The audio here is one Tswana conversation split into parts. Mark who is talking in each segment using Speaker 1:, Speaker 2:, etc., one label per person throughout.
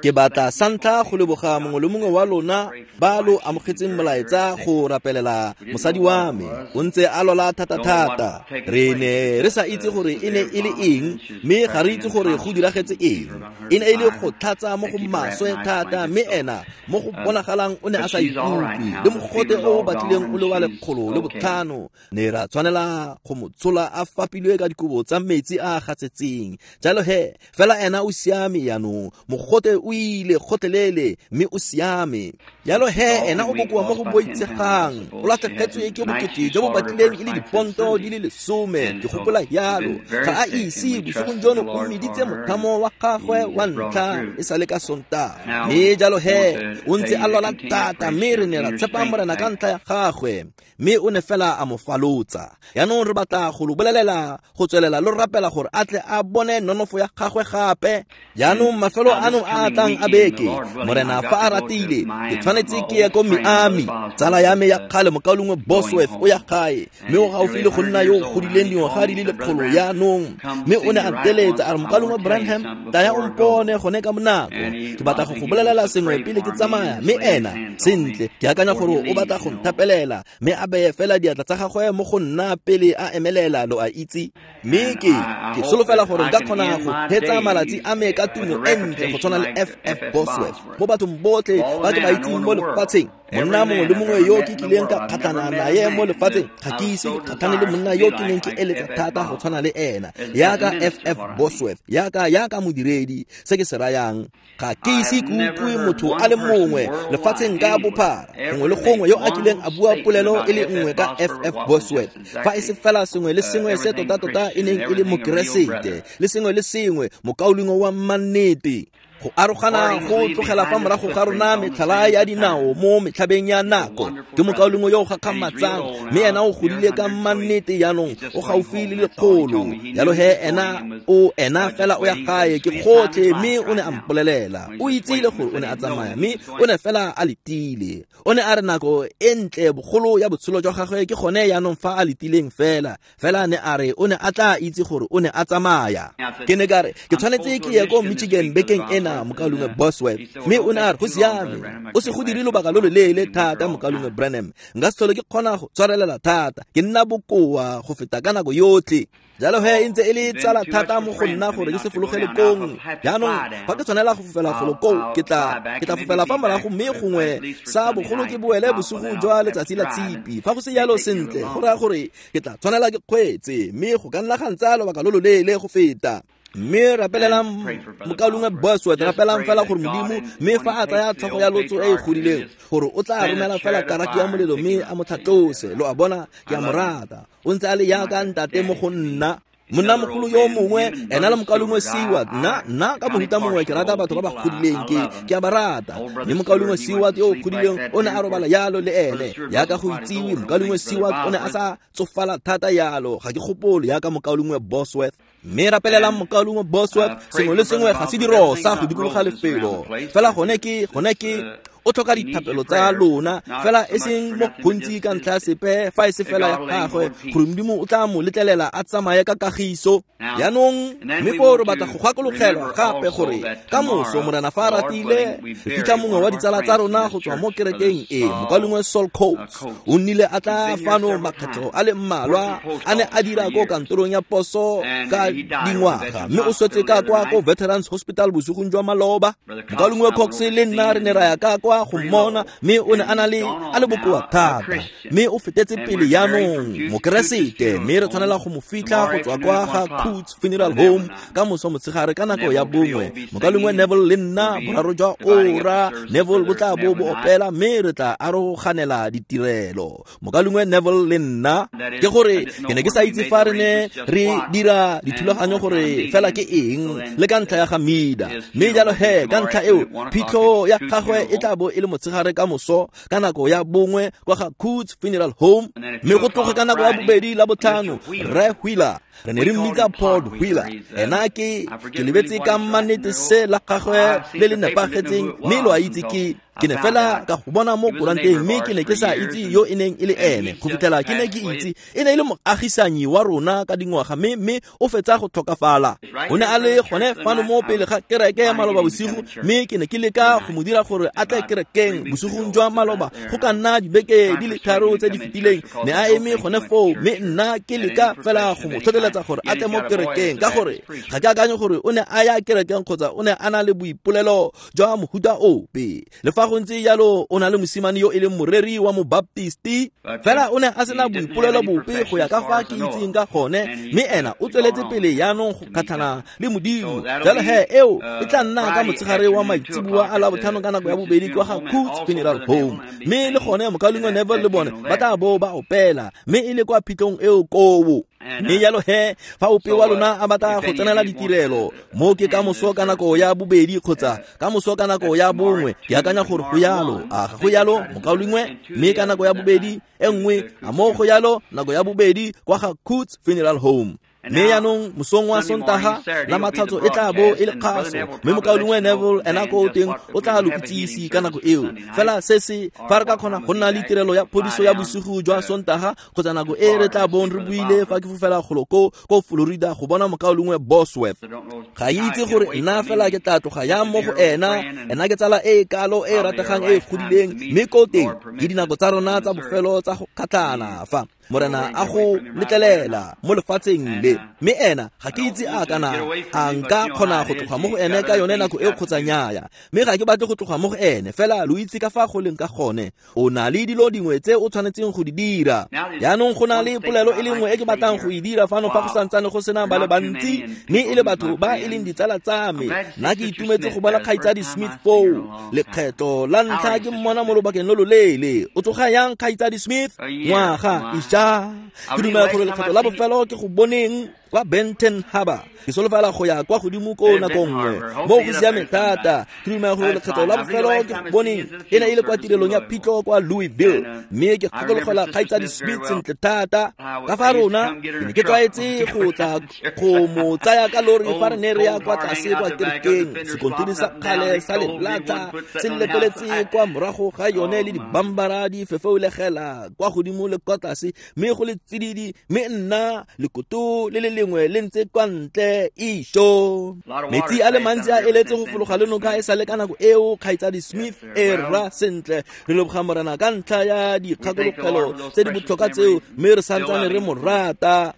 Speaker 1: Ke batla santlha go leboga mongwe le mongwe wa lona ba lo amogetseng molaetsa go rapelela mosadi wa me. O ntse a lwala thata-thata. Re ne re sa itse gore e ne e le eng, mme ga re itse gore go diragetse eng. E ne e le go tlhatsa mo go maswe thata, mme ena mo go bonagalang o ne a sa ikutlwe le mogote o o batlileng o le wa 105. Ne ra tshwanela go mo tshola a fapilwe ka dikobo tsa metsi a a gatsetseng. Jalo he, fela ena o siame jaanong, mogote o ile gotlhelele mme o siame. Jalo he, ena o bokoa mo go boitshegang, o latlhegetswe ke bokete jo bo batlileng e le diponto di le 10, ke gopola jalo. Ga a ise bosigong jono o meditse mothamo wa gagwe wa ntlha e sale ka Sontaga. Mme jalo he, o ntse a lwala thata, mme re ne ra tshepa Morena ka ntlha ya gagwe, mme o ne fela a mo falotsa. Jaanong re batla go lo bolelela go tswelela lo rapela gore a tle a bone nonofo ya gagwe gape. Jaanong mafelo ano a a tlang a beke, Morena fa a ratile, ke tshwanetse ke ye ko Miami. Tsala ya me ya kgale mokaulengwe Bosworth o ya gae, mme o gaufi le go nna yo o godileng dingwaga di le 100 jaanong. Mme o ne a nteletsa a re, mokaulengwe Branham, tlaya o mpone gone ka bonako, ke batla go go bolelela sengwe pele ke tsamaya. Mme ena, sentle, ke akanya gore o batla go nthapelela, mme a beye fela diatla tsa gagwe mo go nna pele a emelela, lo a itse. Mme ke solofela gore nka kgona go hetsa malatsi a me ka tumo e ntle go tshwana le FF Bosworth mo bathong botlhe ba ke ba itseng mo lefatsheng. Monna mongwe le mongwe yo ke kileng ka kgatlhana naye mo lefatsheng, ga ke ise ke kgatlhane le monna yo ke neng ke eletsa thata go tshwana le ena, yaka FF Bosworth, yaka modiredi. Se ke se rayang, ga ke ise ke utlwe motho a le mongwe lefatsheng ka bophara, gongwe le gongwe, yo a kileng a bua polelo e le nngwe ka FF Bosworth, fa e se fela sengwe le sengwe se tota-tota e neng e le mokeresete, le sengwe le sengwe mokaulengwe wa mannete. Go arogana go tlogela fa morago ga rona metlhala ya dinao mo metlhabeng ya nako. Ke mokaulengwe yo o gakgamatsang, mme ena o godile ka mannete jaanong, o gaufi le 100. Jalo he, ena o ena fela o ya gae, ke gotlhe. Mme o ne a mpolelela, o itsile gore o ne a tsamaya, mme o ne fela a letile. O ne a re nako e ntle bogolo ya botshelo jwa gagwe ke gone jaanong fa a letileng fela. Fela ne a re o ne a tla itse gore o ne a tsamaya. Ke ne ka re, ke tshwanetse ke ye ko Michigan bekeng ena, mokaulengwe Bosworth. Mme o ne a re, go siame, o se go dire lobaka lo loleele thata, mokaulengwe Branham. Nka se tlhole ke kgona go tshwarelela thata, ke nna bokoa go feta ka nako yotlhe. Jalo he, e ntse e le tsala thata mo go nna gore ke se fologele kong. Jaanong fa ke tshwanela go fofela golo koo, ke tla fofela fa morago, mme gongwe sa bogolo ke boele bosigo jwa letsatsi la Tshipi. Fa go se jalo, sentle, go raya gore ke tla tshwanela ke kgweetse, mme go ka nna ga ntsaya lobaka lo loleele go feta. Mme rapelelang mokaulengwe Bosworth, rapelang fela gore Modimo, mme fa a tsaya tlhogo ya lotso e e godileng, gore o tla romela fela karaki ya molelo mme a mo tlhatlose. Lo a bona, ke a mo rata. O ntse a le yaka ntate mo go nna. Monna mogolo yo mongwe, ena le mokaulengwe Seward. Nna ka mohuta mongwe ke rata batho ba ba godileng, ke a ba rata. Mme mokaulengwe Seward yo o godileng o ne a robala yalo le ene, yaka go itsiwe. Mokaulengwe Seward o ne a sa tsofala thata yalo, ga ke gopole yaka mokaulengwe Bosworth. Mme rapelelang mokaulengwe Bosworth, sengwe le sengwe ga se dirosa go dikologa lefelo. Fela gone ke o tlhoka dithapelo tsa lona, fela e seng mo gontsi ka ntlha ya sepe, fa e se fela ya gagwe, gore Modimo o tla mo letlelela a tsamaye ka kagiso. Jaanong mme foo re batla go gakologelwa gape gore ka moso, Morena fa a ratile, re fitlha mongwe wa ditsala tsa rona go tswa mo kerekeng e, mokaulengwe Saul Coates. O nnile a tla fano makgetlho a le mmalwa, a ne a dira ko kantorong ya poso ka dingwaga, mme o swetse ka kwa ko Veterans Hospital bosigong jwa maloba. Mokaulengwe Cox le nna re ne ra ya ka kwa go mmona, mme o ne a na le a le bokoa thata, mme o fetetse pele jaanong mokeresete, mme re tshwanela go mo fitlha go tswa kwa ga Coots Funeral Home ka moso motshegare ka nako ya 1. Mokaulengwe Neville le nna boraro jwa ora, Neville bo tla bo bo opela, mme re tla aroganela ditirelo. Mokaulengwe Neville le nna, ke gore ke ne ke sa itse fa re ne re dira dithulaganyo gore fela ke eng, le ka ntlha ya ga Mida. Mme jalo he, ka ntlha eo, phitlho ya gagwe e tla bo e le motshegare ka moso ka nako ya 1 kwa ga Coots Funeral Home, mme go tloge ka nako ya 2 la botlhano, Rre Wheeler Re ne re mmitsa Paul Wheeler. Ena ke lebetse ka mannete se la gagwe le le nepagetseng, mme lo a itse ke ne fela ka go bona mo koranteng, mme ke ne ke sa itse yo e neng e le ene go fitlhela ke ne ke itse e ne e le moagisanyi wa rona ka dingwaga, mme o fetsa go tlhokafala. O ne a le gone fano mo pele ga kereke ya maloba bosigo, mme ke ne ke leka go mo dira gore a tle kerekeng bosigong jwa maloba go ka nna dibeke di le 3 tse di fetileng. Ne a eme gone foo, mme nna ke leka fela go mo tlhotlheletsa gore a tle mo kerekeng, ka gore ga ke akanye gore o ne a ya kerekeng kgotsa o ne a na le boipolelo jwa mohuta ope. Le fa go ntse jalo, o na le mosimane yo e leng moreri wa mobaptisti, fela o ne a sena boipolelo bope go ya ka fa ke itseng ka gone, mme ena o tsweletse pele jaanong go kgatlhana le Modimo. Jalo he eo e tla nna ka motshegare wa maitseboa a Labotlhano ka nako ya 2 kwa ga Coots Funeral Home, mme le gone mokaulengwe Neville le bone ba tla bo ba opela, mme e le kwa phitlhong eo koo. Mme jalo he fa ope wa lona a batla go tsenela ditirelo mo ke ka moso ka nako ya 2 kgotsa ka moso ka nako ya 1, ke akanya gore go yalo, a ga go yalo mokaulengwe? Mme ka nako ya 2 e nngwe, a mo go yalo nako ya 2 kwa ga Coots Funeral Home. Mme jaanong mosong wa Sontaga la Matlhatso e tla bo e le kgaso, mme mokaulengwe Neville ena ko teng o tla lo itsise ka nako eo. Fela se se fa re ka kgona go nna le tirelo ya phodiso ya bosigo jwa Sontaga kgotsa nako e re tla bong re buile fa ke fofela golo ko Florida go bona mokaulengwe Bosworth. Ga itse gore nna fela ke tla tloga yang mo go ena. Ena ke tsala e kalo e rategang e godileng, mme ko teng ke dinako tsa rona tsa bofelo tsa go kgatlhana fa Morena a go letlelela mo lefatsheng le. Mme ena ga ke itse a kana a nka kgona go tloga mo go ene ka yone nako e kgotsa nnyaya, mme ga ke batle go tloga mo go ene, fela lo itse ka fa go leng ka gone. O na le dilo dingwe tse o tshwanetseng go di dira. Jaanong go na le polelo e le nngwe e ke batlang go e dira fano fa go santsane go sena ba le bantsi, mme e le batho ba e leng ditsala tsa me. Nna ke itumetse go bona kgaitsadi Smith foo lekgetlo la ntlha ke mmona mo lobakeng lo loleele. O tsoga yang kgaitsadi Smith? Ngwaga isha. Ke dumela gore lekgetlo la bofelo ke go boneng kwa Benton Harbor. Ke solofela go ya kwa godimo ko nako nngwe mo go siame thata. Ke dumela gore lekgetlo la bofelo ke go boneng e ne e le kwa tirelong ya phitlho kwa Louisville, mme ke gakologelwa kgaitsadi Smith sentle thata. Ka fa rona ke ne ke tlwaetse go tla go mo tsaya ka lori fa re ne re ya kwa tlase kwa kerekeng. Sekontiri sa kgale sa lelata se lepeletse kwa morago ga yone le dibambara di fefeulegela kwa godimo le kwa tlase, mme go le tsididi, mme nna lekoto le le lengwe le ntse kwa ntle isho. Metsi a le mantsi a eletse go fologa le noka e sale ka nako eo kgaitsadi Smith e rra sentle. Re leboga Morena ka ntlha ya dikgakologelo tse di botlhokwa tseo, mme re santsane re mo rata.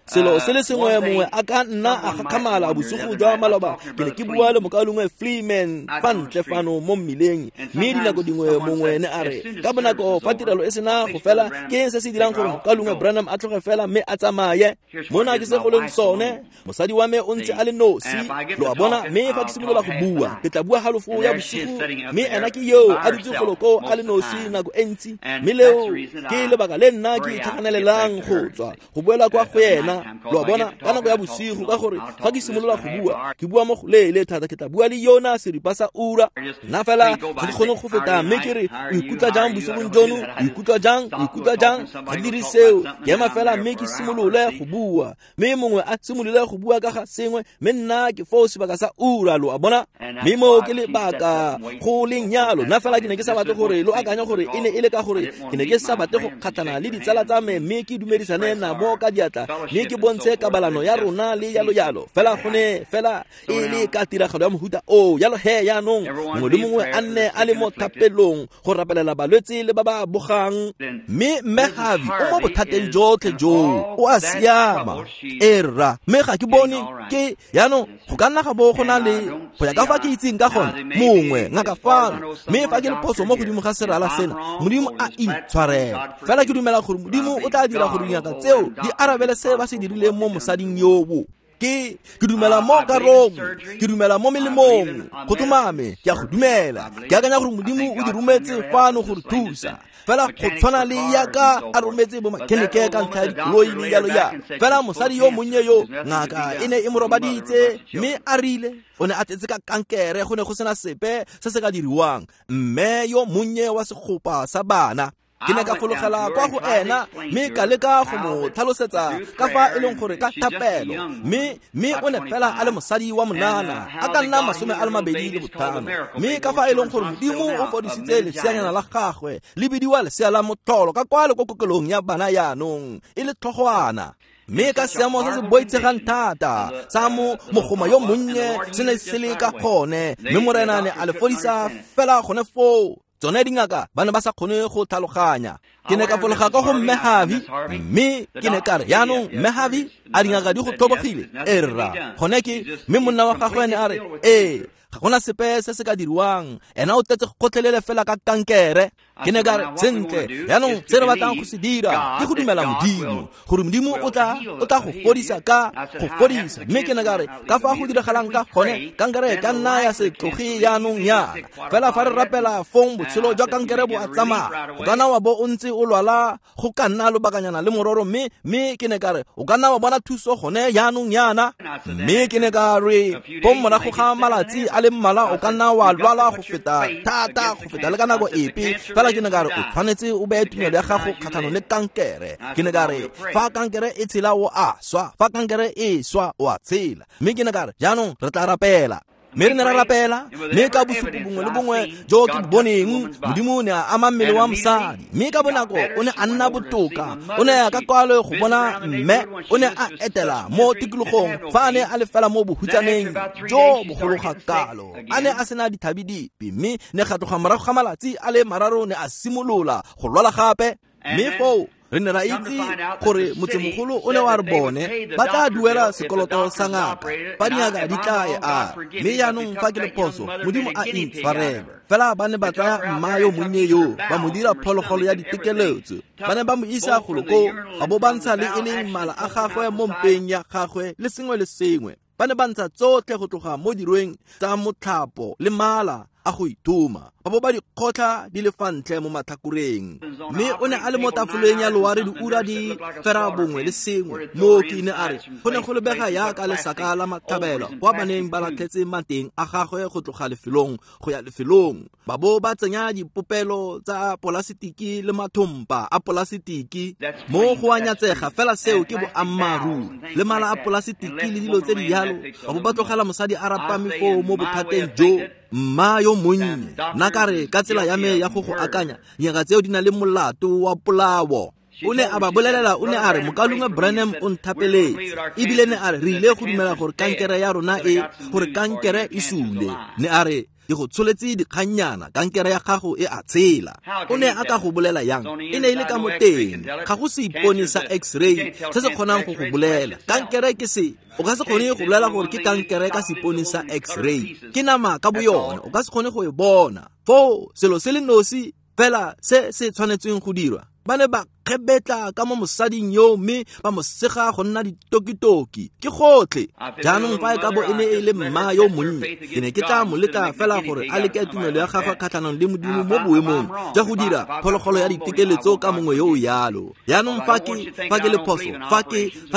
Speaker 1: Selo se le sengwe mongwe a ka nna a gakgamala bosigo jwa maloba, ke ne ke bua le mokaulengwe Freeman fa ntle fano mo mmileng, mme dinako dingwe mongwe ne a re ka bonako fa tirelo e sena go fela, ke eng se se dirang gore mokaulengwe Branham a tloge fela mme a tsamaye? Mona ke se go leng sone, mosadi wa me o ntse a le nosi, lo a bona, mme fa ke simolola go bua ke tla bua halofo ya bosigo, mme ena ke yo a dutse golo koo a le nosi nako e ntsi, mme leo ke lebaka le nna ke itlhaganelelang go tswa go boela kwa go ena. Lo a bona, ka nako ya bosigo, ka gore fa ke simolola go bua ke bua mo go leele thata, ke tla bua le yona seripa sa ura. Nna fela ga ke kgone go feta, mme ke re o ikutlwa jang bosigong jono, o ikutlwa jang, o ikutlwa jang? Ga ke dire seo, ke ema fela mme ke simolole go bua, mme mongwe a simolole go bua ka ga sengwe, mme nna ke foo sebaka sa ura, lo a bona. Mme mo ke lebaka go leng yalo. Nna fela ke ne ke sa batle gore lo akanye gore e ne e le ka gore ke ne ke sa batle go kgatlhana le ditsala tsa me, mme ke dumedisane nabo ka diatla, mme ke bontshe kabalano ya rona le yalo yalo. Fela go ne fela e le ka tiragalo ya mohuta o yalo he. Jaanong mongwe le mongwe a nne a le mo thapelong go rapelela balwetse le ba ba bogang. Mme mme Harvey o mo bothateng jotlhe joo, o a siama e rra, mme ga ke bone ke jaanong go ka nna ga bo go na le go ya ka fa ke itseng ka gone mongwe ngaka fano, mme fa ke le phoso mo godimo ga serala sena, Modimo a intshwarele. Fela ke dumela gore Modimo o tla dira gore dingaka tseo di arabele se ba se dirileng mo mosading yobo. Ke dumela mo karong, ke dumela mo melemong, go tlhomame ke a go dumela. Ke akanya gore Modimo o di rometse fano go re thusa, fela go tshwana le yaka a rometse bo makhenike ka ntlha ya dikoloi le yalo yalo. Fela mosadi yo monnye yo ngaka e ne e mo robaditse, mme a rile o ne a tletse ka kankere, go ne go sena sepe se se ka diriwang. Mme yo monnye wa segopa sa bana. Ke ne ka fologela kwa go ena mme ka leka go mo tlhalosetsa ka fa e leng gore ka thapelo, mme o ne fela a le mosadi wa monana a ka nna 25, mme ka fa e leng gore Modimo o fodisitse leseanyana la gagwe le bidiwa lesea la motlholo ka kwale ko kokelong ya bana yaanong e le tlhogwana. Mme ka seemo se se boitshegang thata sa mo mogoma yo monnye se ne se le ka gone, mme Morena ne a le fodisa fela gone foo. Tsone dingaka ba ne ba sa kgone go tlhaloganya. Ke ne ka fologa ka go Mme Harvey, mme ke ne ka re, yaanong Mme Harvey, a dingaka di go tlhobogile? Ee rra, gone ke. Mme monna wa gagwe ne a re, ee, ga gona sepe se se ka diriwang, ena o tletse gotlhelele fela ka kankere. Ke ne ka re, sentle, yaanong se re batlang go se dira ke go dumela Modimo, gore Modimo o tla go fodisa ka go fodisa. Mme ke ne ka re, ka fa go diragalang ka gone, kankere ka nna ya se tloge yaanong yana. Fela fa re rapela fong botshelo jwa kankere bo a tsamaya. O ka nna wa bo o ntse o lwala go ka nna lobakanyana le mororo, mme ke ne ka re, o ka nna wa bona thuso gone yaanong yana. Mme ke ne ka re, fong morago ga malatsi a le mmalwa o ka nna wa lwala go feta thata, go feta le ka nako epe. Fela ke ne ka re, o tshwanetse o beye tumelo ya gago kgatlhanong le kankere. Ke ne ka re, fa kankere e tshela o a swa, fa kankere e swa o a tshela. Mme ke ne ka re, jaanong re tla rapela. Mme re ne ra rapela, mme ka bosupo bongwe le bongwe jo ke bo boneng, Modimo ne a ama mmele wa mosadi, mme ka bonako o ne a nna botoka. O ne a ka kwalo go bona mme o ne a etela mo tikologong fa a ne a le fela mo bohutsaneng jo bogolo ga kalo, a ne a sena dithabi dipe, mme ne ga tloga morago ga malatsi a le mararo ne a simolola go lwala gape. Mme foo re ne ra itse gore motsemogolo o ne wa re bone ba tla duela sekoloto sa ngaka fa dingaka di tla e a. Mme yaanong fa ke le phoso, Modimo a intshwarele. Fela ba ne ba tsaya mma yo monnye yo ba mo dira phologolo ya ditekeletso. Ba ne ba mo isa golo koo, ba bo ba ntsha le e leng mala a gagwe mo mpeng ya gagwe le sengwe le sengwe. Ba ne ba ntsha tsotlhe go tloga mo dirweng tsa motlhapo le mala a go ithoma, ba bo ba di kgotlha di le fa ntle mo matlhakoreng. Mme o ne a le mo tafoleng ya loare diura di 91. Mooki ne a re go ne go lebega yaka lesaka la matlhabelo kwa ba neng ba latlhetse mateng a gagwe go tloga lefelong go ya lefelong, ba bo ba tsenya dipopelo tsa polasitiki le mathompa a polasitiki. Mo go a nyatsega fela seo ke boammaaruri, le mala a polasitiki le dilo tse di yalo, ba bo ba tlogela mosadi a rapame foo mo bothateng jo. Mma yo monnye, nna ka re ka tsela ya me ya go go akanya, dingaka tseo di na le molato wa polao. O ne a ba bolelela, o ne a re, Mokaulengwe Branham o nthapeletse, ebile ne a re re ile go dumela gore kankere ya rona e, gore kankere e sule. Ne a re, ke go tsholetse dikgannyana, kankere ya gago e a tshela. O ne a ka go bolela yang? E ne e le ka mo teng, ga go seipone sa x-ray se se kgonang go go bolela. Kankere ke se, o ka se kgone go bolela gore ke kankere ka seipone sa x-ray. Ke nama ka boyone, o ka se kgone go e bona. Foo selo se le nosi fela se se tshwanetseng go dirwa, ba ne ba kgebetla ka mo mosading yo mme ba mo sega go nna ditokitoki. Ke gotlhe. Jaanong fa e ka bo e ne e le mma yo monnye, ke ne ke tla mo leka fela gore a leke tumelo ya gagwe kgatlhanong le Modimo mo boemong jwa go dira phologolo ya ditekeletso ka mongwe yo o yalo. Jaanong fa ke le phoso, fa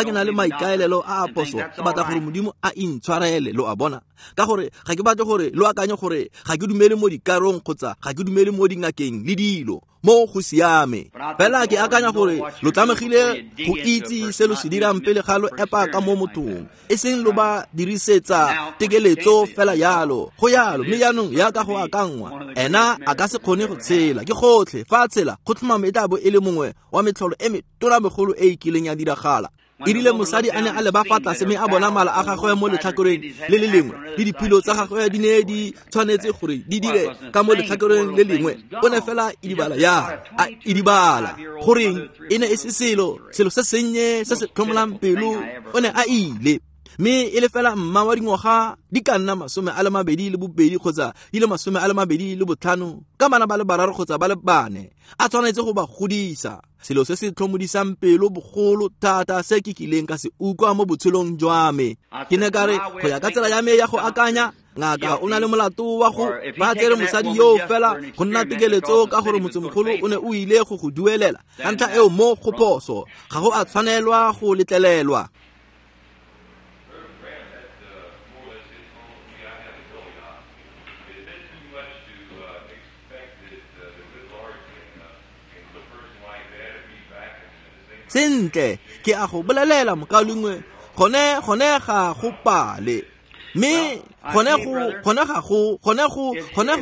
Speaker 1: ke na le maikaelelo a a phoso, ke batla gore Modimo a intshwarele, lo a bona. Ka gore ga ke batle gore lo akanye gore ga ke dumele mo dikarong kgotsa ga ke dumele mo dingakeng le dilo. Mo go siame. Fela ke akanya gore lo tlamegile go itse se lo se dirang pele ga lo epa ka mo mothong, e seng lo ba dirisetsa tekeletso fela yalo. Go yalo, mme jaanong yaka go akangwa, ena a ka se kgone go tshela. Ke gotlhe. Fa a tshela, go tlhomame e tla bo e le mongwe wa metlholo e metona megolo e e kileng ya diragala. E rile mosadi a ne a leba fa tlase mme a bona mala a gagwe mo letlhakoreng le le lengwe, le diphilo tsa gagwe di ne di tshwanetse gore di dire ka mo letlhakoreng le lengwe, o ne fela idibala ya a idibala. Goreng e ne e se selo se sennye se se tlhomolang pelo, o ne a ile. Mme e le fela mma wa dingwaga di ka nna 22 kgotsa di le 25, ka bana ba le 3 kgotsa ba le 4, a tshwanetse go ba godisa. Selo se se tlhomodisang pelo bogolo thata se ke kileng ka se utlwa mo botshelong jwa me. Ke ne ka re, go ya ka tsela ya me ya go akanya, ngaka o na le molato wa go ba tsere mosadi yo fela go nna tekeletso ka gore motsemogolo o ne o ile go go duelela. Ka ntlha eo mo go phoso, ga go a tshwanelwa go letlelelwa. Sentle, ke a go bolelela mokaulengwe, gone ga go pale. Mme gone go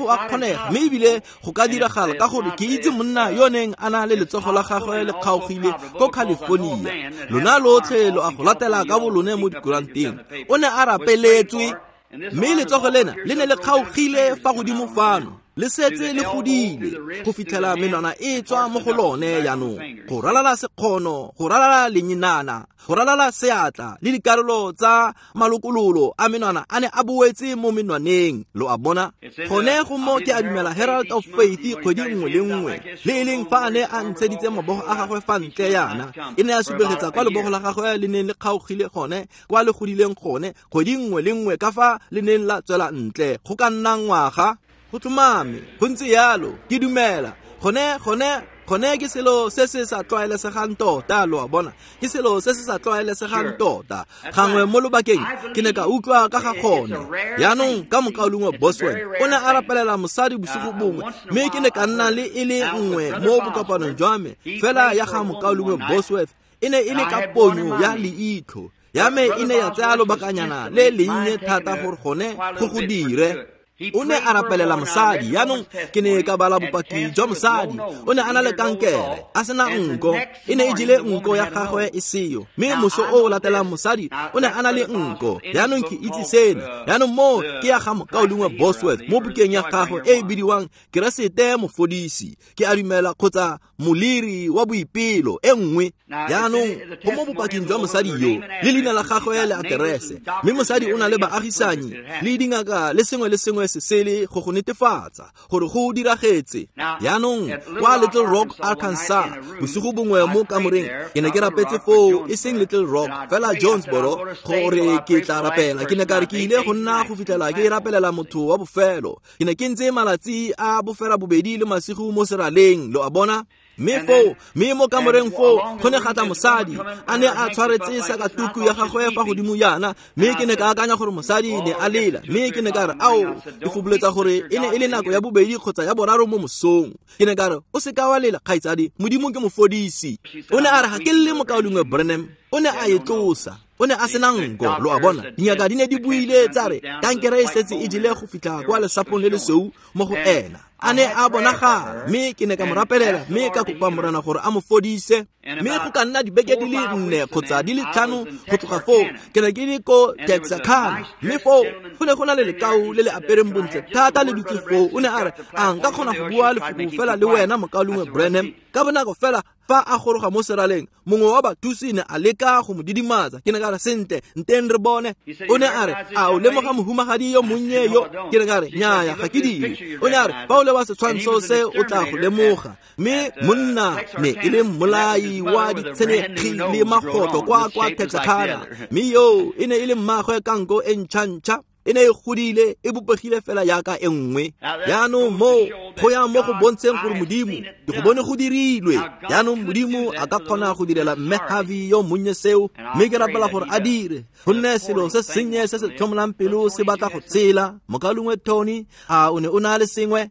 Speaker 1: a kgonega, mme ebile go ka diragala ka gore ke itse monna yo neng a na le letsogo la gagwe le kgaogile ko California. Lona lotlhe lo a go latela ka bolone mo dikuranteng. O ne a rapeletswe, mme letsogo lena le ne le kgaogile fa godimo fano, le setse le godile go fitlhela menwana e tswa mo go lone jaanong, go ralala sekgono, go ralala lenyinana, go ralala seatla le dikarolo tsa malokololo a menwana a ne a boetse mo menwaneng. Lo a bona? Gone go mo ke a dumela Herald of Faith kgwedi nngwe le nngwe, le e leng fa a ne a ntsheditse mabogo a gagwe fa ntle yana, e ne ya supegetsa kwa lebogo la gagwe le neng le kgaogile gone, kwa le godileng gone, kgwedi nngwe le nngwe ka fa le neng la tswela ntle go ka nna ngwaga. Go tlhomame, go ntse yalo, ke dumela. Gone ke selo se se sa tlwaelesegang tota, lo a bona. Ke selo se se sa tlwaelesegang tota. Gangwe mo lobakeng ke ne ka utlwa ka ga gone. Jaanong ka mokaulengwe Boswell o ne a rapelela mosadi bosigo bongwe, mme ke ne ka nna le e le nngwe mo bokopanong jwa me, fela ya ga mokaulengwe Bosworth e ne e le ka ponyo ya leitlho. Ya me e ne ya tsaya lobakanyana le lennye thata gore gone go go dire. O ne a rapelela mosadi. Jaanong ke ne ka bala bopaki jwa mosadi. O ne a na le kankere, a sena nko, e ne e jele nko ya gagwe e seyo. Mme moso o latelang mosadi o ne a na le nko. Jaanong ke itse sena. Jaanong mo ke ya ga mokaulengwe Bosworth mo bukeng ya gagwe e e bidiwang Keresete Mofodisi, ke a dumela, kgotsa Moliri wa Boipelo e nngwe. Jaanong go mo bopaking jwa mosadi yo, le leina la gagwe le aterese, mme mosadi o na le baagisanyi le dingaka le sengwe le sengwe se sele go go netefatsa gore go diragetse. Jaanong kwa Little Rock, Arkansas, bosigo bongwe mo kamoreng ke ne ke rapetse foo, e seng Little Rock fela Jonesboro, gore ke tla rapela. Ke ne ka re ke ile go nna go fitlhela ke rapelela motho wa bofelo. Ke ne ke ntse malatsi a bofera bobedi le masigo mo seraleng, lo a bona. Mme foo, mme mo kamoreng foo, go ne ga tla mosadi, a ne a tshwaretse sakatuku ya gagwe fa godimo yana, mme ke ne ka akanya gore mosadi ne a lela, mme ke ne ka re, ao, ke foboletsa gore e ne e le nako ya bobedi kgotsa ya boraro mo mosong. Ke ne ka re, o se ka wa lela, kgaitsadi, Modimo ke mofodisi. O ne a re, ga ke lle mokaulengwe Branham. O ne a e tlosa. O ne a sena nko, lo a bona. Dingaka di ne di buile tsa re kankere e setse e jele go fitlha kwa lesapong le lesweu mo go ena. A ne a bonagala, mme ke ne ka mo rapelela, mme ka kopa Morena gore a mo fodise. Mme go ka nna dibeke di le 4 kgotsa di le 5 go tloga foo, ke ne ke le ko Texarkana, mme foo go ne go na le lekau le le apereng bontle thata le dutse foo. O ne a re, a nka kgona go bua lefoko fela le wena mokaulengwe Branham? Ka bonako fela fa a goroga mo seraleng, mongwe wa bathusi ne a leka go mo didimatsa. Ke ne ka re, sentle, nteng re bone. O ne a re, a o lemoga mohumagadi yo monnye yo? Ke ne ka re, nnyaya, ga ke dire. O ne a re, fa o leba setshwantsho se o tla go lemoga. Mme monna ne e le mmolai wa ditshenekgi le magotlo kwa Texarkana, mme yo e ne e le mmagwe ka nko e ntšha-ntšha. E ne e godile, e bopegile fela jaaka e nngwe. Jaanong mo go ya mo go bontsheng gore Modimo, ke go bone go dirilwe. Jaanong Modimo a ka kgona go direla mme Harvey yo monnye seo, mme ke rapela gore a dire, gonne selo se sennye se se tlhomolang pelo se batla go tshela. Mokaulengwe Tony, a o ne o na le sengwe?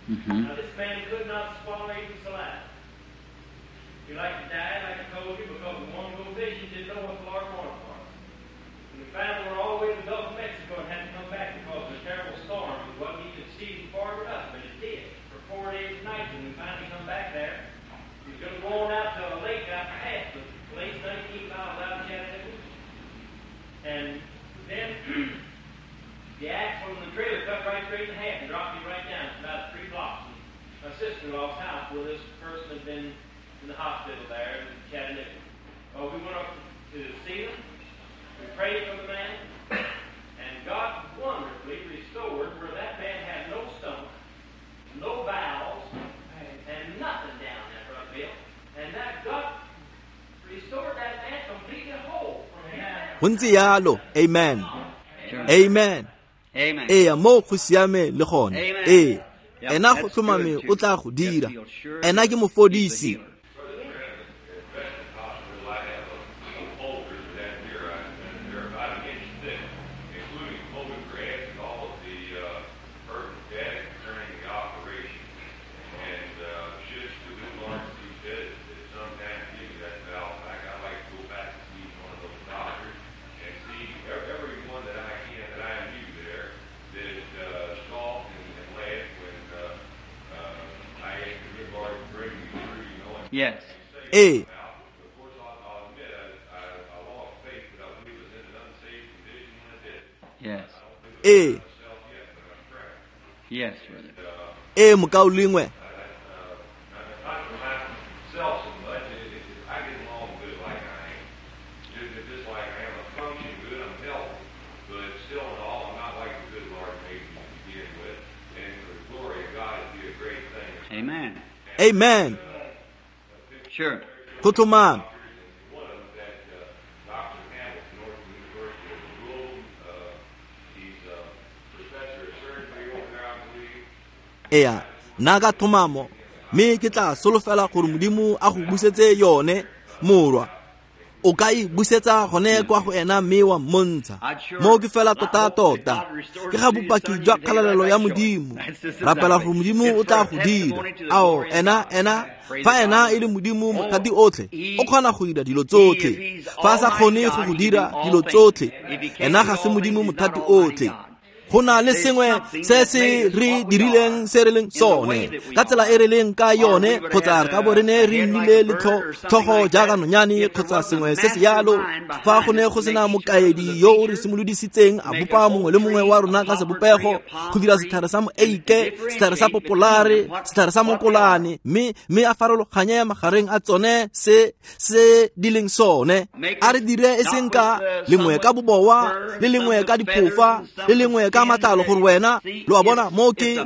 Speaker 2: Mm-hmm.
Speaker 3: Now this man could not swallow even saliva. He like to die, like I told you, because the one go fishing didn't know what the Lord wanted for him. And we finally were all the way to the Gulf of Mexico and had to come back because of a terrible storm. It wasn't even season for it or nothing, but it did for 4 days and nights. And we finally come back there. He was going to go on out to a lake out past the place, 19 miles out of Chattanooga. And then the axle in the trailer cut right straight in half and dropped me right down. It's about 3 blocks. my sister-in-law's house where this person had been in the hospital there in Chattanooga. Well, we went up to see them. We prayed for the man, and God wonderfully restored where that man had no stomach, no bowels, and nothing down there, Brother Bill. And that God restored that man completely whole from here down.
Speaker 1: Go ntse yalo. Amen. Amen.
Speaker 2: Amen.
Speaker 1: Ee, mo go siame le gone.
Speaker 2: Amen.
Speaker 1: Ee,
Speaker 2: Yep,
Speaker 1: ena go
Speaker 2: that's
Speaker 1: tlhomame
Speaker 2: good, too.
Speaker 1: o tla go dira.
Speaker 2: Yep, he'll sure
Speaker 1: Ena ke
Speaker 2: he's the
Speaker 1: mofodisi.
Speaker 2: healer.
Speaker 4: Hospital, I have a folder down here, and they're about an inch thick, including photographs and all of the pertinent data concerning the operation. And should the good Lord see fit at some time to give me that valve back, I'd like to go back and see one of those doctors and see everyone that I can that I knew there that scoffed and laughed when I asked the good Lord to bring me through, you know. And
Speaker 2: Yes.
Speaker 1: Ee.
Speaker 4: of course, I'll admit I lost faith, but I believe it was in an unsafe condition when I did it.
Speaker 2: Yes.
Speaker 1: Ee.
Speaker 4: Myself yet, but I'm trying.
Speaker 2: Yes, brother.
Speaker 1: Ee, mokaulengwe.
Speaker 4: Not for myself so much. I get along good like I am. Just like I am. I function good, I'm healthy. But still in all, I'm not like the good Lord made me to begin with. And for the glory of God, it'd be a great thing.
Speaker 2: Amen.
Speaker 1: Amen.
Speaker 2: Sure.
Speaker 1: Go tlhomame.
Speaker 4: One of them, that Dr. Hamilton, Northern University of Rome, he's a professor of surgery over there, I believe.
Speaker 1: Ee, nna ka tlhomamo mme ke tla solofela gore Modimo a go busetse yone morwa. O ka e busetsa gone kwa go ena mme wa mmontsha. Mo ke fela tota-tota ke ga bopaki jwa kgalalelo ya Modimo. Rapela gore Modimo o tla go dira. Ao, ena fa ena e le Modimo mothati otlhe, o kgona go dira dilo tsotlhe. Fa a sa kgone go go dira dilo tsotlhe, ena ga se Modimo mothati otlhe. Go na le sengwe se se re dirileng se re leng sone ka tsela e re leng ka yone, kgotsa re ka bo re ne re nnile le tlhogo jaaka nonyane kgotsa sengwe se se yalo. Fa go ne go sena mokaedi yo o re simolodisitseng a bopa mongwe le mongwe wa rona ka sebopego, go dira setlhare sa moeike, setlhare sa popolare, setlhare sa mokolane, mme a farologanye magareng a tsone se se di leng sone. A re dire e seng ka lengwe ka bobowa, le lengwe ka diphofa, le lengwe ka matlalo, gore wena lo a bona mo ke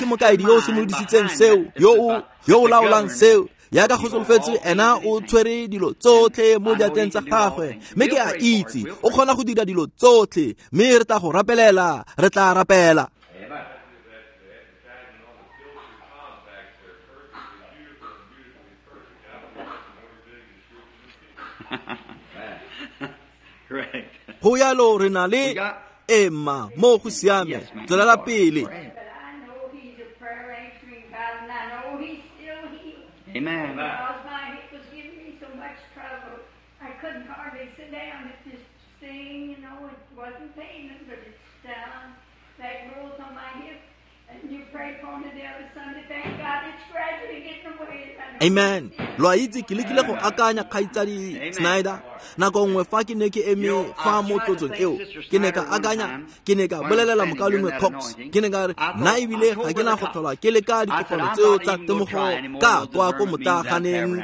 Speaker 1: mokaedi yo o simolodisitseng seo, yo o laolang seo. Yaka go solofetse ena o tshwere dilo tsotlhe mo diatleng tsa gagwe, mme ke a itse o kgona go dira dilo tsotlhe, mme re tla go rapelela, re tla rapela.
Speaker 2: Correct.
Speaker 1: Go yalo re na le Emma mo go siame, tswelela pele.
Speaker 5: But I know he's a prayer answering God, and I know he's still healed.
Speaker 2: Amen.
Speaker 5: Because my hip was giving me so much trouble, I couldn't hardly sit down. It just sting, you know, it wasn't paining, but it's down. That growth on my hip. And you prayed for me the other Sunday. Thank God it's gradually getting away. And I know
Speaker 1: Amen. Lo a itse ke lekile go akanya kgaitsadi Snyder nako nngwe fa ke ne ke eme fa mo tlotsong eo, ke ne ka akanya, ke ne ka bolelela mokaulengwe Cox, ke ne ka re nna ebile ga ke na go tlhola ke leka dikopano tseo tsa temogo ka kwa ko motaaganeng.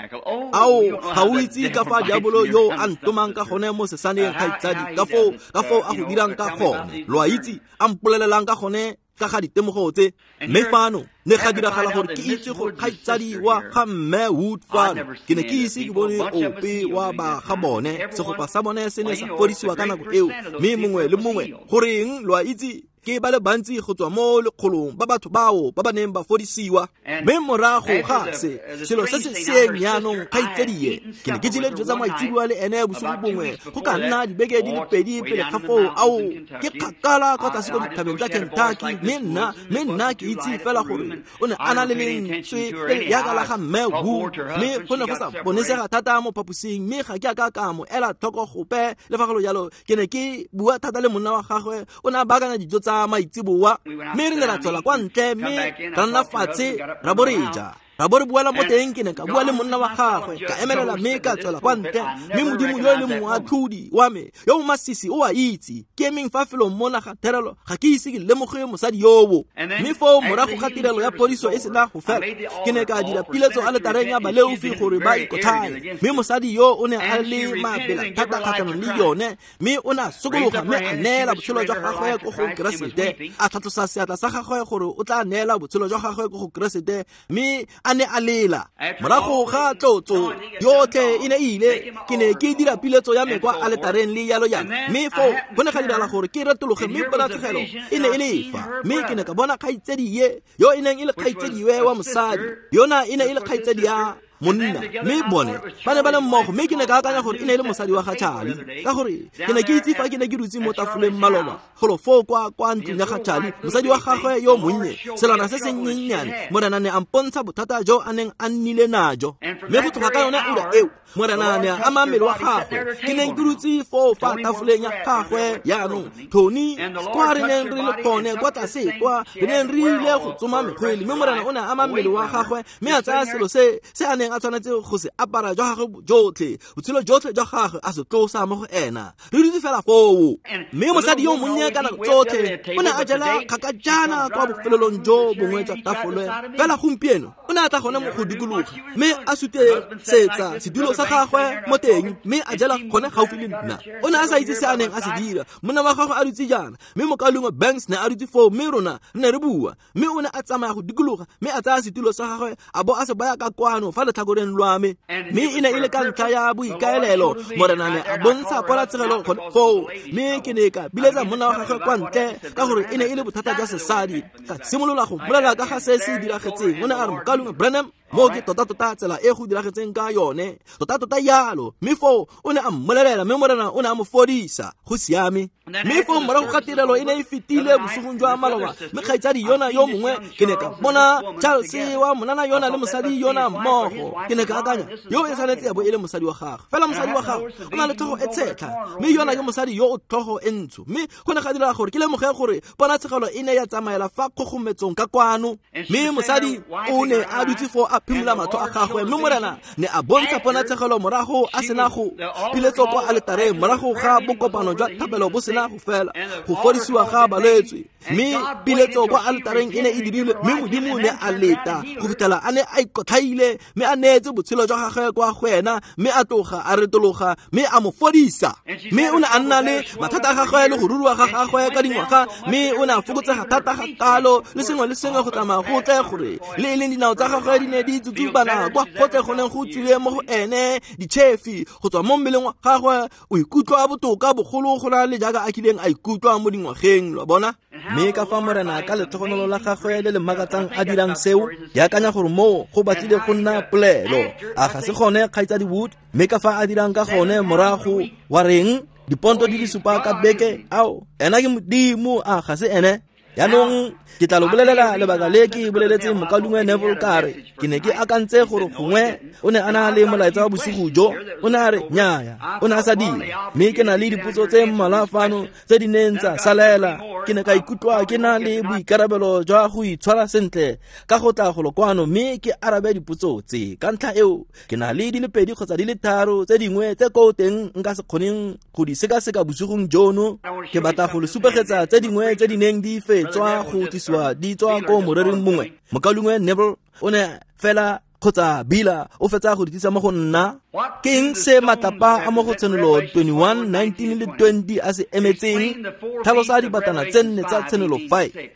Speaker 1: Ao, ga o itse ka fa diabolo yo a ntomang ka gone mo sesaneng, kgaitsadi, ka foo a go dirang ka gone. Lo a itse a mpolelelang ka gone ka ga ditemogo tse. Mme fano ne ga diragala gore ke itse gore kgaitsadi wa ga mme Wood fano, ke ne ke ise ke bone ope wa ba ga bone. Segopa sa bone se ne sa fodisiwa ka nako eo, mme mongwe le mongwe goreng lo a itse ke ba le bantsi go tswa mo lekgolong ba batho bao ba ba neng ba fodisiwa. Mme morago ga se selo se se seeng jaanong kgaitsadie, ke ne ke jele dijo tsa maitseboa le ene bosigo bongwe go ka nna dibeke di le pedi pele ga foo. Ao, ke kgakala kwa tlase ko dithabeng tsa Kentucky, mme nna ke itse fela gore o ne a na le lentswe le le jaaka la ga mme Wood, mme go ne go sa bonesega thata mo phaposing, mme ga ke a ka ka mo ela tlhoko gope. Le fa go le jalo, ke ne ke bua thata le monna wa gagwe, o ne a baakanya dijo tsa maitseboa, mme re ne ra tswela kwa ntle mme ra nna fatshe ra bo re ja. Ra bo re buela mo teng, ke ne ka bua le monna wa gagwe, ka emelela mme ka tswela kwa ntle. Mme Modimo yo e leng moatlhodi wa me yo o masisi o a itse ke emeng fa felong mona ga therelo, ga ke ise ke lemoge mosadi yowo. Mme foo morago ga tirelo ya phodiso e sena go fela, ke ne ka dira piletso aletareng ya baleofi gore ba ikotlhae. Mme mosadi yo o ne a le mabela thata kgatlhanong le yone, mme o ne a sokologa mme a neela botshelo jwa gagwe ko go Keresete, a tlhatlosa seatla sa gagwe gore o tla neela botshelo jwa gagwe ko go Keresete, mme a ne a lela. Morago ga tlotso yotlhe e ne ile, ke ne ke dira piletso ya me kwa aletareng le yalo yalo. Mme foo go ne ga dirala gore ke retologe, mme ponatshegelo e ne e le fa. Mme ke ne ka bona kgaitsedi ye yo e neng e le kgaitsediwe wa mosadi, yona e ne e le kgaitsedi ya monna, mme bone ba ne ba le mmogo. Mme ke ne ka akanya gore e ne e le mosadi wa ga Charlie, ka gore ke ne ke itse fa ke ne ke dutse mo tafoleng maloba golo foo kwa ntlong ya ga Charlie, mosadi wa gagwe yo monnye, selwana se se nnyennyane. Morena ne a mpontsha bothata jo a neng a nnile najo, mme go tloga ka yone ura eo Morena ne a ama mmele wa gagwe. Ke neng ke dutse foo fa tafoleng ya gagwe jaanong, Tony, kwa re neng re le gone kwa tlase kwa re neng re ile go tsoma mekgwele, mme Morena o ne a ama mmele wa gagwe mme a tsaya selo se a neng a tshwanetse go se apara jwa gagwe jotlhe, botshelo jotlhe jwa gagwe a se tlosa mo go ena. Re dutse fela foo. Mme mosadi yo monnye ka nako tsotlhe o ne a jela kgakajana kwa bofelelong jo bongwe jwa tafole, fela gompieno o ne a tla gone mo go dikologa mme a sutesetsa sedulo sa gagwe mo teng, mme a jela gone gaufi le nna. O ne a sa itse se a neng a se dira. Monna wa gagwe a dutse jaana, mme mokaulengwe Banks ne a dutse foo, mme rona re ne re bua. Mme o ne a tsamaya go dikologa mme a tsaya setulo sa gagwe a bo a se baya ka kwano fa letlhakoreng lwa me. Mme e ne e le ka ntlha ya boikaelelo, Morena ne a bontsha ponatshegelo gone foo. Mme ke ne ka biletsa monna wa gagwe kwa ntle, ka gore e ne e le bothata jwa sesadi. Ka simolola go mmolelela ka ga se se diragetseng. O ne a re, mokaulengwe Branham, mo ke tota-tota tsela e go diragetseng ka yone, tota-tota yalo. Mme foo o ne a mmolelela, mme Morena o ne a mo fodisa. Go siame. Mme foo morago ga tirelo e ne e fetile bosigong jwa maloba, mme kgaitsadi yona yo mongwe, ke ne ka bona Charles wa monana yona le mosadi yona mmogo. Ke ne ka akanya, yo e tshwanetse ya bo e le mosadi wa gagwe, fela mosadi wa gagwe o na le tlhogo e tshetlha, mme yona ke mosadi yo o tlhogo e ntsho. Mme go ne ga dira gore ke lemoge gore ponatshegelo e ne ya tsamaela fa kgogometsong ka kwano. Mme mosadi o ne a dutse foo a phimola matlho a gagwe, mme Morena ne a bontsha ponatshegelo morago a sena go piletso kwa aletareng, morago ga bokopano jwa thapelo bo sena go fela, go fodisiwa ga balwetse. Mme piletso kwa aletareng e ne e dirilwe, mme Modimo ne a leta go fitlhela a ne a ikotlhaile mme a neetse botshelo jwa gagwe kwa go ena, mme a tloga a retologa mme a mo fodisa. Mme o ne a nna le mathata a gagwe le go ruruwa ga gagwe ka dingwaga, mme o ne a fokotsega thata ga kalo le sengwe le sengwe go tsamaya go tle gore le e leng dinao tsa gagwe di ne di tsutsubana kwa gotle go neng go tswile mo go ene ditšhefi go tswa mo mmeleng wa gagwe. O ikutlwa botoka bogolo go na le jaaka a kileng a ikutlwa mo dingwageng, lo bona. Mme ka fa Morena ka letlhogonolo la gagwe le le makatsang a dirang seo, ke akanya gore moo go batlile go nna polelo. A ga se gone, kgaitsadi Wood? Mme ka fa a dirang ka gone morago wa reng diponto di le supa ka beke, ao ena ke Modimo, a ga se ene? Jaanong ke tla lo bolelela lebaka le ke boleletseng mokaulengwe Neville kare ke ne ke akantse gore gongwe o ne a na le molaetsa wa bosigo jo. O ne a re nnyaya, o ne a sa dira. Mme ke na le dipotso tse mmalwa fano tse di neng tsa salela. Ke ne ka ikutlwa ke na le boikarabelo jwa go itshwara sentle ka go tla golo kwano mme ke arabe dipotso tse. Ka ntlha eo ke na le di le pedi kgotsa di le tharo tse dingwe tse ko teng nka se kgoneng go di sekaseka bosigong jono. Ke batla go le supegetsa tse dingwe tse di neng di fetswa go tlisiwa di tswa ko morering mongwe. Mokaulengwe Neville o ne fela kgotsa Bila o fetsa go di tlisa mo go nna. Ke eng se matlapa a mo go Tshenolo 21, 19 le 20 a se emetseng? Tlhalosa dibatana tse nne tsa Tshenolo 5.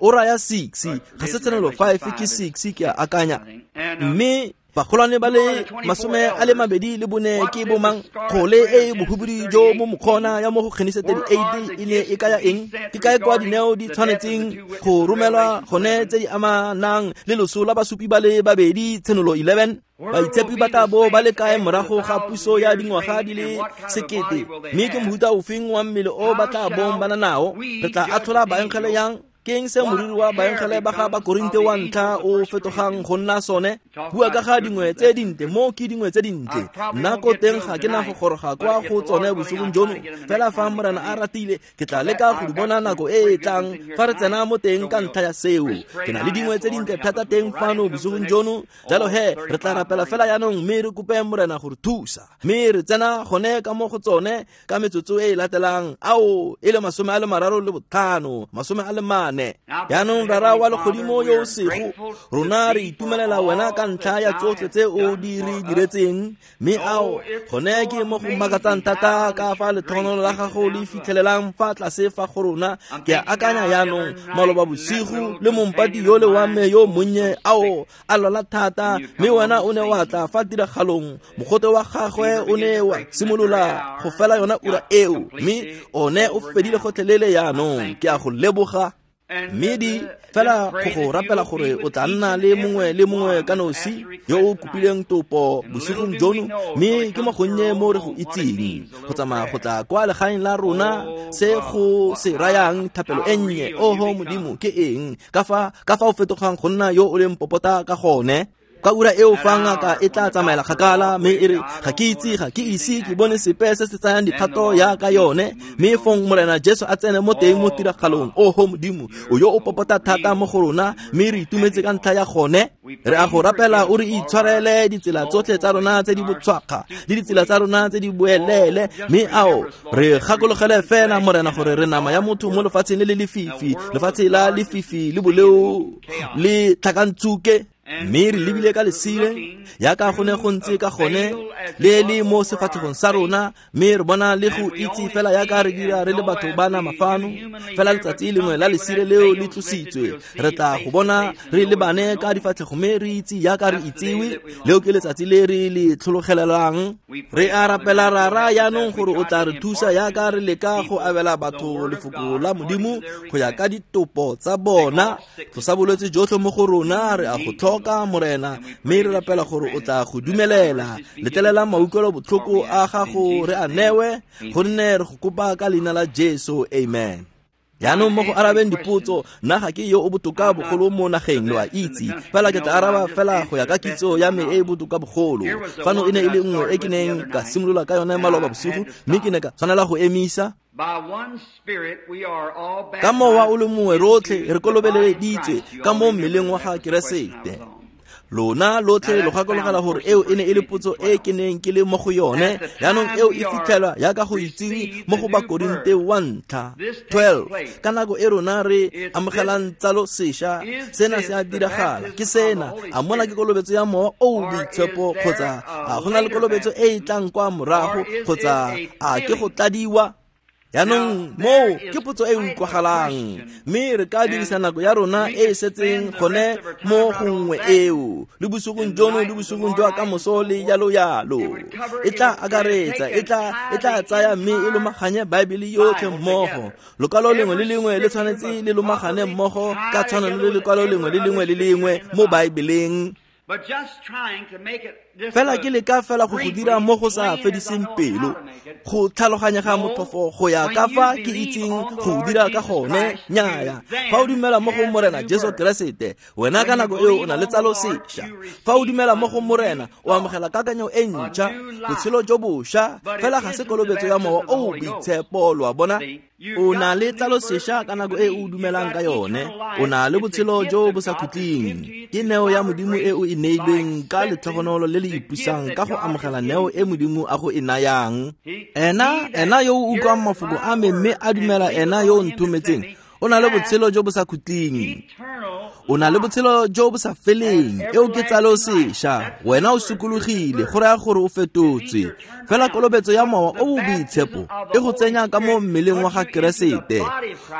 Speaker 1: O raya 6, ga se Tshenolo 5 ke 6 ke a akanya. Mme bagolwane ba le 24 ke bomang? Kgole e bohubudu jo mo mokgona ya mo go Genese 38 e ne e kaya eng? Ke kae kwa dineo di tshwanetseng go romelwa gone tse di amanang le loso la basupi ba le babedi? Tshenolo 11. Baitshepi ba tla bo ba le kae morago ga puso ya dingwaga di le 1000? Mme ke mohuta ofeng wa mmele o ba tla bong ba na nao? Re tla atlhola baengele yang? Ke eng se moriri wa baengele ba ga Bakorinte wa ntlha o fetogang go nna sone? Bua ka ga dingwe tse dintle, mo ke dingwe tse dintle. Nna ko teng ga ke na go goroga kwa go tsone bosigong jono, fela fa Morena a ratile ke tla leka go di bona nako e e tlang fa re tsena mo teng ka ntlha ya seo. Ke na le dingwe tse dintle thata teng fano bosigong jono, jalo he re tla rapela fela jaanong mme re kope Morena go re thusa. Mme re tsena gone ka mo go tsone ka metsotso e e latelang, ao e le 35, 44. Jaanong Rara wa legodimo yo o sego, rona re itumelela wena ka ntlha ya tsotlhe tse o di re diretseng, mme ao gone ke mo go makatsang thata ka fa letlhogonolo la gago le fitlhelelang fa tlase fa go rona. Ke a akanya jaanong maloba bosigo le mompati yole wa me yo monnye ao a lwala thata, mme wena o ne wa tla fa tiragalong, mogote wa gagwe o ne wa simolola go fela yona ura eo, mme one o fedile gotlhelele jaanong. Ke a go leboga. Mme di fela go go rapela gore o tla nna le mongwe le mongwe ka nosi yo o kopileng topo bosigong jono, mme ke mo gonnye mo re go itseng go tsamaya go tla kwa legaeng la rona se go se rayang thapelo e nnye. Oho Modimo, ke eng ka fa o fetogang go nna yo o leng popota ka gone? Ka ura eo fa ngaka e tla tsamaela kgakala mme e re ga ke itse, ga ke ise ke bone sepe se se tsayang dikgato yaka yone, mme fong Morena Jesu a tsene mo teng mo tiragalong. Oho Modimo, o yo o popota thata mo go rona, mme re itumetse ka ntlha ya gone. Re a go rapela o re itshwarele ditsela tsotlhe tsa rona tse di botshwakga le ditsela tsa rona tse di boelele, mme ao re gakologele fela Morena gore re nama ya motho mo lefatsheng le le lefifi, lefatshe la lefifi le boleo le tlhakantsuke. Mme re lebile ka lesire yaka go ne go ntse ka gone le le mo sefatlhegong sa rona, mme re bona le go itse fela yaka re dira re le batho ba nama fano. Fela letsatsi lengwe la lesire leo le tlositswe, re tla go bona re lebane ka difatlhego mme re itse yaka re itsewe. Leo ke letsatsi le re le tlhologelelang. Re a rapela Rara jaanong gore o tla re thusa yaka re leka go abela batho lefoko la Modimo go ya ka ditopo tsa bona. Tlosa bolwetse jotlhe mo go rona, re a go tlhoka Morena, mme re rapela gore o tla go dumelela. Letlelela mautlwelo botlhoko a gago re a newe, gonne re go kopa ka leina la Jesu, amen. Jaanong mo go arabeng dipotso, nna ga ke yo o botoka bogolo mo nageng, lo a itse, fela ke tla araba fela go ya ka kitso ya me e e botoka bogolo. Fano e ne e le nngwe e ke neng ka simolola ka yone maloba bosigo, mme ke ne ka tshwanela go emisa. Ka mowa o le mongwe rotlhe re kolobeleditswe ka mo mmeleng wa ga Keresete. Lona lotlhe lo gakologela gore eo e ne e le potso e ke neng ke le mo go yone. Jaanong eo e fitlhelwa yaka go itsewe mo go Bakorinte wa ntlha 12. Ka nako e rona re amogelang tsalo sešwa, sena se a diragala. Ke sena, a mona ke kolobetso ya mowa o o boitshepo, kgotsa a go na le kolobetso e e tlang kwa morago, kgotsa a ke go tladiwa? Jaanong moo ke potso e utlwagalang, mme re ka dirisa nako ya rona e e setseng gone mo gongwe eo, le bosigong jono le bosigong jwa kamoso le jalo jalo. E tla akaretsa, e tla tsaya mme e lomaganye Baebele yotlhe mmogo. Lokwalo lengwe le lengwe le tshwanetse le lomagane mmogo ka tshwanelo le lekwalo lengwe le lengwe le lengwe mo Baebeleng. Fela ke leka fela go go dira mo go sa fediseng pelo, go tlhaloganyega motlhofo go ya ka fa ke itseng go dira ka gone. Nnyaya, fa o dumela mo go Morena Jesu Keresete, wena ka nako eo o na le tsalo sešwa. Fa o dumela mo go Morena, o amogela kakanyo e ntšha, botshelo jo bošwa, fela ga se kolobetso ya mowa o o boitshepo, lo a bona. O na le tsalo sešwa ka nako e o dumelang ka yone, o na le botshelo jo bo sa khutleng. Ke neo ya Modimo e o e neilweng ka letlhogonolo le le ipusang ka go amogela neo e Modimo a go e nayang. Ena yo o utlwang mafoko a me mme a dumela ena yo o nthometseng, o na le botshelo jo bo sa khutleng. O na le botshelo jo bo sa feleng. Eo ke tsalo sešwa. Wena o sokologile, go raya gore o fetotswe. Fela kolobetso ya mowa o o boitshepo e go tsenya ka mo mmeleng wa ga Keresete,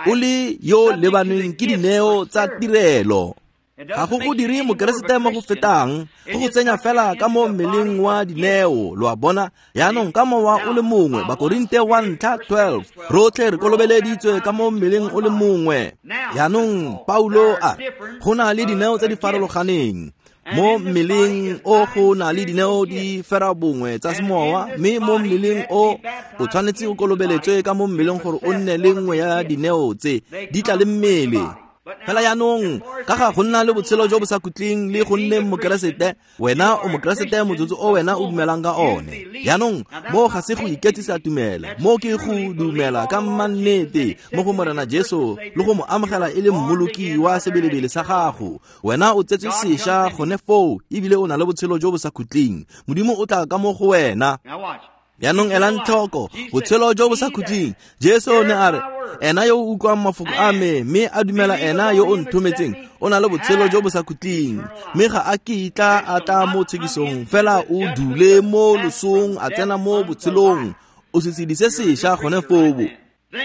Speaker 1: o le yo lebaneng ke dineo tsa tirelo. Ga go go dire mokeresete mo go fetang, go go tsenya fela ka mo mmeleng wa dineo, lo a bona. Jaanong ka mowa o le mongwe, Bakorinte wa ntlha 12, rotlhe re kolobeleditswe ka mo mmeleng o le mongwe. Jaanong Paulo a re go na le dineo tse di farologaneng. Mo mmeleng o go na le dineo di fera bongwe tsa semowa, mme mo mmeleng o o tshwanetse o kolobeletswe ka mo mmeleng gore o nne le nngwe ya dineo tse di tla le mmele. Fela jaanong ka ga go nna le botshelo jo bo sa khutleng le go nneng mokeresete, wena o mokeresete motsotso o wena o dumelang ka one. Jaanong mo ga se go iketsisa tumelo, mo ke go dumela ka mannete mo go Morena Jesu le go mo amogela e le mmoloki wa sebelebele sa gago. Wena o tsetswe sešwa gone foo ebile o na le botshelo jo bo sa khutleng. Modimo o tla ka mo go wena. Jaanong elang tlhoko botshelo jo bo sa khutleng. Jesu o ne a re, ena yo o utlwang mafoko a me mme a dumela ena yo o nthometseng o na le botshelo jo bo sa khutleng, mme ga a kitla a tla mo tshekisong, fela o dule mo losong a tsena mo botshelong. O setshedi se sešwa gone foo.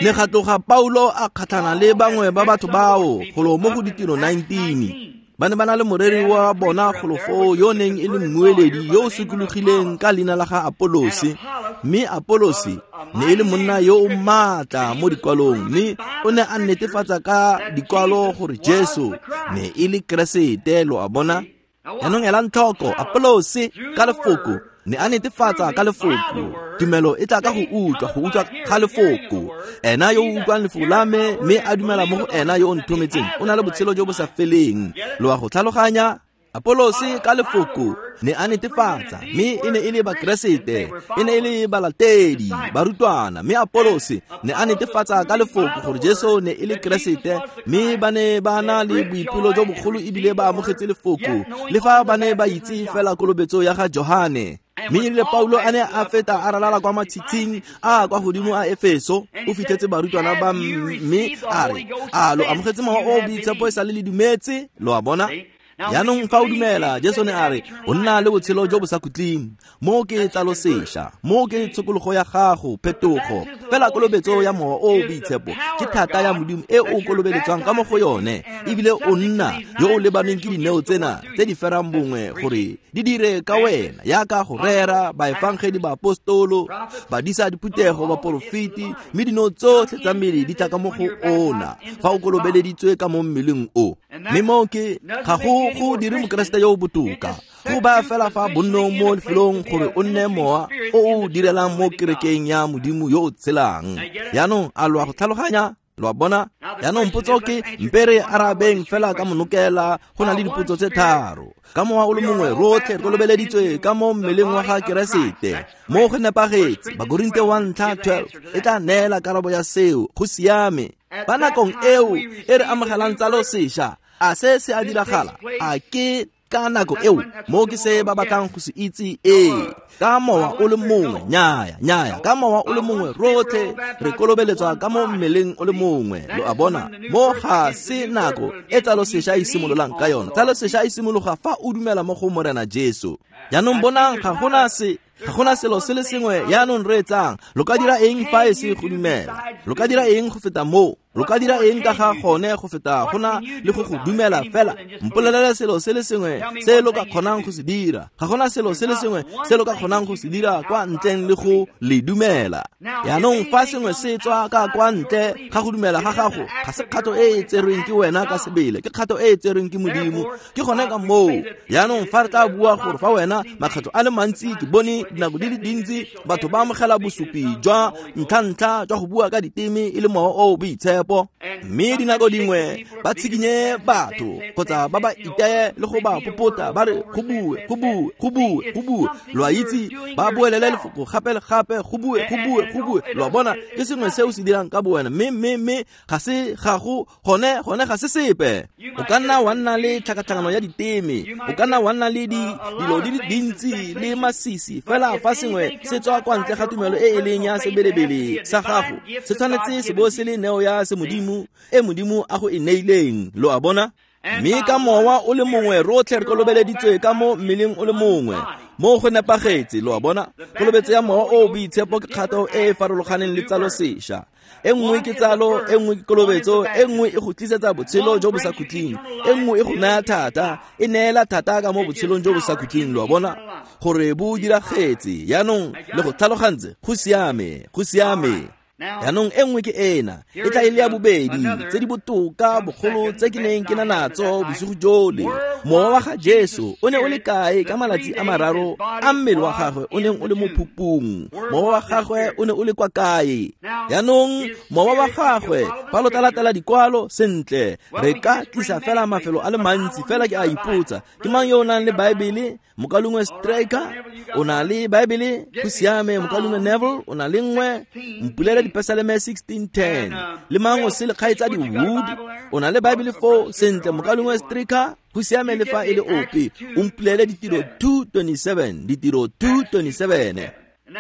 Speaker 1: Ne ga tloga Paulo a kgatlhana le bangwe ba batho bao golo mo go Ditiro 19. Ba ne ba na le moreri wa bona golo foo yo neng e le mmueledi yo o sokologileng ka leina la ga Apolose. Mme Apolose ne e le monna yo o maatla mo dikwalong, mme o ne a netefatsa ka dikwalo gore Jesu ne e le Keresete, lo a bona. Jaanong elang tlhoko, Apolose ka lefoko ne a netefatsa ka lefoko. Tumelo e tla ka go utlwa ga lefoko. Ena yo o utlwang lefoko la me mme a dumela mo go ena yo o nthometseng o na le botshelo jo bo sa feleng. Lo a go tlhaloganya? Apolose ka lefoko ne a netefatsa, mme e ne e le bakeresete, e ne e le balatedi, barutwana. Mme Apolose ne a netefatsa ka lefoko gore Jesu ne e le Keresete, mme ba ne ba na le boipelo jo bogolo ebile ba amogetse lefoko, le fa ba ne ba itse fela kolobetso ya ga Johane. Mme erile Paulo a ne a feta a ralala kwa matshitshing a kwa godimo a Efeso, o fitlhetse barutwana ba mme a re, a lo amogetse Mowa o o Boitshepo e sa le le dumetse? Lo a bona? Jaanong fa o dumela, Jesu ne a re, o nna le botshelo jo bo sa khutleng. Mo ke tsalo sešwa, mo ke tshokologo ya gago, phetogo. Fela kolobetso ya Mowa o o Boitshepo ke thata ya Modimo e o kolobeletswang ka mo go yone, ebile o nna yo o lebaneng ke dineo tsena tse di ferang bongwe gore di dire ka wena, yaka go rera, baefangedi, baapostolo, badisa diphuthego, baporofeti, mme dineo tsotlhe tsa mmele di tla ka mo go ona fa o kolobeleditswe ka mo mmeleng o. Mme mo ke ga go dire mokeresete yo o botoka, go baya fela fa bonnong mo lefelong gore o nne mowa o o direlang mo kerekeng ya Modimo yo o tshelang. Jaanong a lo a go tlhaloganya? Lo a bona? Jaanong potso ke, mpe re arabeng fela ka monokela. Go na le dipotso tse tharo. Ka mowa o le mongwe rotlhe re kolobeleditswe ka mo mmeleng wa ga Keresete. Mo go nepagetse. Bakorinte 1:12 e tla neela karabo ya seo. Go siame. Ba nakong eo e re amogelang tsalo sešwa, a se se a diragala? A ke ka nako eo mo ke se ba batlang go se itse? Ee, ka mowa o le mongwe. Nnyaya, ka mowa o le mongwe rotlhe re kolobeletswa ka mo mmeleng o le mongwe. Lo a bona? Mo ga se nako e tsalo sešwa e simololang ka yona. Tsalo sešwa e simologa fa o dumela mo go Morena Jesu. Jaanong bonang, ga gona selo se le sengwe. Jaanong reetsang, lo ka dira eng fa e se go dumela? Lo ka dira eng go feta moo? Lo ka dira eng ka ga gone go feta go na le go go dumela fela? Mpolelele selo se le sengwe se lo ka kgonang go se dira. Ga gona selo se le sengwe se lo ka kgonang go se dira kwa ntleng le go le dumela. Jaanong fa sengwe se tswa ka kwa ntle ga go dumela ga gago, ga se kgato e e tserweng ke wena ka sebele, ke kgato e e tserweng ke Modimo. Ke gone ka moo. Jaanong fa re tla bua gore fa wena makgetho a le mantsi, ke bone dinako di le dintsi batho ba amogela bosupi jwa ntlha-ntlha jwa go bua ka diteme e le mowa o o boitshepo, mme dinako dingwe ba tshikinye batho kgotsa ba ba iteye le go ba popota ba re go bue, go bue, go bue, go bue. Lo a itse, ba boelele lefoko gape le gape, go bue, go bue, go bue. Lo a bona, ke sengwe se o se dirang ka bowena, mme ga se gago gone ga se sepe. O ka nna wa nna le tlhakatlhakano ya diteme, o ka nna wa nna le dilo di le dintsi le masisi, fela fa sengwe se tswa kwa ntle ga tumelo e e leng ya sebelebele sa gago, se tshwanetse se bo se le neo ya semodimo e Modimo a go e neileng. Lo a bona? Mme ka mowa o le mongwe rotlhe re kolobeleditswe ka mo mmeleng o le mongwe. Mo go nepagetse. Lo a bona? Kolobetso ya Mowa o o Boitshepo ke kgato e e farologaneng le tsalo sešwa. E nngwe ke tsalo, e nngwe ke kolobetso, e nngwe e go tlisetsa botshelo jo bo sa khutleng, e nngwe e go naya thata, e neela thata ka mo botshelong jo bo sa khutleng. Lo a bona? Gore bo diragetse. Jaanong le go tlhalogantse. Go siame, go siame. Jaanong e nngwe ke ena, e tla e le ya bobedi, tse di botoka bogolo tse ke neng ke na natso bosigo jole. Mowa wa ga Jesu o ne o le kae ka malatsi a mararo a mmele wa gagwe o neng o le mo phupung? Mowa wa gagwe o ne o le kwa kae? Jaanong mowa wa gagwe, fa lo tla latela dikwalo sentle, re ka tlisa fela mafelo a le mantsi. Fela ke a ipotsa, ke mang yo o nang le Baebele? Mokalungwe Striker o na le Baebele? Go siame. Mokalungwe Neville o na le nngwe. Mpulele Dipesaleme 16:10. Le mang o sele kgaitsadi Wood o na le Baebele foo? Sentle, mokalungwe Striker, go siame. Le fa e le ope, o mpulele Ditiro 2:27, Ditiro 2:27.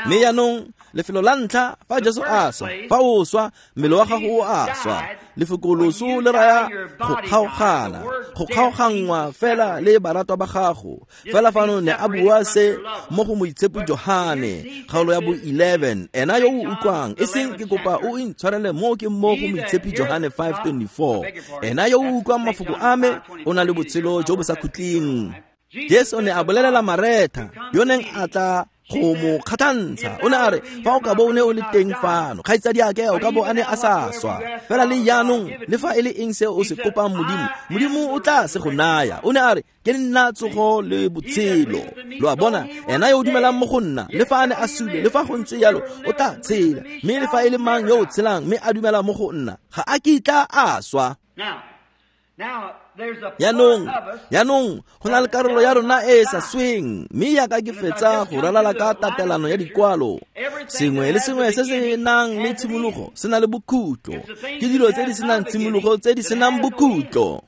Speaker 1: Mme jaanong lefelo la ntlha fa Jesu a swa, fa o swa mmele wa gago o a swa. Lefoko loso le raya go kgaogana, go kgaoganngwa fela le baratwa ba gago. Fela fano ne a bua se mo go Moitshepi Johane kgaolo ya bo 11, ena yo o utlwang, e seng ke kopa o intshwarele mo ke mo go Moitshepi Johane 5:24, ena yo o utlwang mafoko a me o na le botshelo jo bo sa khutleng. Jesu ne a bolelela Maretha yo neng a tla go mo kgatlhantsha, o ne a re, fa o ka bo o ne o le teng fano, kgaitsadiake o ka bo a ne a sa swa. Fela le jaanong, le fa e le eng se o se kopang Modimo, Modimo o tla se go naya. O ne a re, ke nna tsogo le botshelo. Lo a bona, ena yo o dumelang mo go nna, le fa a ne a sule, le fa go ntse jalo, o tla tshela. Mme le fa e le mang yo o tshelang mme a dumela mo go nna, ga a kitla a swa. Jaanong go na le karolo ya rona e e sa sweng, mme yaka ke fetsa go ralala ka tatelano ya dikwalo, sengwe le sengwe se se nang le tshimologo se na le bokhutlo. Ke dilo tse di senang tshimologo tse di senang bokhutlo.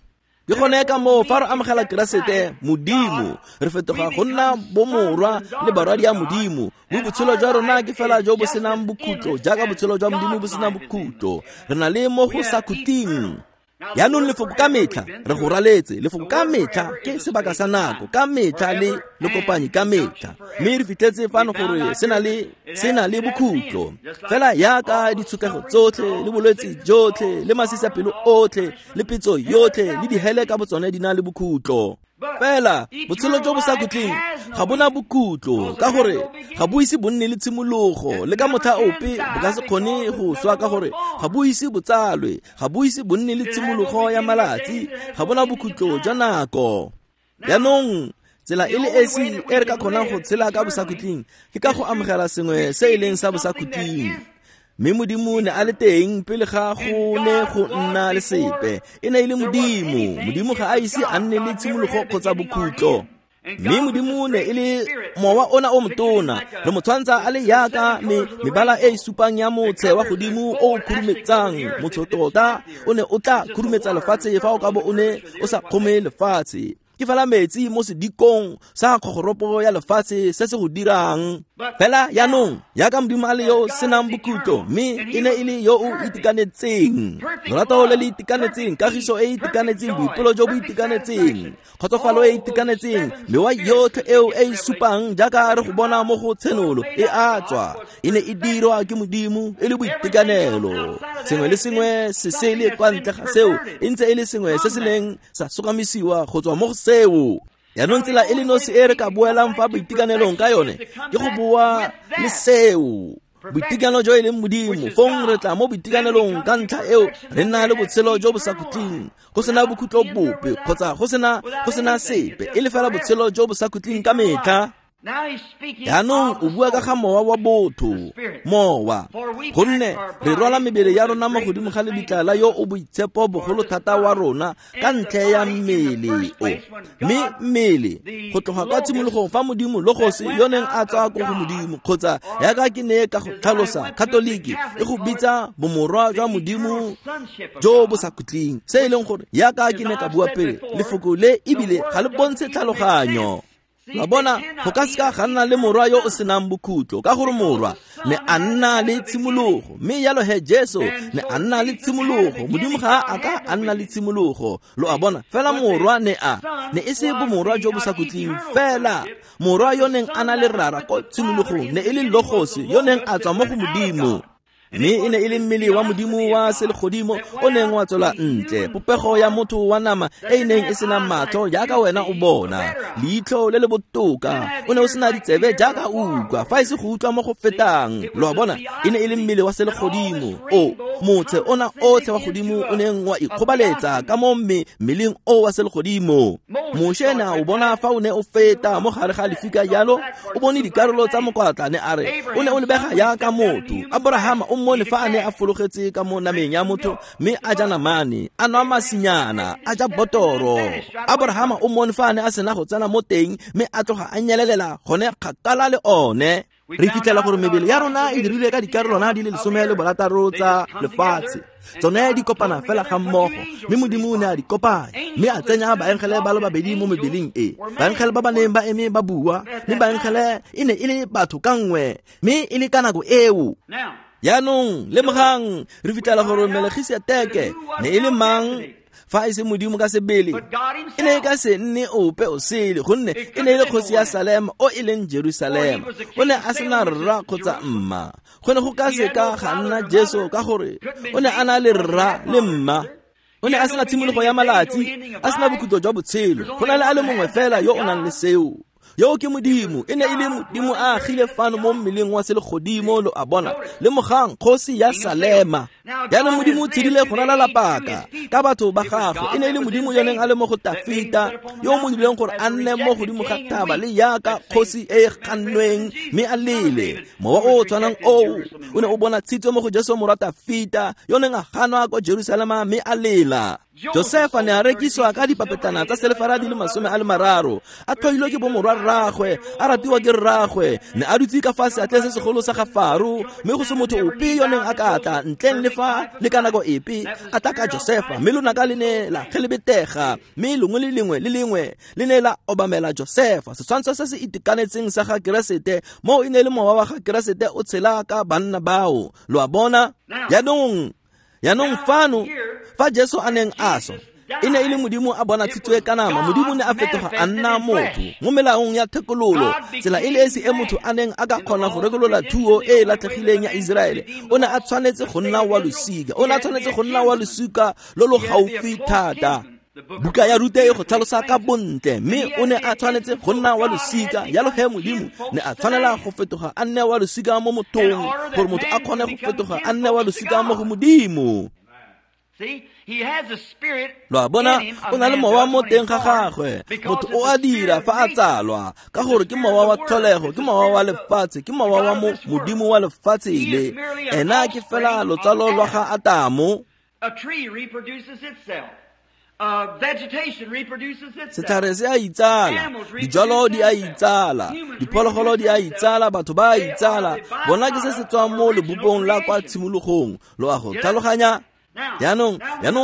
Speaker 1: Ke gone ka moo fa re amogela Keresete Modimo, re fetoga go nna bomorwa le barwadi ya Modimo. Mo botshelo jwa rona ke fela jo bo senang bokhutlo, jaaka botshelo jwa Modimo bo senang bokhutlo. Re na le mo go sa khutleng. Jaanong lefoko ka metlha re go raletse, lefoko ka metlha ke sebaka sa nako, ka metlha le lekopanyi ka metlha. Mme re fitlhetse fano gore se na le bokhutlo. Fela yaka ditshokego tsotlhe le bolwetse jotlhe le masisapelo otlhe le petso yotlhe le dihele ka botsone di na le bokhutlo. Fela botshelo jo bo sa khutleng ga bona bokhutlo, ka gore ga bo ise bo nne le tshimologo, le ka motlha ope bo ka se kgone go swa, ka gore ga bo ise bo tsalwe, ga bo ise bo nne le tshimologo ya malatsi, ga bona bokhutlo jwa nako. Jaanong tsela e le esi e re ka kgonang go tshela ka bosakhutleng ke ka go amogela sengwe se e leng sa bosakhutleng. Mme Modimo ne a le teng pele ga go ne go nna le sepe. E ne e le Modimo. Modimo ga a ise a nne le tshimologo kgotsa bokhutlo. Mme Modimo ne e le mowa ona o motona, re mo tshwantsha a le yaka mebala e e supang ya motshe wa godimo o o khurumetsang. Motshe tota o ne o tla khurumetsa lefatshe fa o ka bo o ne o sa kgome lefatshe. Ke fela metsi mo sedikong sa kgogoropo ya lefatshe se se go dirang. Fela jaanong yaka Modimo a le yo senang bokhutlo, mme e ne e le yo o itekanetseng, lorato le le itekanetseng, kagiso e e itekanetseng, boipelo jo bo itekanetseng, kgotsofalo e e itekanetseng, mewa yotlhe eo e e supang jaaka re go bona mo go Tshenolo e a tswa, e ne e dirwa ke Modimo e le boitekanelo. Sengwe le sengwe se sele kwa ntle ga seo e ntse e le sengwe se se neng sa sokamisiwa go tswa mo go seo. Jaanong tsela e le nosi e re ka boelang fa boitekanelong ka yone ke go boa le seo, boitekanelo jo e leng Modimo. Fong re tla mo boitekanelong ka ntlha eo re nna le botshelo jo bo sa khutleng, go sena bokhutlo bope kgotsa go sena sepe, e le fela botshelo jo bo sa khutleng ka metlha. Jaanong o bua ka ga mowa wa botho, mowa, gonne re rwala mebele ya rona mo godimo ga lebitla la yo o boitshepo bogolo thata wa rona ka ntlha ya mmele o. Mme mmele go tloga kwa tshimologong fa Modimo Logos yo neng a tswa ko go Modimo, kgotsa yaka ke ne ka go tlhalosa, Katoliki e go bitsa bomorwa jwa Modimo jo bo sa khutleng, se e leng gore yaka ke ne ka bua pele, lefoko le ebile ga le bontshe tlhaloganyo. La bona, go ka seka ga nna le morwa yo o senang bokhutlo, ka gore morwa ne a nna le tshimologo, mme jalo he Jesu ne a nna le tshimologo. Modimo ga a ka a nna le tshimologo, lo a bona. Fela morwa ne a ne e se bomorwa jo bo sa khutleng, fela morwa yo neng a na le rara ko tshimologong ne e le Logos yo neng a tswa mo go Modimo. Mme e ne e le mmele wa Modimo wa selegodimo o neng wa tswela ntle, popego ya motho wa nama e e neng e sena matlho jaaka wena o bona, leitlho le le botoka, o ne o sena ditsebe jaaka o utlwa, fa e se go utlwa mo go fetang. Lo a bona, e ne e le mmele wa selegodimo o motshe ona otlhe wa godimo o neng wa ikgobaletsa ka mo mmeleng o wa selegodimo. Moshe ne a o bona fa o ne o feta mo gare ga lefika jalo, o bone dikarolo tsa mokwatla, ne a re o ne o lebega jaaka motho. Abrahama o mmone fa a ne a fologetse ka mo nameng ya motho, mme a ja namane, a nwa masinyana, a ja botoro. Abrahama o mmone fa a ne a sena go tsena mo teng, mme a tloga a nyelelela gone kgakala le one. Re fitlhela gore mebele ya rona e dirilwe ka dikarolwana di le 16 tsa lefatshe. Tsone di kopana fela ga mmogo, mme Modimo o ne a di kopanya, mme a tsenya baengele ba le babedi mo mebeleng e. Baengele ba ba neng ba eme ba bua, mme baengele e ne e le batho ka nngwe, mme e le ka nako eo. Jaanong lemogang, re fitlhela gore Melkisedeke ne e le mang fa e se Modimo ka sebele? E ne e ka se nne ope o sele, gonne e ne e le kgosi ya Salema o e leng Jerusalema. O ne a sena rra kgotsa mma. Go ne go ka se ka ga nna Jesu ka gore o ne a na le rra le mma. O ne a sena tshimologo ya malatsi, a sena bokhutlo jwa botshelo. Go na le a le mongwe fela yo o nang le seo. Yo ke Modimo, e ne e le Modimo a agile fano mo mmeleng wa selegodimo, lo a bona. Lemogang kgosi ya Salema. Jaanong Modimo o tshedile go ralala paka ka batho ba gagwe. E ne e le Modimo yo neng a le mo go Tafita, yo o mo dirileng gore a nne mo godimo ga thaba le jaaka kgosi e e gannweng, mme a lele. Mowa o o tshwanang oo o ne o bona tshitso mo go Jesu morwa Tafita, yo neng a ganwa kwa Jerusalema mme a lela. Josefa ne a rekisiwa ka dipapetlana tsa selefara di le 30, a tlhoilwe ke bomorwa rraagwe, a ratiwa ke rraagwe, ne a dutse ka fa seatleng se segolo sa ga Faro, mme go se motho ope yo neng a ka tla ntleng le fa le ka nako epe a tla ka Josefa, mme lonaka le ne la gelebetega, mme lengwe le lengwe le lengwe le ne la obamela Josefa. Setshwantsho se se itekanetseng sa ga Keresete, moo e ne le mowa wa ga Keresete o tshela ka banna bao. Lo a bona? Jaanong fano fa Jesu a neng a swa, e ne e le Modimo a bona tshitswe ka nama. Modimo ne a fetoga a nna motho mo melaong ya thekololo, tsela e le esi e motho a neng a ka kgona go rekolola thuo e e latlhegileng ya Iseraele. O ne a tshwanetse go nna wa losika, o ne a tshwanetse go nna wa losika lo lo gaufi thata. Buka ya Rute e go tlhalosa ka bontle, mme o ne a tshwanetse go nna wa losika. Jalo he Modimo ne a tshwanela go fetoga a nne wa losika mo mothong, gore motho a kgone go fetoga a nne wa losika mo go Modimo. Lo a bona, o na le mowa mo teng ga gagwe. Motho o a dira fa a tsalwa, ka gore ke mowa wa tlholego, ke mowa wa lefatshe, ke mowa wa Modimo wa lefatshe le. Ena ke fela lotsalo lwa ga Atamo. Setlhare se a itsala, dijalo di a itsala, diphologolo di a itsala, batho ba a itsala. Bona ke se se tswang mo lebopong la kwa tshimologong. Lo a go tlhaloganya? Jaanong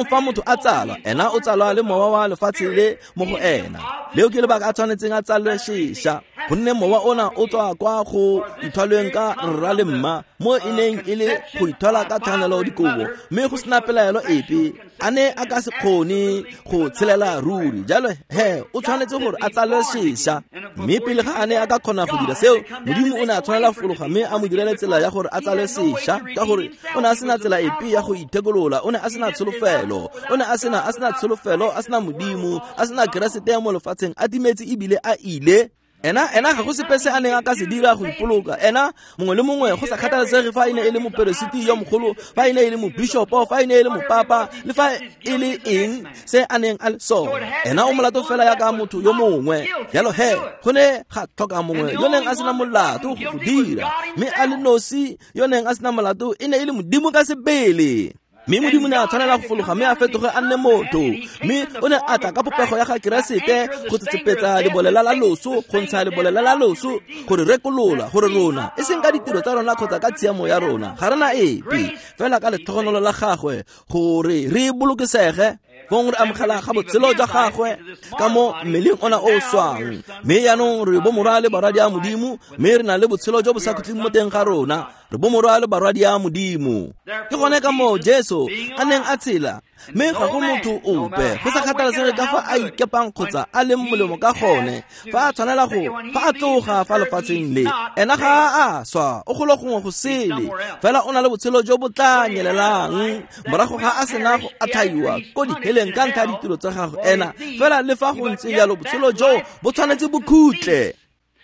Speaker 1: fa motho a tsalwa, ena o tsalwa le mowa wa lefatshe le mo go ena. Leo ke lebaka a tshwanetseng a tsalwe sešwa, gonne mowa ona o tswa kwa go ithwalweng ka rra le mma, mo e neng e le go ithwala ka tshwanelo dikobo, mme go sena pelaelo epe, a ne a ka se kgone go tshelela ruri. Jalo he o tshwanetse gore a tsalwe sešwa, mme pele ga a ne a ka kgona go dira seo, Modimo o ne a tshwanela fologa mme a mo direle tsela ya gore a tsalwe sešwa, ka gore o ne a sena tsela epe ya go ithekolola. O ne a sena tsholofelo, o ne a sena tsholofelo, a sena Modimo, a sena Keresete mo lefatsheng, a timetse ebile a ile. Ena ga go sepe se a neng a ka se dira go ipoloka. Ena mongwe le mongwe, go sa kgathalesege fa e ne e le moperesiti yo mogolo, fa e ne e le mobishopo, fa e ne e le mopapa, le fa e le eng se a neng a le sone, ena o molato fela yaka motho yo mongwe. Jalo he go ne ga tlhoka mongwe yo neng a sena molato go dira, mme a le nosi yo neng a sena molato e ne e le Modimo ka sebele. Mme Modimo ne a tshwanela go fologa mme a fetoge a nne motho, mme o ne a tla ka popego ya ga Keresete go tsetsepetsa lebolela la loso, go ntsha lebolela la loso, gore rekolola, gore rona, e seng ka ditiro tsa rona kgotsa ka tshiamo ya rona, ga rena epe, fela ka letlhogonolo la gagwe, gore re bolokesege. Fong re amogela ga botshelo jwa gagwe ka mo mmeleng ona o swang, mme jaanong re bomorwa le barwadi a Modimo, mme re na le botshelo jo bo sa khutleng mo teng ga rona. Re bomorwa le barwadi a Modimo. Ke gone ka moo Jesu a neng a tshela, mme ga go motho ope, go sa kgathalesege ka fa a ikepang kgotsa a leng molemo ka gone, fa a tshwanela go, fa a tloga fa lefatsheng le, ena ga a swa, o golo gongwe go sele, fela o na le botshelo jo bo tla nyelelang morago ga a sena go atlhaiwa ko diheleng ka ntlha ya ditiro tsa gagwe ena. Fela le fa go ntse jalo, botshelo jo bo tshwanetse bo khutle.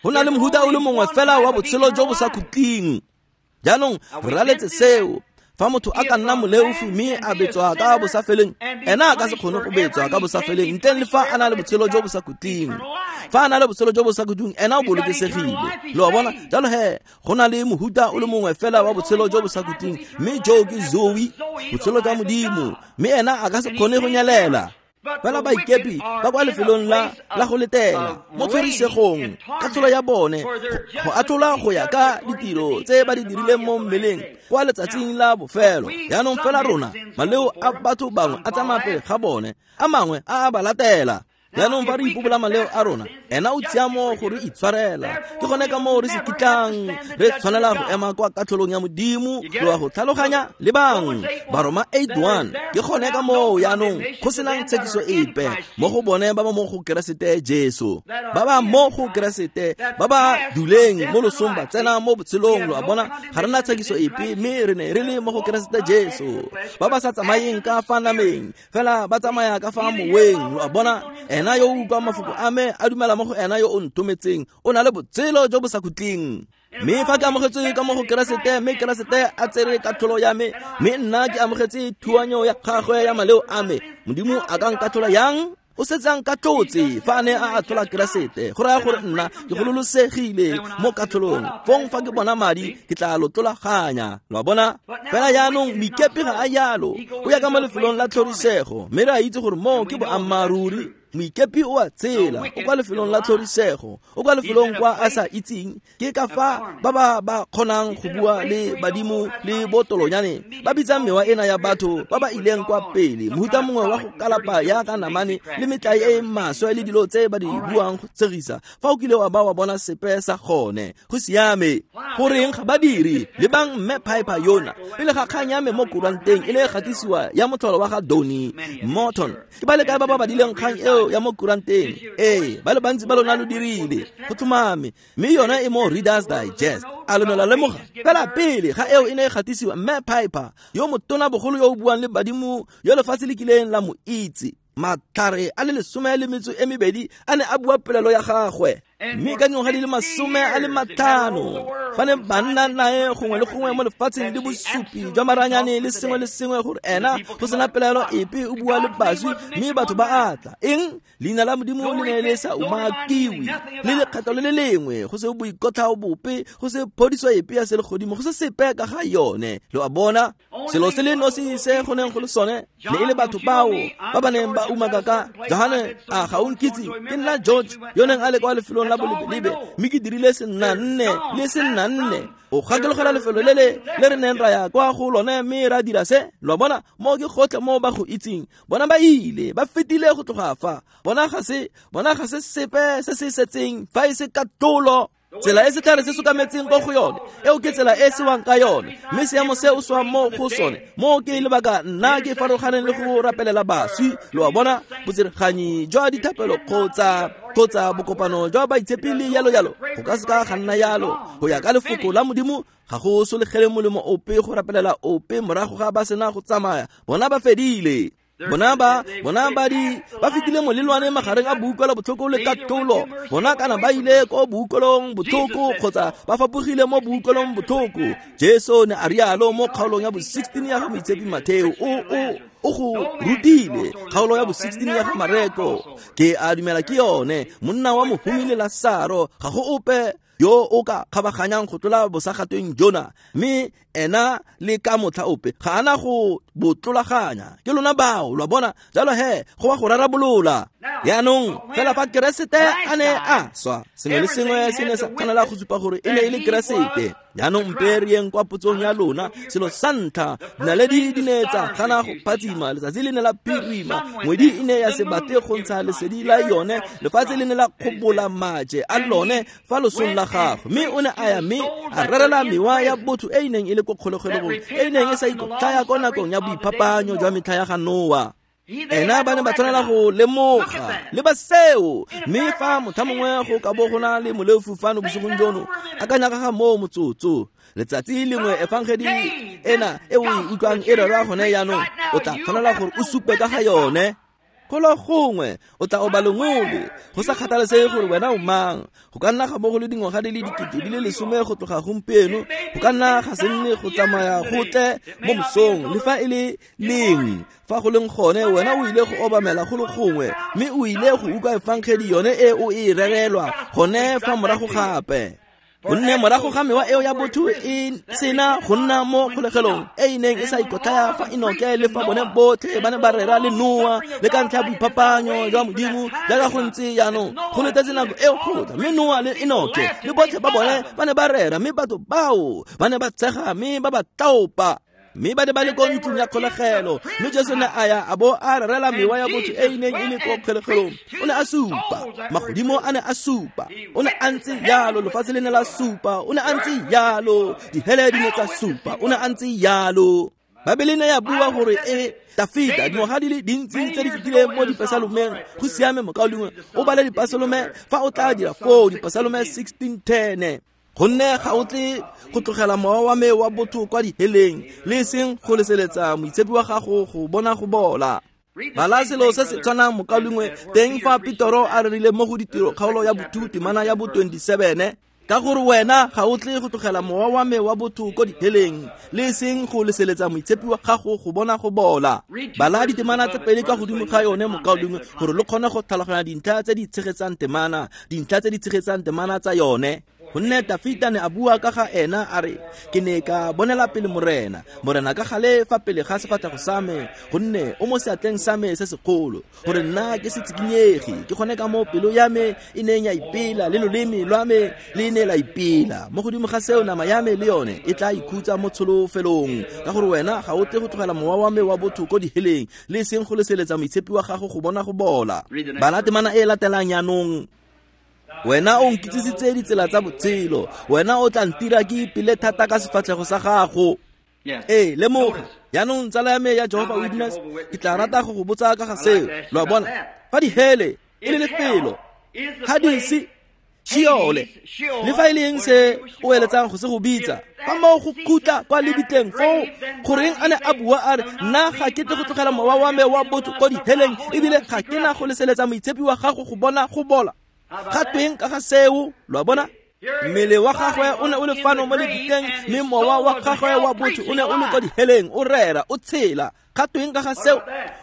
Speaker 1: Go na le mohuta o le mongwe fela wa botshelo jo bo sa khutleng. Jaanong re raletse seo. Fa motho a ka nna moleofi mme a betswa ka bosafeleng, ena a ka se kgone go betswa ka bosafeleng ntleng le fa a na le botshelo jo bo sa khutleng. Fa a na le botshelo jo bo sa khutleng, ena o bolokesegile. Lo a bona? Jalo he, go na le mohuta o le mongwe fela wa botshelo jo bo sa khutleng, mme jo ke Zoe, botshelo jwa Modimo, mme ena a ka se kgone go nyelela. Fela baikepi ba kwa lefelong la go letela mo tlhorisegong, katlholo ya bone go atlholwa go ya ka ditiro tse ba di dirileng mo mmeleng kwa letsatsing la bofelo. Jaanong fela rona, maleo a batho bangwe a tsamaya pele ga bone, a mangwe a a ba latela. Jaanong fa re ipobola maleo a rona, ena o tshiamo go re itshwarela. Ke gone ka moo re se kitlang re tshwanela go ema kwa katlholong ya Modimo. Lo a go tlhaloganya? Lebang Baroma 8:1. Ke gone ka moo jaanong go senang tshekiso epe mo go bone ba ba mo go Keresete Jesu, ba ba mo go Keresete, ba ba duleng mo losong ba tsena mo botshelong. Lo a bona? Ga re na tshekiso epe, mme re ne re le mo go Keresete Jesu. Ba ba sa tsamayeng ka fa nameng, fela ba tsamaya ka fa moweng. Lo a bona? Ena yo o utlwang mafoko a me, a dumela mo go ena yo o nthometseng, o na le botshelo jo bo sa khutleng. Mme fa ke amogetswe ka mo go Keresete, mme Keresete a tsere katlholo ya me, mme nna ke amogetse thuanyo ya gagwe ya maleo a me, Modimo a ka nkatlhola yang? O setse a nkatlhotse fa a ne a atlhola Keresete. Go raya gore nna ke gololosegile mo katlholong. Fong fa ke bona madi, ke tla lo tlolaganya. Lo a bona? Fela jaanong moikepi ga a jalo, o ya ka mo lefelong la tlhorisego, mme re a itse gore moo ke boammaaruri. Moikepi o a tshela, o kwa lefelong la tlhorisego, o kwa lefelong kwa a sa itseng. Ke ka fa ba ba ba kgonang go bua le badimo le botolonyane, ba bitsang mewa ena ya batho ba ba ileng kwa pele, mohuta mongwe wa go kalapa ya ka namane le metlae e maswe le dilo tse ba di buang go tshegisa. Fa o kile wa ba wa bona sepe sa gone, go siame. Goreng ga ba dire? Lebang mme Piper yona, pele ga kgang ya me mo kuranteng e ne e gatisiwa ya motlholo wa ga Donnie Morton. Ke ba le kae ba ba badileng kgang eo ya mo kuranteng? Ee, ba le bantsi ba lona lo dirile, go tlhomame. Mme yona e mo Reader's Digest. A lo ne la lemoga? Fela pele ga eo e ne e gatisiwa, mme Piper yo motona bogolo yo o buang le badimo yo lefatshe le kileng la mo itse, matlhare a le 12 a ne a bua polelo ya gagwe. Mme ka dingwaga di le 50 ba ne ba nna nae gongwe le gongwe mo lefatsheng le bosupi jwa maranyane le sengwe le sengwe gore ena go sena pelaelo epe o bua le baswi, mme batho ba atla. Eng? Leina la Modimo le ne le sa umakiwe le lekgetho le le lengwe, go se boikotlhao bope, go se phodiso epe ya selegodimo, go se sepe ka ga yone. Lo a bona? Selo se le nosi se go neng go le sone ne e le batho bao ba ba neng ba umaka ka Johane. A ga o nkitse? Ke nna George yo neng a le kwa lefelong la bolebelebe, mme ke dirile senna nne le senna nne. O gakologela lefelo le le re neng ra ya kwa go lone mme ra dira se. Lo a bona? Moo ke gotlhe mo ba go itseng. Bona ba ile, ba fetile go tloga fa. Bona ga se sepe se se setseng fa e se katlholo. Tsela e setlhare se sokametseng ko go yone, eo ke tsela e sewang ka yone, mme seemo se o swang mo go sone, mo ke lebaka nna ke farologaneng le go rapelela baswi. Lo a bona? Botsereganyi jwa dithapelo kgotsa bokopano jwa baitshepi le yalo yalo, go ka seka ga nna yalo. Go ya ka lefoko la Modimo, ga go solegele molemo ope go rapelela ope morago ga ba sena go tsamaya. Bona ba fedile. Bona ba fetile molelwane magareng a boutlwelo botlhoko le katlholo. Bona kana ba ile ko boutlwelong botlhoko kgotsa ba fapogile mo boutlwelong botlhoko. Jesu ne a rialo mo kgaolong ya bo 16 ya ga Moitshepi Matheo. O go rutile kgaolo ya bo 16 ya ga Mareko. Ke a dumela ke yone monna wa mohumi le Lasaro, ga go ope yo o ka kgabaganyang go tlola bosagatweng jona, mme ena le ka motlha ope ga ana go bo tlolaganya. Ke lona bao, lo a bona? Jalo he, go wa go rarabolola. Jaanong fela fa Keresete a ne a swa, sengwe le sengwe se ne sa tshwanela go supa gore e ne e le Keresete. Jaanong mpe re yeng kwa potsong ya lona. Selo sa ntlha, dinaledi di ne tsa gana go phatsima, letsatsi le ne la phirima, ngwedi e ne ya se batle go ntsha lesedi la yone, lefatshe le ne la kgobola maje a lone fa losong la gagwe. Mme o ne a ya mme a rerela mewa ya botho e e neng e le ko kgolegelong, e e neng e sa ikotlhaya ko nakong ya boiphapanyo jwa metlha ya ga Noa. Ena ba ne ba tshwanela go lemoga le ba seo. Mme fa motho mongwe go ka bo go na le moleofu fano bosigong jono, akanya ka ga moo motsotso. Letsatsi lengwe efangedi ena e o e utlwang e rerwa gone jaanong, o tla tshwanela gore o supe ka ga yone. Golo gongwe o tla oba lengole, go sa kgathalesege gore wena o mang. Go ka nna ga bo go le dingwaga di le 10 go tloga gompieno, go ka nna ga se nne go tsamaya go tle mo mosong, le fa e le leng fa go leng gone, wena o ile go obamela go le gongwe, mme o ile go utlwa efangedi yone e o e rerelwa gone fa morago gape. Gonne morago ga mewa eo ya botho e sena go nna mo kgolegelong e e neng e sa ikotlhaya fa Enoke le fa bone botlhe ba ne ba rera le Noa le ka ntlha ya boiphapanyo jwa Modimo jaaka go ntse jaanong, go letetse nako eo go tla. Mme Noa le Enoke le botlhe ba bone ba ne ba rera, mme batho bao ba ne ba tshega mme ba ba tlaopa, mme ba ne ba le ko ntlong ya kgolegelo. Mme Jesu ne a ya a bo a rerela mewa ya botho e e neng e le ko kgolegelong. O ne a supa, magodimo a ne a supa, o ne a ntse jalo, lefatshe le ne la supa, o ne a ntse jalo, dihele di ne tsa supa, o ne a ntse jalo. Babele ne ya bua gore e Dafita dingwaga di le dintsi tse di fetileng mo dipesalomeng. Go siame mokaulengwe, o bale dipesalome fa o tla dira foo, dipesalome 16:10. Gonne ga o tle go tlogela mowa wa me wa botho kwa diheleng, le seng go leseletsa moitshepi wa gago go bona go bola. Bala selo se se tshwanang mokaulengwe teng fa Petoro a rerile mo go Ditiro kgaolo ya bo 2 temana ya bo 27, ka gore wena ga o tle go tlogela mowa wa me wa botho ko diheleng, le seng go leseletsa moitshepi wa gago go bona go bola. Bala ditemana tse pedi kwa godimo ga yone mokaulengwe, gore lo kgone go tlhaloganya dintlha tse di tshegetsang temana, dintlha tse di tshegetsang temana tsa yone. Gonne Dafita ne a bua ka ga ena a re, ke ne ka bonela pele Morena, Morena ka gale fa pele ga sefatlhego sa me, gonne o mo seatleng sa me se segolo, gore nna ke se tsikinyege. Ke gone ka mo pelo ya me e neng ya ipela, le loleme lwa me le ne la ipela. Mo godimo ga seo nama ya me le yone e tla ikhutsa mo tsholofelong, ka gore wena ga o tle go tlogela mowa wa me wa botho ko diheleng, le seng go leseletsa moitshepi wa gago go bona go bola. Bala temana e latelang jaanong. Wena o nkitsisitse ditsela tsa botshelo, wena o tla ntira ke ipele thata ka sefatlhego sa gago. Ee, lemoga jaanong tsala ya me ya Jehovah Witness, ke tla rata go go botsa ka ga seo. Lo a bona, fa dihele e le lefelo, Hadisi, Sheole, le fa e le eng se o eletsang go se go bitsa, fa moo go khutla kwa lebitleng foo, goreng a ne a bua a re, nna ga ke tle go tlogela mowa wa me wa botho ko diheleng, ebile ga ke na go leseletsa moitshepi wa gago go bona go bola. Ga tweng ka ga seo? Lo a bona? Mmele wa gagwe o ne o le fano mo lebitleng, mme mowa wa gagwe wa botho o ne o le ko diheleng, o rera, o tshela. Ga tweng ka ga seo?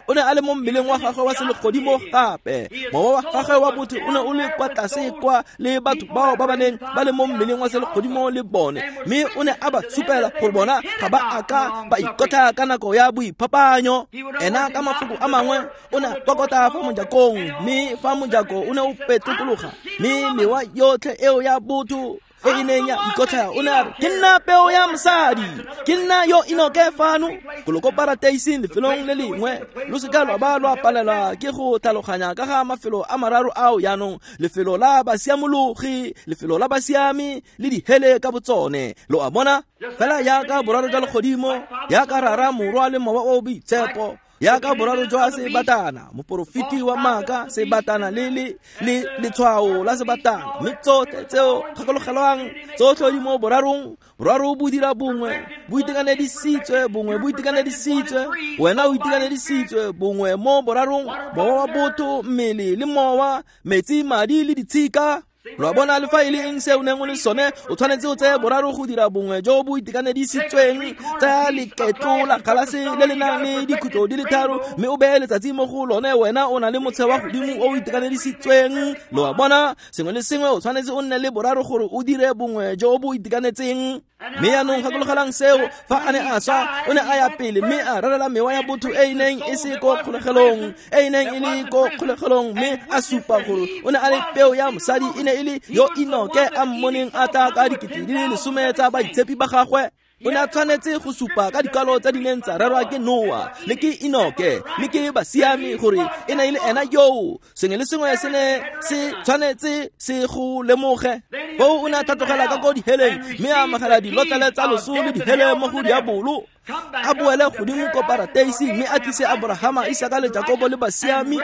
Speaker 1: O ne a le mo mmeleng wa gagwe wa selegodimo gape. Mowa wa gagwe wa botho o ne o le kwa tlase kwa le batho bao ba ba neng ba le mo mmeleng wa selegodimo le bone, mme o ne a ba supela gore bona ga ba a ka ba ikotlha ka nako ya boiphapanyo. Ena ka mafoko a mangwe o ne a kokota fa mojakong, mme fa mojako o ne o petlokologa, mme mewa yotlhe eo ya botho e e neng ya ikotlhaya, o ne a re, ke nna peo ya mosadi, ke nna yo Enoke fano golo ko parateising lefelong le lengwe. Lo seka lwa ba lwa palelwa ke go tlhaloganya ka ga mafelo a mararo ao jaanong, lefelo la basiamologi, lefelo la basiami le dihele ka botsone. Lo a bona? Fela jaaka boraro jwa legodimo, jaaka Rara, Morwa le Mowa o Boitshepo, jaaka boraro jwa sebatana, moporofeti wa maaka, sebatana le le letshwao la sebatana, mme tsotlhe tseo gakologelwang, tsotlhe di mo borarong. Boraro bo dira bongwe, bo itekanedisitswe, bongwe bo itekanedisitswe, wena o itekanedisitswe, bongwe mo borarong, mowa wa botho, mmele le mowa, metsi, madi le ditshika. Lo a bona, le fa e le eng se o neng o le sone, o tshwanetse o tseye boraro go dira bongwe jo bo itekanedisitsweng. Tsaya leketlo la galase le le nang le dikhutlo di le tharo, mme o beye letsatsi mo go lone, wena o na le motshe wa godimo o o itekanedisitsweng. Lo a bona, sengwe le sengwe o tshwanetse o nne le boraro gore o dire bongwe jo bo itekanetseng. Mme jaanong gakologelang seo, fa a ne a swa o ne a ya pele mme a rerela mewa ya botho e e neng e se ko kgolegelong, e e neng e le ko kgolegelong, mme a supa gore o ne a le peo ya mosadi, e ne e le yo Enoke a mmoneng a tla ka 10,000 tsa baitshepi ba gagwe. O ne a tshwanetse go supa ka dikwalo tse di neng tsa rerwa ke Noa le ke Enoke le ke basiami gore e ne e le ena yoo. Sengwe le sengwe se ne se tshwanetse se go lemoge. Foo o ne a tlhatlogela ka ko diheleng mme a amogela dilotlele tsa loso le dihele mo go diabolo. A boele godimo ko parateisi mme a tlise Abrahama, Isaka le Jakobo le basiami,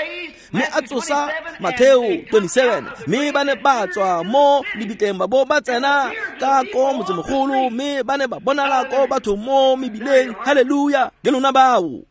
Speaker 1: mme a tsosa Matheo 27, mme ba ne ba tswa mo lebitleng ba bo ba tsena ka ko motsemogolo, mme ba ne ba bonala ko batho mo mebileng. Haleluya, ke lona bao.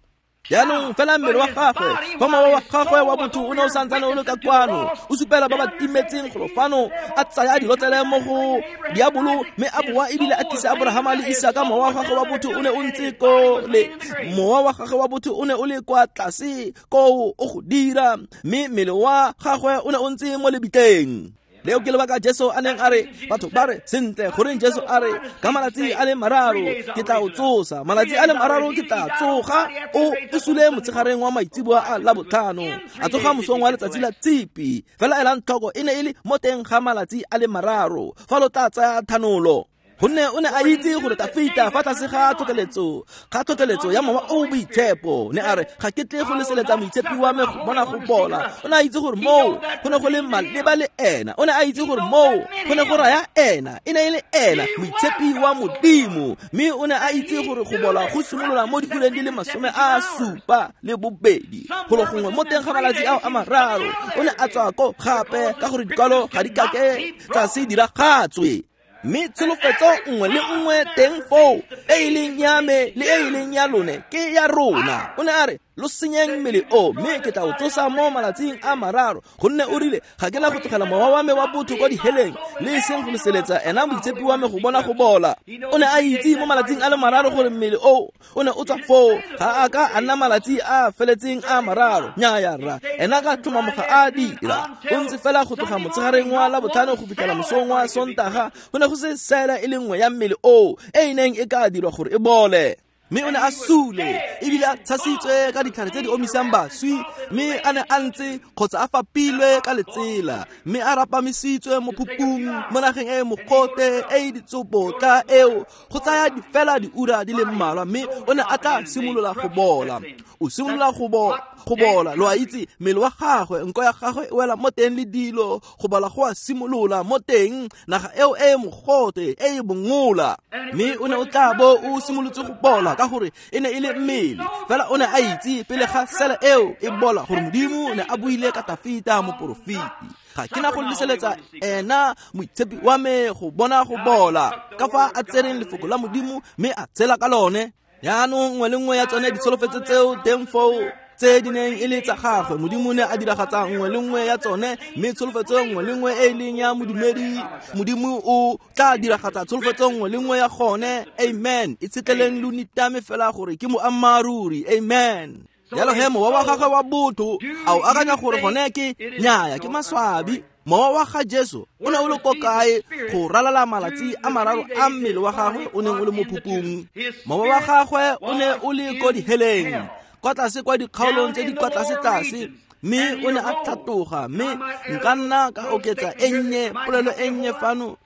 Speaker 1: Jaanong fela mmele wa gagwe, fa mowa wa gagwe wa botho o ne o santsane o le ka kwano, o supela ba ba timetseng golo fano, a tsaya dilotlele mo go diabolo mme a boa ebile a tlisa Abrahama le Isaka. Mowa wa gagwe wa botho o ne o ntse ko le mowa wa gagwe wa botho o ne o le kwa tlase koo o go dira, mme mmele wa gagwe o ne o ntse mo lebitleng. Leo ke lebaka Jesu a neng a re, batho ba re, sentle, goreng Jesu a re, ka malatsi a le mararo ke tla o tsosa, malatsi a le mararo ke tla tsoga. O sule motshegareng wa maitseboa a Labotlhano, a tsoga mosong wa letsatsi la Tshipi. Fela elang tlhoko, e ne e le mo teng ga malatsi a le mararo fa lo tla tsaya thanolo. Gonne o ne a itse gore Tafita fa tlase ga tlhotlheletso ya mowa o boitshepo ne a re, ga ke tle go leseletsa moitshepi wa me go bona go bola. O ne a itse gore moo go ne go le maleba le ena. O ne a itse gore moo go ne go raya ena, e ne e le ena moitshepi wa Modimo. Mme o ne a itse gore go bola go simolola mo diureng di le 72 golo gongwe mo teng ga malatsi ao a mararo. O ne a tswa ko gape ka gore dikwalo ga di kake tsa se diragatswe. Mme tsholofetso nngwe le nngwe teng foo e e leng ya me le e e leng ya lone ke ya rona. O ne a re, lo senyeng mmele o, mme ke tla o tsosa mo malatsing a mararo. Gonne o rile, ga ke na go tlogela mowa wa me wa botho kwa diheleng, le e seng go leseletsa ena moitshepi wa me go bona go bola. O ne a itse mo malatsing a le mararo gore mmele o o ne o tswa foo, ga a ka a nna malatsi a feletseng a mararo. Nnyaya rra, ena ka tlhomamoga a dira. O ntse fela go tloga motshegareng wa Labotlhano go fitlhela mosong wa Sontaga, go ne go se sele e le nngwe ya mmele o e e neng e ka dirwa gore e bole. Mme o ne a sule ebile a tshasitswe ka ditlhare tse di omisang baswi, mme a ne a ntse kgotsa a fapilwe ka letsela, mme a rapamisitswe mo phupung mo nageng e e mogote e e ditsobotla eo go tsaya fela diura di le mmalwa, mme o ne a tla simolola go bola. O simolola go bola, lo a itse, mmele wa gagwe, nko ya gagwe e wela mo teng le dilo, go bola go a simolola mo teng, naga eo e e mogote e e bongola. Mme o ne o tla bo o simolotse go bola ka gore e ne e le mmele. Fela o ne a itse pele ga sele eo e bola gore Modimo o ne a buile ka Tafita moporofeti, ga ke na go leseletsa ena moitshepi wa me go bona go bola, ka fa a tsereng lefoko la Modimo mme a tshela ka lone. Jaanong nngwe le nngwe ya tsone ditsholofetso tseo teng foo tse di neng e le tsa gagwe, Modimo ne a diragatsa nngwe le nngwe ya tsone, mme tsholofetso nngwe le nngwe e e leng ya modumedi, Modimo o tla diragatsa tsholofetso nngwe le nngwe ya gone. Amen. E tshetleleng lo nitame fela gore ke moammaaruri. Amen. Jalo he mowa wa gagwe wa botho a o akanya gore gone ke nnyaya, ke maswabi. Mowa wa ga Jesu o ne o le ko kae go ralala malatsi a mararo a mmele wa gagwe o neng o le mo phupung? Mowa wa gagwe o ne o le ko diheleng, kwa tlase kwa dikgaolong tse di kwa tlase-tlase, mme o ne a tlhatoga. Mme nka nna ka oketsa e nnye, polelo e nnye fano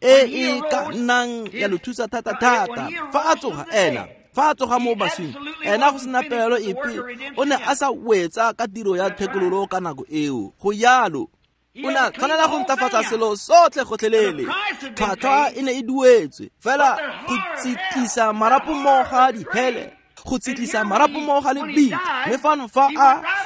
Speaker 1: e e ka nnang ya lo thusa thata-thata. Fa a tsoga ena, fa a tsoga mo baswing, ena go sena pelaelo epe, o ne a sa wetsa ka tiro ya thekololo ka nako eo. Go jalo, o ne a tshwanela go ntlafatsa selo sotlhe gotlhelele. Tlhwatlhwa e ne e duetswe fela go tsitlisa marapo mo ga dihele, go tsitlisa marapo mo ga lebitla. Mme fano fa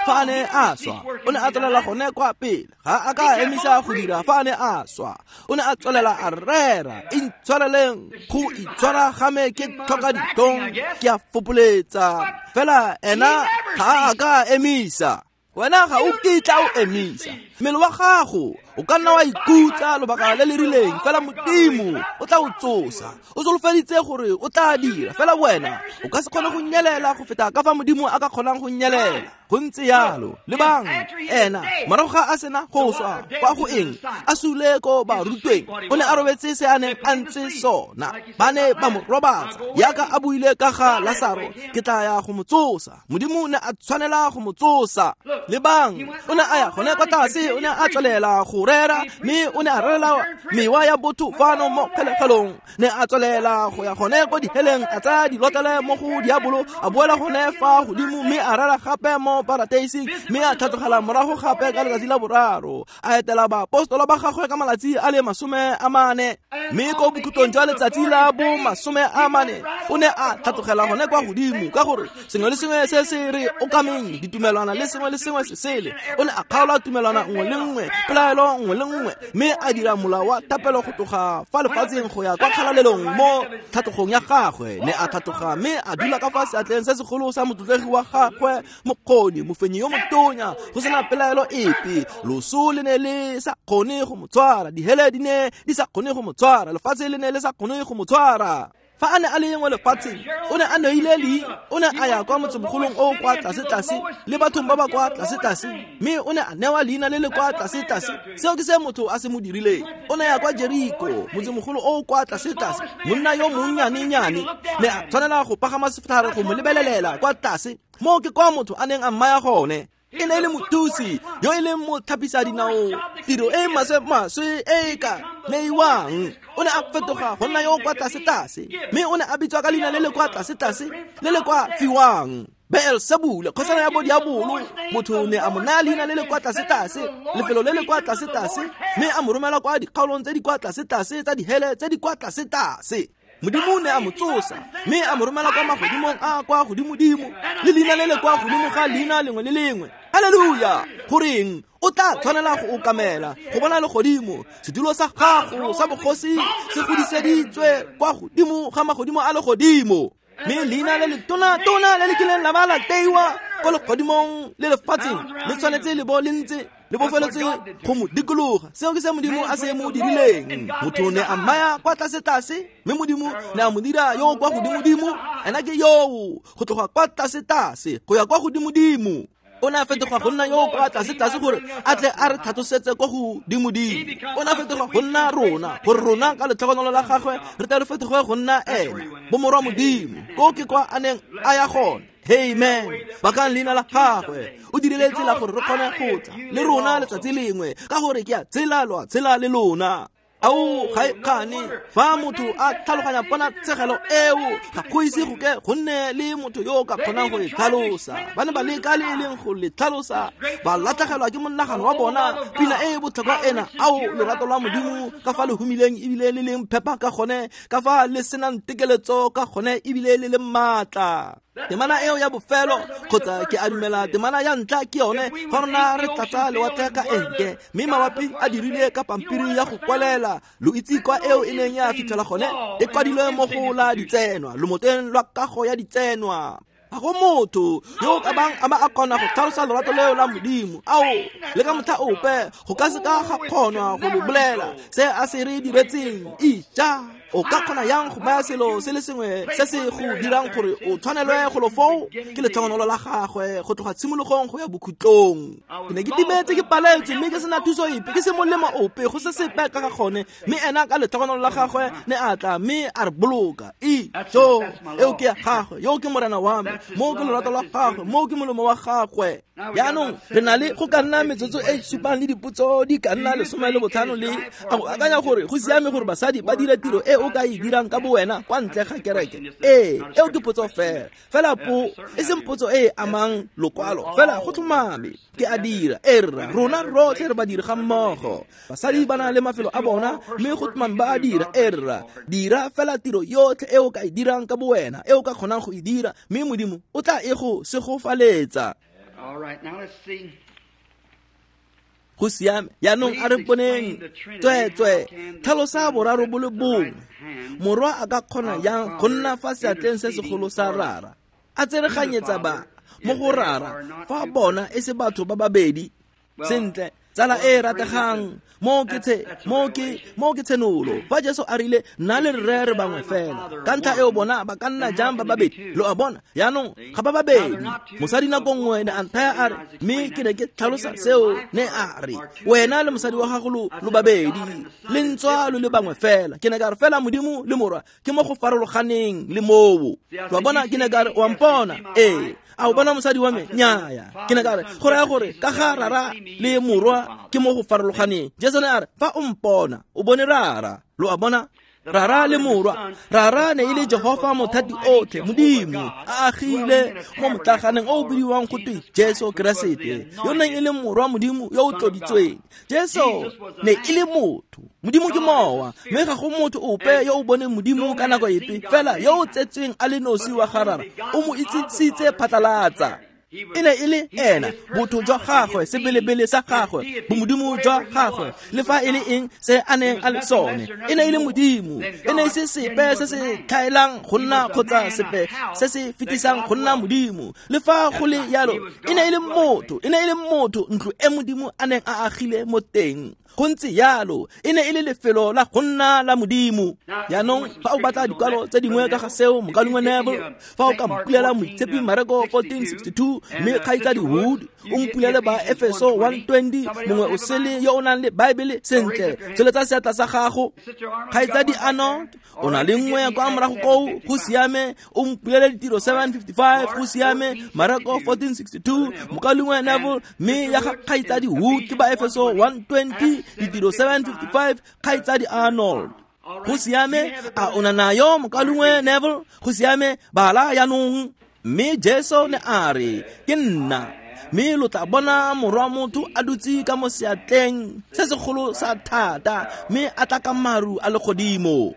Speaker 1: a ne a swa, o ne a tswelela gone kwa pele, ga a ka emisa go dira fa a ne a swa. O ne a tswelela a rera, intshwareleng go itshwara ga me ke tlhoka ditlhong, ke a fopoletsa. Fela ena ga a ka emisa. Wena ga o kitla o emisa. Mmele wa gago o ka nna wa ikutsa lobaka le le rileng, fela Modimo o tla o tsosa. O solofeditse gore o tla dira, fela wena o ka se kgone go nyelela go feta ka fa Modimo a ka kgonang go nyelela. Go ntse yalo. Lebang ena morago ga a sena go swa kwa go eng a sule ko barutweng, o ne a robetse se a neng a ntse sona. Ba ne ba mo robatsa yaka a buile ka ga Lasaro, ke tla ya go mo tsosa. Modimo ne a tshwanela go mo tsosa. Lebang o ne a ya gone kwa tlase, o ne a tswelela go rera, mme o ne a rerela mewa ya botho fano mo kgelegelong. Ne a tswelela go ya gone ko diheleng, a tsaya dilotlele mo go diabolo, a boela gone fa godimo, mme a rera gape mo parateising, mme a tlhatlogela morago gape ka letsatsi la boraro, a etela baapostola ba gagwe ka malatsi a le 40. Mme ko bokhutlong jwa letsatsi la bo 40 o ne a tlhatlogela gone kwa godimo, ka gore sengwe le sengwe se se re okameng ditumelwana le sengwe le sengwe se sele, o ne a kgaola tumelwana nngwe le nngwe, pelaelo nngwe le nngwe, mme a dira molao wa thapelo go tloga fa lefatsheng go ya kwa kgalalelong mo tlhatlogong ya gagwe. Ne a tlhatloga mme a dula ka fa seatleng se segolo sa motlotlegi wa gagwe, mokgoni, mofenyi yo motonya, go sena pelaelo epe. Loso le ne le sa kgone go mo tshwara, dihele di ne di sa kgone go mo tshwara, lefatshe le ne le sa kgone go mo tshwara. Fa a ne a le mo lefatsheng, o ne a neile leina, o ne a ya kwa motsemogolong o kwa tlase-tlase le bathong ba ba kwa tlase-tlase, mme o ne a newa leina le le kwa tlase-tlase. Seo ke se motho a se mo dirileng. O ne ya kwa Jeriko, motsemogolo o kwa tlase-tlase, monna yo monnyanenyane ne a tshwanela go pagama setlhare go mo lebelelela kwa tlase. Moo ke kwa motho a neng a mmaya gone. E ne e le mothusi yo e leng motlhapisa dinao, tiro e maswe-maswe e ka neiwang. O ne a fetoga go nna yo kwa tlase-tlase, mme o ne a bitswa ka leina le le kwa tlase-tlase le le kwa fiwang, Beelsebule, kgosana ya bodiabolo. Motho ne a mo naya leina le le kwa tlase-tlase, lefelo le le kwa tlase-tlase, mme a mo romela kwa dikgaolong tse di kwa tlase-tlase tsa dihele tse di kwa tlase-tlase. Modimo ne a mo tsosa mme a mo romela kwa magodimong a kwa godimodimo, le leina le le kwa godimo ga leina lengwe le lengwe. Haleluya! Goreng o tla tshwanela go okamela go bona legodimo? Sedulo sa gago sa bogosi se godiseditswe kwa godimo ga magodimo a legodimo, mme leina le le tona-tona le le kileng la ba la teiwa ko legodimong le lefatsheng le tshwanetse le bo le ntse le bofeletse go mo dikologa. Seo ke se Modimo a se mo dirileng. Motho ne a mmaya kwa tlase-tlase, mme Modimo ne a mo dira yo kwa godimodimo. Ena ke yoo, go tloga kwa tlase-tlase go ya kwa godimodimo. O ne a fetoga go nna yo kwa tlase-tlase gore a tle a re tlhatlosetse kwa godimodimo. O ne a fetoga go nna rona, gore rona ka letlhogonolo la gagwe re tle re fetoge go nna ena, bomorwa Modimo. Ko ke kwa a neng a ya gone. Amen. Bakang leina la gagwe. O dirile tsela gore re kgone go tla le rona letsatsi lengwe, ka gore ke a tshela lo a tshela le lona. Ao ga e kgane fa motho a tlhaloganya ponatshegelo eo, ga go ise go ke go nne le motho yo o ka kgonang go e tlhalosa. Ba ne ba leka le e leng go le tlhalosa, ba latlhegelwa ke monagano wa bona. Pina e e botlhokwa ena, ao lerato lwa Modimo ka fa le humileng ebile le leng phepa ka gone, ka fa le senang tekeletso ka gone ebile le le maatla. Temana eo ya bofelo, kgotsa ke a dumela temana ya ntlha ke yone, fa rona re tlatsa lewatle ka enke, mme mabapi a dirile ka pampiri ya go kwalela. Lo itse kwa eo e neng ya fitlhela gone, e kwadilwe mo go la ditsenwa, lomoteng lwa kago ya ditsenwa. Ga go motho yo o ka bang a ba a kgona go tlhalosa lorato leo la Modimo. Ao, le ka motlha ope go ka se ka ga kgonwa go le bolela se a se re diretseng. Ija, o ka kgona yang go baya selo se le sengwe se se go dirang gore o tshwanelwe go lo foo? Ke letlhogonolo la gagwe go tloga tshimologong go ya bokhutlong. Ke ne ke timetse, ke paletswe, mme ke sena thuso epe, ke se molemo ope, go se sepe ka ga gone, mme ena ka letlhogonolo la gagwe ne a tla mme a re boloka. Ijo, eo ke ya gagwe, yo ke morena wa me, moo ke lorato lwa gagwe, moo ke molemo wa gagwe. Jaanong re na le go ka nna metsotso e supang le dipotso di ka nna 15 le a go akanya gore go siame gore basadi ba dire tiro e o ka e dirang ka bowena kwa ntle ga kereke. Ee, eo ke potso fela. Fela po e seng potso e e amang lokwalo, fela go tlhomame ke a dira. E rra, rona rotlhe re badiri ga mmogo. Basadi ba na le mafelo a bona, mme go tlhomame ba a dira. E rra, dira fela tiro yotlhe e o ka e dirang ka bowena, e o ka kgonang go e dira, mme Modimo o tla e go segofaletsa. Go siame. Jaanong a re boneng tsweetswe tlhalosa boraro bo le bongwe. Morwa a ka kgona yang go nna fa seatleng se segolo sa Rara, a tsereganyetsa ba mo go Rara, fa bona e se batho ba babedi? Sentle, tsala e e rategang, Mo ke tshenolo. Fa Jesu a rile nna le rre re bangwe fela, ka ntlha eo bona ba ka nna jang ba babedi? Lo a bona? Jaanong ga ba babedi. Mosadi nako nngwe ne a nthaya a re, mme ke ne ke tlhalosa seo, ne a re wena le mosadi wa gago lo babedi, le ntswa lo le bangwe fela. Ke ne ka re fela Modimo le Morwa ke mo go farologaneng le moo. Lo a bona? Ke ne ka re o a mpona? Ee. A o bona mosadi wa me? Nnyaya. Ke ne ka re go raya gore ka ga Rara le Morwa ke mo go farologaneng. Jesu ne a re fa o mpona o bone Rara. Lo a bona? Rara le Morwa. Rara ne e le Jehofa mothati otlhe, Modimo a agile mo motlaganeng o o bidiwang go twe Jesu Keresete, yo neng e le Morwa Modimo yo o tloditsweng. Jesu ne e le motho, Modimo ke mowa, mme ga go motho ope yo o boneng Modimo ka nako epe, fela yo o tsetsweng a le nosi wa ga Rara o mo itsisitse phatlalatsa. E ne e le ena, botho jwa gagwe, sebelebele sa gagwe, bomodimo jwa gagwe, le fa e le eng se a neng a le sone. E ne e le Modimo, e ne e se sepe se se tlhaelang go nna kgotsa sepe se se fetisang go nna Modimo. Le fa go le yalo, e ne e le motho, e ne e le motho, ntlo e Modimo a neng a agile mo teng. Go ntse yalo, e ne e le lefelo la go nna la Modimo. Jaanong fa o batla dikwalo tse dingwe ka ga seo, mokaulengwe Neville, fa o ka mpulela Moitshepi Mareko 14:62, mme kgaitsadi Wood o mpulele ba Efeso 1:20, mongwe o sele yo o nang le Baebele, sentle, tsholetsa seatla sa gago. Kgaitsadi Arnold o na le nngwe kwa morago koo, go siame, o mpulele Ditiro 7:55, go siame, Mareko 14:62, mokaulengwe Neville, mme ya ga kgaitsadi Wood ke ba Efeso 1:20, Ditiro 7:55, kgaitsadi Arnold. Go siame, a o na nayo mokaulengwe Neville? Go siame, bala jaanong. Mme Jesu ne a re, ke nna, mme lo tla bona Morwa motho a dutse ka mo seatleng se segolo sa thata, mme a tla ka maru a legodimo.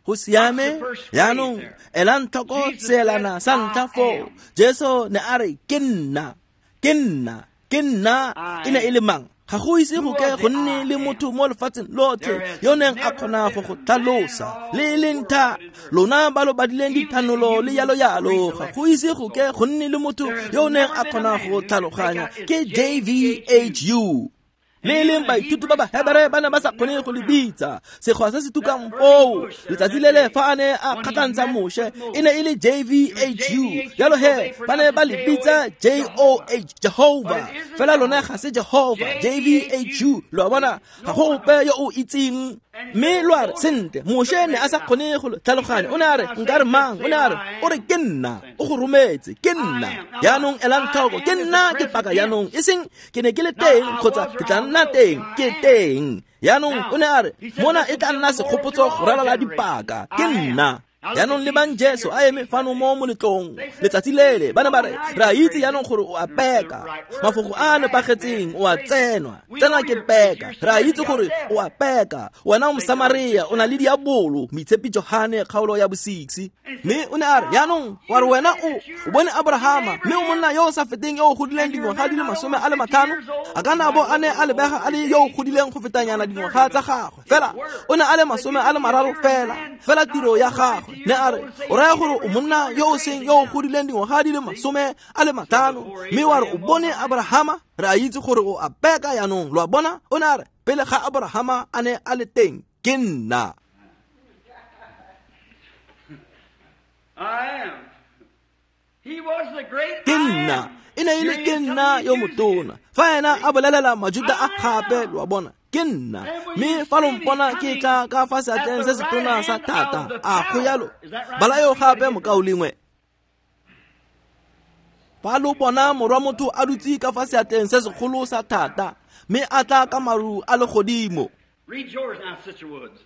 Speaker 1: Go siame, jaanong elang tlhoko seelana sa ntlha foo. Jesu ne a re ke nna, ke nna, ke nna. E ne e le mang? Ga go ise go ke go nne le motho mo lefatsheng lotlhe yo neng a kgona go go tlhalosa le e leng tha. Lona ba lo badileng dithanolo le yalo yalo, ga go ise go ke go nne le motho yo neng a kgona go tlhaloganya. Ke JVHU. Le e leng baithuti ba Bahebere ba ne ba sa kgone go le bitsa sekgwa se se tukang foo. Letsatsi le le fa a ne a kgatlhantsha Moshe, e ne e le JVHU. Jalo he ba ne ba le bitsa JOH, Jehovah. Fela lone ga se Jehovah, JVHU. Lo a bona? Ga go ope yo o itseng. Mme lo a re, sentle, Moshe ne a sa kgone go tlhaloganya. O ne a re, nka re mang? O ne a re, o re ke nna, o go rometse, ke nna. Jaanong elang tlhoko, ke nna ke paka jaanong, e seng ke ne ke le teng kgotsa ke tla nna teng, ke teng. Jaanong o ne a re, mona e tla nna segopotso go ralala dipaka, ke nna. Jaanong lebang Jesu a eme fano mo moletlong letsatsi lele, ba ne ba re, re a itse jaanong gore o a peka. Mafoko a a nepagetseng, o a tsenwa, tsena ke peka. Re a itse gore o a peka, wena o Mosamaria, o na le diabolo. Moitshepi Johane kgaolo ya bo-6. Mme o ne a re, jaanong wa re wena o bone Abrahama, mme o monna yo o sa feteng yo o godileng dingwaga di le 50. A ka na bo a ne a lebega a le yo o godileng go fetanyana dingwaga tsa gagwe, fela o ne a le 30 fela. Fela tiro ya gagwe ne a re, o raya gore o monna yo o seng yo o godileng dingwaga di le 50, mme wa re o bone Abrahama? Re a itse gore o a peka jaanong. Lo a bona? O ne a re, pele ga Abrahama a ne a le teng, ke nna. Ke nna. E ne e le ke nna yo motona. Fa ena a bolelela Majuda a gape, lo a bona, ke nna. Mme fa lo mpona ke tla ka fa seatleng se setona sa thata, a go yalo. Bala eo gape mokaulengwe. Fa lo bona Morwa motho a dutse ka fa seatleng se segolo sa thata, mme a tla ka maru a legodimo.
Speaker 2: Read yours now, Sister Woods.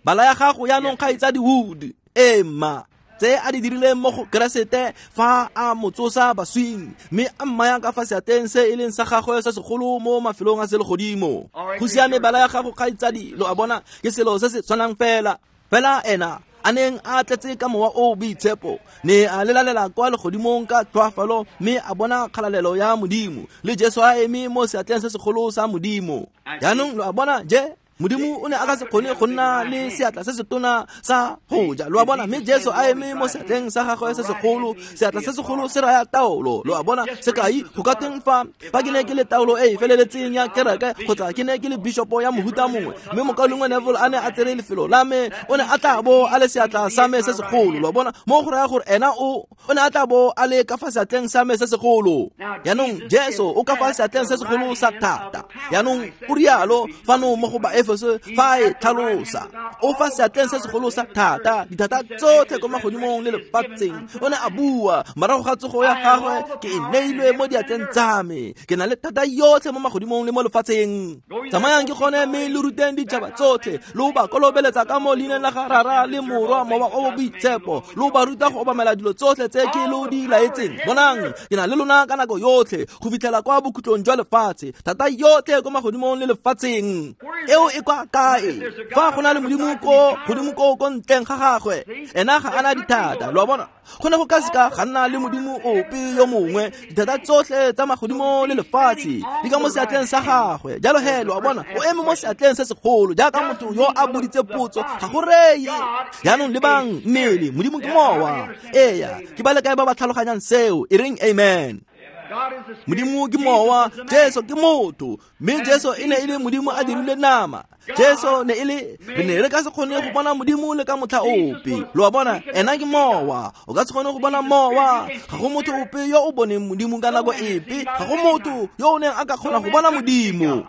Speaker 1: Bala ya gago jaanong kgaitsadi Wood. Ee mma, tse a di dirileng mo go Keresete fa a mo tsosa baswing, mme a mmaya ka fa seatleng se e leng sa gagwe se segolo mo mafelong a selegodimo. Go siame, bala ya gago kgaitsadi. Lo a bona, ke selo se se tshwanang fela. Fela ena a neng a tletse ka mowa o boitshepo, ne a lelalela kwa legodimong ka tlhoafalo, mme a bona kgalalelo ya Modimo le Jesu a eme mo seatleng se segolo sa Modimo. Jaanong lo a bona je Modimo o ne a ka se kgone go nna le seatla se setona sa go ja, lo a bona. Mme Jesu a eme mo seatleng sa gagwe se segolo, seatla se segolo se raya taolo, lo a bona. Sekai, go ka teng fa ke ne ke le taolo e e feleletseng ya kereke, kgotsa ke ne ke le bishopo ya mohuta mongwe, mme mokaulengwe Neville a ne a tsere lefelo la me, o ne a tla bo a le seatla sa me se segolo, lo a bona. Mo go raya gore ena o ne a tla bo a le ka fa seatleng sa me se segolo. Jaanong Jesu o ka fa seatleng se segolo sa thata. Jaanong o rialo fano mo go Baefeso fa e tlhalosa, o fa seatleng se segolo sa thata, dithata tsotlhe ko magodimong le lefatsheng. O ne a bua morago ga tsogo ya gagwe, ke e neilwe mo diatleng tsa me, ke na le thata yotlhe mo magodimong le mo lefatsheng. Tsamayang ke gone mme le ruteng ditšhaba tsotlhe, lo ba kolobeletsa ka mo leineng la ga Rara le Morwa Mowa o Boitshepo, lo ba ruta go obamela dilo tsotlhe tse ke lo di laetseng. Bonang, ke na le lona ka nako yotlhe go fitlhela kwa bokhutlong jwa lefatshe. Thata yotlhe ko magodimong le lefatsheng eo e kwa kae? Fa go na le Modimo ko godimo ko ko ntleng ga gagwe, ena ga ana dithata, lo a bona. Go ne go ka seka ga nna le Modimo ope yo mongwe. Dithata tsotlhe tsa magodimo le lefatshe di ka mo seatleng sa gagwe. Jalo he, lo a bona, o eme mo seatleng se segolo jaaka motho yo a boditse potso, ga go reye. Jaanong lebang mmele, Modimo ke mowa. Eya, ke ba le kae ba ba tlhaloganyang seo? E reng amen. Modimo ke mowa, Jesu ke motho, mme Jesu e ne e le Modimo a dirile nama. Jesu ne e le, re ne re ka se kgone go bona Modimo le ka motlha ope, lo a bona. Ena ke mowa, o ka se kgone go bona mowa. Ga go motho ope yo o boneng Modimo ka nako epe, ga go motho yo o neng a ka kgona go bona Modimo.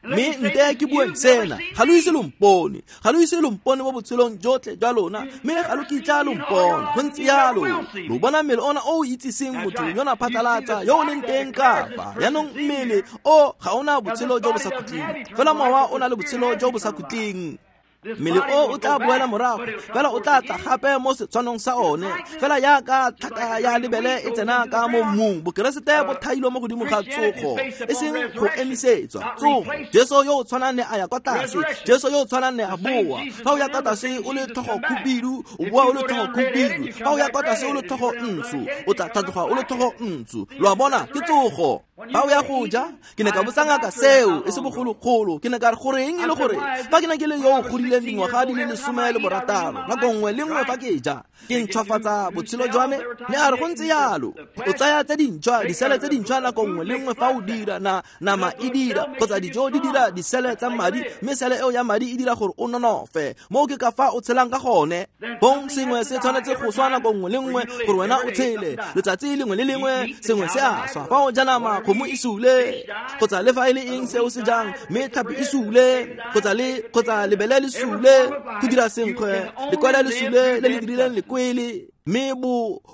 Speaker 1: Mme nte ke bueng sena, ga lo ise lo mpone, ga lo ise lo mpone mo botshelong jotlhe jwa lona, mme ga lo kitla lo mpona. Go ntse jalo, lo bona mmele ona o o itsiseng motho yona phatlalatsa yo o leng teng ka fa. Jaanong mmele o ga ona botshelo jo bo sa khutleng, fela mowa o na le botshelo jo bo sa khutleng. Mmele o o tla boela morago, fela o tla tla gape mo setshwanong sa one, fela jaaka tlhaka ya lebele e tsena ka mo mmung. Bokeresete bo thailwe mo godimo ga tsogo, e seng go emisetswa. Tsogo, Jesu yo o tshwanang ne a ya kwa tlase, Jesu yo o tshwanang ne a boa. Fa o ya kwa tlase o le tlhogo khubidu, o boa o le tlhogo khubidu. Fa o ya kwa tlase o le tlhogo ntsho, o tla tlhatloga o le tlhogo ntsho. Lo a bona, ke tsogo. Fa o ya go ja, ke ne ka botsa ngaka seo e se bogologolo. Ke ne ka re goreng e le gore fa ke ne ke le yo o godileng dingwaga di le 16, nako nngwe le nngwe fa ke ja ke ntšhwafatsa botshelo jwa me. Ne a re go ntse jalo, o tsaya tse dintšhwa, disele tse dintšhwa nako nngwe le nngwe fa o dira na nama e dira, kgotsa dijo di dira disele tsa madi, mme sele eo ya madi e dira gore o nonofe. Moo ke ka fa o tshelang ka gone. Bong sengwe se tshwanetse go swa nako nngwe le nngwe gore wena o tshele. Letsatsi lengwe le lengwe sengwe se a swa. Fa o ja nama, kgomo e sule, kgotsa le fa e le eng se o se jang, mme tlhapi e sule, kgotsa lebele le sule, go dira senkgwe, lekwele le sule le le dirileng lekwele. Mme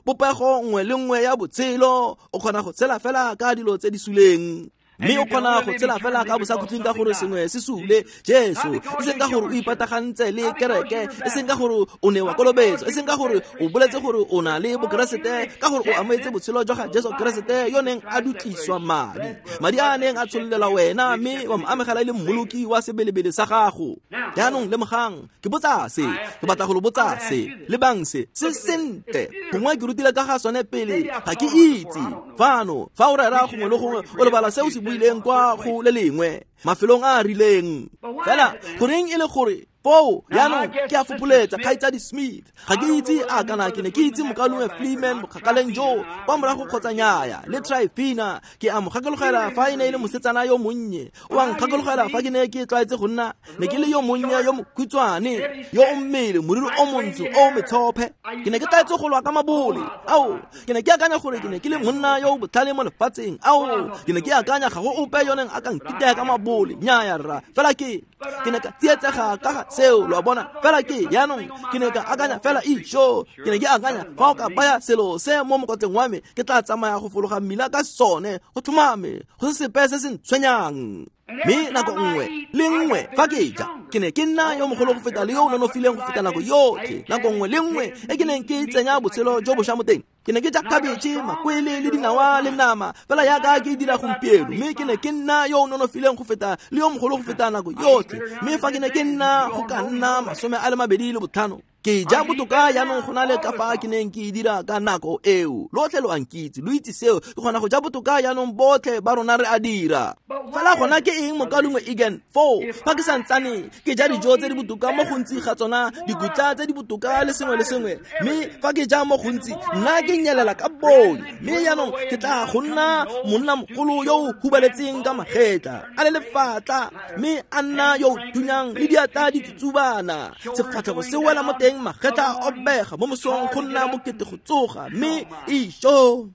Speaker 1: bopego nngwe le nngwe ya botshelo o kgona go tshela fela ka dilo tse di suleng. Mme o kgona go tshela fela ka bosakhutleng ka gore sengwe se sule. Jesu, e seng ka gore o ipatagantse le kereke, e seng ka gore o ne wa kolobetso, e seng ka gore o boletse gore o na le bokeresete, ka gore o amogetse botshelo jwa ga Jesu Keresete yo neng a dutliswa madi, madi a neng a tshololelwa wena, mme wa mo amogela e le mmoloki wa sebelebele sa gago. Jaanong lemogang, ke botsa se, ke batla go lo botsa se, lebang se, se sentle. Gongwe ke rutile ka ga sone pele, ga ke itse. Fano, fa o rera gongwe le gongwe, o lebala se o se buileng kwa go le lengwe, mafelong a a rileng. Fela goreng e le gore foo jaanong ke a fopoletsa Kgaitsadi Smith, ga ke itse a kana ke ne ke itse mokaulengwe Freeman bokgakaleng jo kwa morago kgotsa nyaya, le Tryphena ke a mo gakologela fa e ne e le mosetsana yo monnye. O a nkgakologela fa ke ne ke tlwaetse go nna, ne ke le yo monnye yo mokhutshwane, yo o mmele, moriri o montsho o metshophe. Ke ne ke tlwaetse go lwa ka mabole. Ao, ke ne ke akanya gore ke ne ke le monna yo o botlhale mo lefatsheng. Ao, ke ne ke akanya ga go ope yo neng a ka nkitaya ka mabole. Nnyaya rra, fela ke ne ka tsietsega ka ga seo, lo a bona. Fela ke jaanong ke ne ka akanya fela isho, ke ne ke akanya fa o ka baya selo se mo mokotleng wa me, ke tla tsamaya go fologa mmila ka sone, go tlhomame, go se sepe se se ntshwenyang. Mme nako nngwe le nngwe fa ke ja, ke ne ke nna yo mogolo go feta le yo o nonofileng go feta nako yotlhe. Nako nngwe le nngwe e ke neng ke tsenya botshelo jo bošwa mo teng, ke ne ke ja khabetšhe, makwele le dinawa le nama, fela jaaka ke dira gompieno. Mme ke ne ke nna yo o nonofileng go feta le yo mogolo go feta nako yotlhe. Mme fa ke ne ke nna go ka nna 25, Ke ja botoka jaanong go na le ka fa ke neng ke dira ka nako eo. Lotlhe lo a nkitse, lo itse seo. Ke kgona go ja botoka jaanong botlhe ba rona re a dira. Fela gona ke eng mokalengwe Egan? Foo fa ke santsane ke ja dijo tse di botoka mo gontsi ga tsona, dikutla tse di botoka le sengwe le sengwe, mme fa ke ja mo gontsi nna ke nyelela ka bone. Mme jaanong ke tla go nna monnamogolo yo o hubaletseng ka magetla, a le lefatla, mme a nna yo o thunyang le diatla di tsutsubana, sefatlhego se wela mo teng, magetla a obega mo mosong go nna bokete go tsoga, mme isho.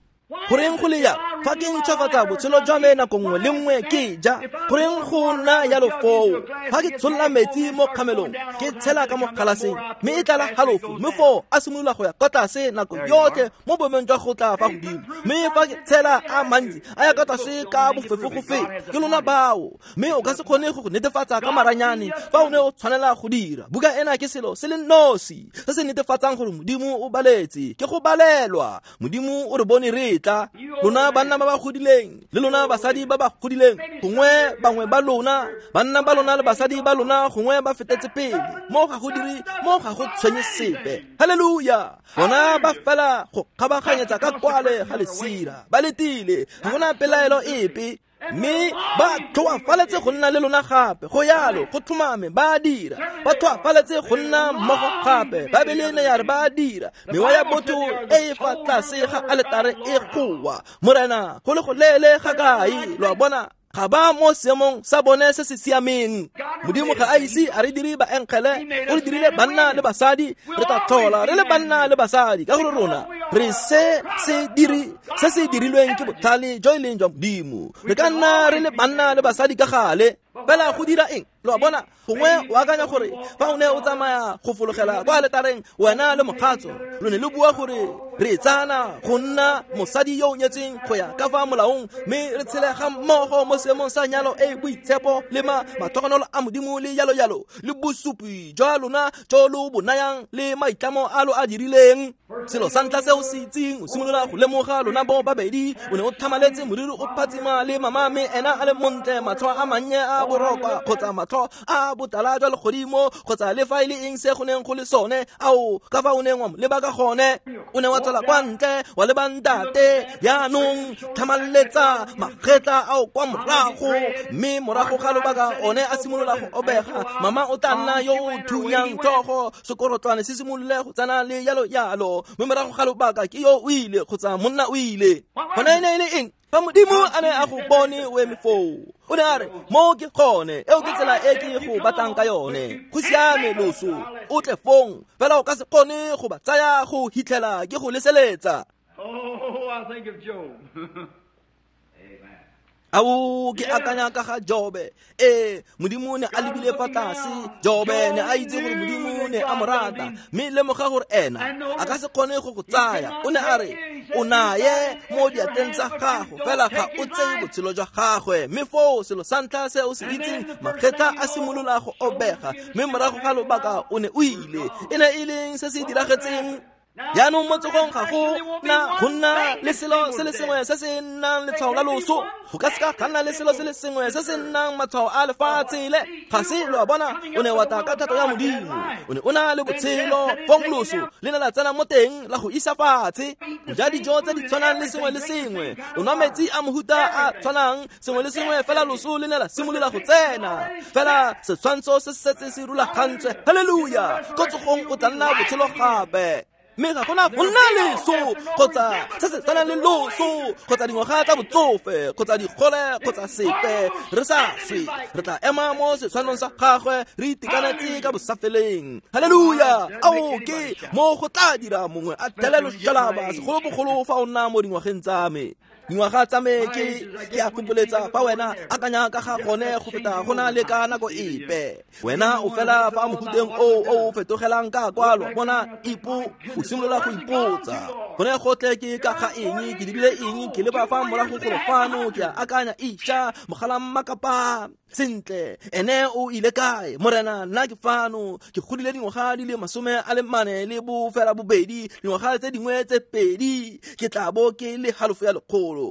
Speaker 1: Goreng go le ya fa ke ntšhwafatsa botshelo jwa me nako nngwe le nngwe ke ja? Goreng go nna yalo foo? Fa ke tsholola metsi mo kgamelong, ke tshela ka mo galaseng, mme e tlala halofo, mme foo a simolola go ya kwa tlase nako yotlhe mo boemong jwa go tla fa godimo. Mme fa ke tshela a mantsi a ya kwa tlase ka bofefo go feta. Ke lona bao, mme o ka se kgone go netefatsa ka maranyane fa o ne o tshwanela go dira. Buka ena ke selo se le nosi se se netefatsang gore Modimo o baletse, ke go balelwa. Modimo o re bone re tla. Lona banna ba ba godileng le lona basadi ba ba godileng, gongwe bangwe ba lona, banna ba lona le basadi ba lona gongwe ba fetetse pele. Mo ga go dire, mo ga go tshwenye sepe. Haleluya! Bona ba fela go kgabaganyetsa ka kwale ga lesira, ba letile, ga gona pelaelo epe. Mme ba tlhoafaletse go nna le lona gape, go yalo, go tlhomame, ba dira. Ba tlhoafaletse go nna mmogo gape, Baebele ne ya re ba dira. Mewa ya botho e e fa tlase ga aletare e goa, Morena, go le go leele ga kae? Lo a bona, ga ba mo seemong sa bone se se siameng. Modimo ga a ise a re dire baengele, o re dirile banna le basadi. Re tla tlhola re le banna le basadi, ka gore rona re se se dirilweng ke botlhale jo e leng jwa Modimo. Re ka nna re le banna le basadi ka gale, fela go dira eng? Lo a bona, gongwe o akanya gore fa o ne o tsamaya go fologela kwa aletareng wena le mokgatso, lo ne le bua gore re tsana go nna mosadi yo o nyetseng go ya ka fa molaong, mme re tshele ga mmogo mo seemong sa nyalo e boitshepo le matlhogonolo a Modimo le yalo yalo, le bosupi jwa lona jo lo bo nayang le maitlamo a lo a dirileng. Selo sa ntlha se o se itseng, o simolola go lemoga lona bo babedi, o ne o tlhamaletse moriri o phatsima le mama, mme ena a le montle, matlho a mannye a borokwa kgotsa matlho a botala jwa legodimo kgotsa le fa e le eng se go neng go le sone, ao ka fa o neng wa mo leba ka gone. O ne wa tswela kwa ntle wa leba ntate, jaanong tlhamaletsa magetla ao kwa morago, mme morago ga lobaka one a simolola go obega. Mama o tla nna yo o thunyang tlhogo, sekorotlwane se simolole go tsena le yalo yalo, mme morago ga lobaka ke yo o ile kgotsa monna o ile. Gone e ne e le eng? Fa Modimo a ne a go bone o eme foo, o ne a re, mo ke gone, eo ke tsela e ke go batlang ka yone. Go siame loso, o tle fong, fela o ka se kgone go ba tsaya go hitlhela ke go leseletsa.
Speaker 2: Oh, I think of Job.
Speaker 1: Ao ke akanya ka ga Jobe. Ee, Modimo ne a lebile fa tlase. Jobe ne a itse gore Modimo ne a mo rata, mme lemoga gore ena a ka se kgone go go tsaya. O ne a re, o naye mo diatleng tsa gago, fela ga o tseye botshelo jwa gagwe. Mme foo selo sa ntlha se o se itseng, magetla a simolola go obega, mme morago ga lobaka o ne o ile. E ne e leng se se diragetseng? Jaanong mo tsogong ga go na go nna le selo se le sengwe se se nnang letshwao la loso. Go ka seka ga nna le selo se le sengwe se se nnang matshwao a lefatshe le. Ga se, lo a bona, o ne wa tla ka thato ya Modimo, o ne o na le botshelo. Fong loso le ne la tsena mo teng la go isa fatshe. O ja dijo tse di tshwanang le sengwe le sengwe, o nwa metsi a mohuta a tshwanang, sengwe le sengwe, fela loso le ne la simolola go tsena. Fela setshwantsho se setse se rulagantswe. Haleluya! Ko tsogong o tla nna botshelo gape. Mme ga gona go nna leso kgotsa se se tshwanang le loso kgotsa dingwaga tsa botsofe kgotsa digole kgotsa sepe. Re sa swe, re tla ema mo setshwanong sa gagwe re itekanetse ka bosafeleng. Haleluya! Ao ke mo go tla dira mongwe a thele loshalaba, segolobogolo fa o nna mo dingwageng tsa me. Dingwaga tsa me ke a gopoletsa fa wena akanya ka ga gone go feta go na le ka nako epe. Wena o fela fa mohuteng o fetogelang ka kwalo, bona ipo o simolola go ipotsa, gone gotlhe ke ka ga eng, ke dirile eng, ke leba fa morago golo fano, ke a akanya, isha mogala mmakapa sentle, ene o ile kae? Morena, nna ke fano, ke godile dingwaga di le 42, dingwaga tse dingwe tse 2 ke tla bo ke le halofo ya 100.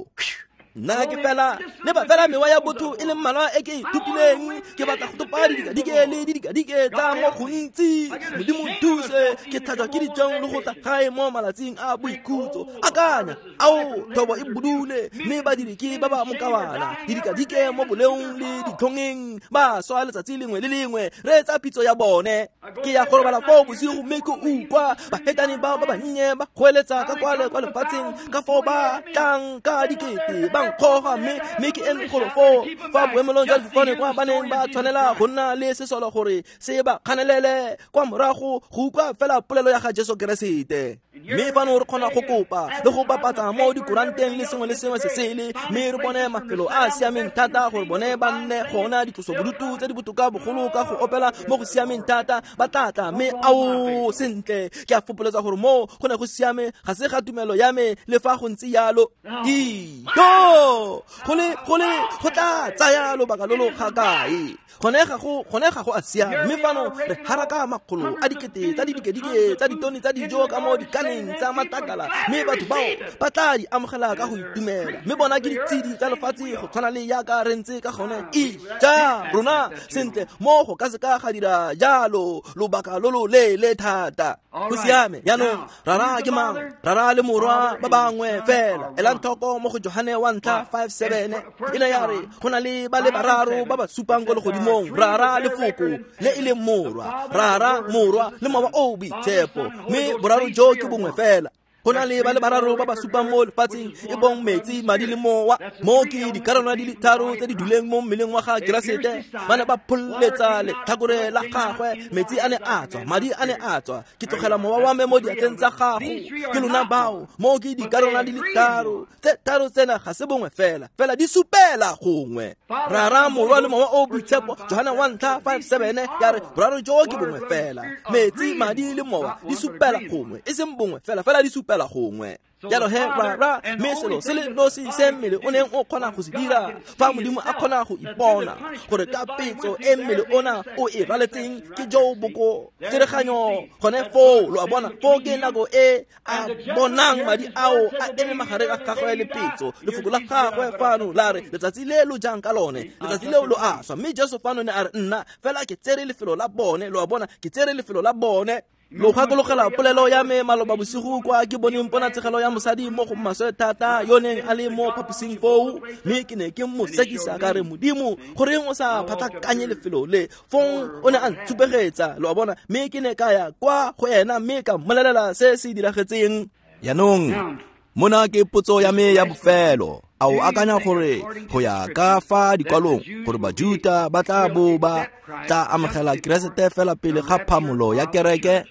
Speaker 1: Nna ke fela leba fela mewa ya botho e le mmalwa e ke e thopileng. Ke batla go topa didikadike le didikadike tsa mo gontsi. Modimo nthuse, ke tlhajwa ke ditlhong le go tla gae mo malatsing a boikhutso. Akanya, ao thobo e budule, mme badiri ke ba ba mokawana. Didikadike mo boleong le ditlhongeng, ba swa letsatsi lengwe le lengwe. Reetsa pitso ya bone. Ke ya go robala foo bosigo mme ke utlwa bahetane bao ba bannye ba goeletsa ka kwale kwa lefatsheng, ka foo ba tlang ka dikete ba nkgoga, mme ke eme golo foo fa boemelong jwa difofane kwa ba neng ba tshwanela go nna le sesolo gore se ba kganelele kwa morago go utlwa fela polelo ya ga Jesu Keresete. Mme fano re kgona go kopa le go bapatsa mo dikuranteng le sengwe le sengwe se sele, mme re bone mafelo a a siameng thata gore bone ba nne gona, ditlosobodutu tse di botoka bogolo ka go opela mo go siameng thata ba tla tla. Mme ao, sentle, ke a fopoletsa gore mo go ne go siame, ga se ga tumelo ya me le fa go ntse yalo. Ito go tla tsaya lobaka lo lo ga kae? Gone ga go a siama. Mme fano re haraka makgolo a dikete tsa didikadike tsa ditone tsa dijo ka mo dikaneng tsa matakala, mme batho bao ba tla di amogela ka go itumela. Mme bona ke ditshedi tsa lefatshe go tshwana le yaka re ntse ka gone. Ija rona sentle, mo go ka se ka ga dira jalo lobaka lo lo leele thata. Go siame. Jaanong Rara ke mang? Rara le Morwa ba bangwe fela. Elang tlhoko mo go Johane 1 5:7, e ne ya re go na le ba le bararo ba ba supang ko legodimong, Rara le Foko le e leng Morwa, Rara, Morwa le Mowa o o Boitshepo, mme boraro jo ke bongwe fela. Go na le ba le bararo ba ba supang mo lefatsheng, e bong metsi, madi le mowa. Mo ke dikarolwana di le tharo tse di duleng mo mmeleng wa ga Keresete. Ba ne ba pholetsa letlhakore la gagwe, metsi a ne a tswa, madi a ne a tswa. Ke tlogela mowa wa me mo diatleng tsa gago. Ke lona bao. Mo ke dikarolwana di le tharo. Tse tharo tsena ga se bongwe fela, fela di supela gongwe. Rara, Morwa le Mowa o Boitshepo. Johane 1 5:7 ya re boraro jo ke bongwe fela. Metsi, madi le mowa di supela gongwe, e seng bongwe fela, fela di supela gongwe. Jalo he Rara, mme selo se le nosi se mmele o neng o kgona go se dira, fa Modimo a kgona go ipona gore ka petso e mmele ona o e raletseng ke jo boko tsereganyo gone foo. Lo a bona, foo ke nako e a bonang madi ao a eme magareng a gagwe le petso. Lefoko la gagwe fano la re letsatsi le lo jang ka lone, letsatsi leo lo a swa. Mme Jesu fano ne a re nna fela ke tsere lefelo la bone. Lo a bona, ke tsere lefelo la bone. Lo gakologela polelo ya me maloba bosigo kwa ke boneng ponatshegelo ya mosadi mo go maswe thata yo neng a le mo phaposing foo, mme ke ne ke mo sekisa ka re, Modimo, goreng o sa phatlakanye lefelo le? Fong o ne a ntshupegetsa, lo a bona, mme ke ne ka ya kwa go ena mme ka mmolelela se se diragetseng. Jaanong mona ke potso ya me ya bofelo. A o akanya gore go ya ka fa dikwalong gore Bajuta ba tla bo ba tla amogela Keresete fela pele ga phamolo ya kereke?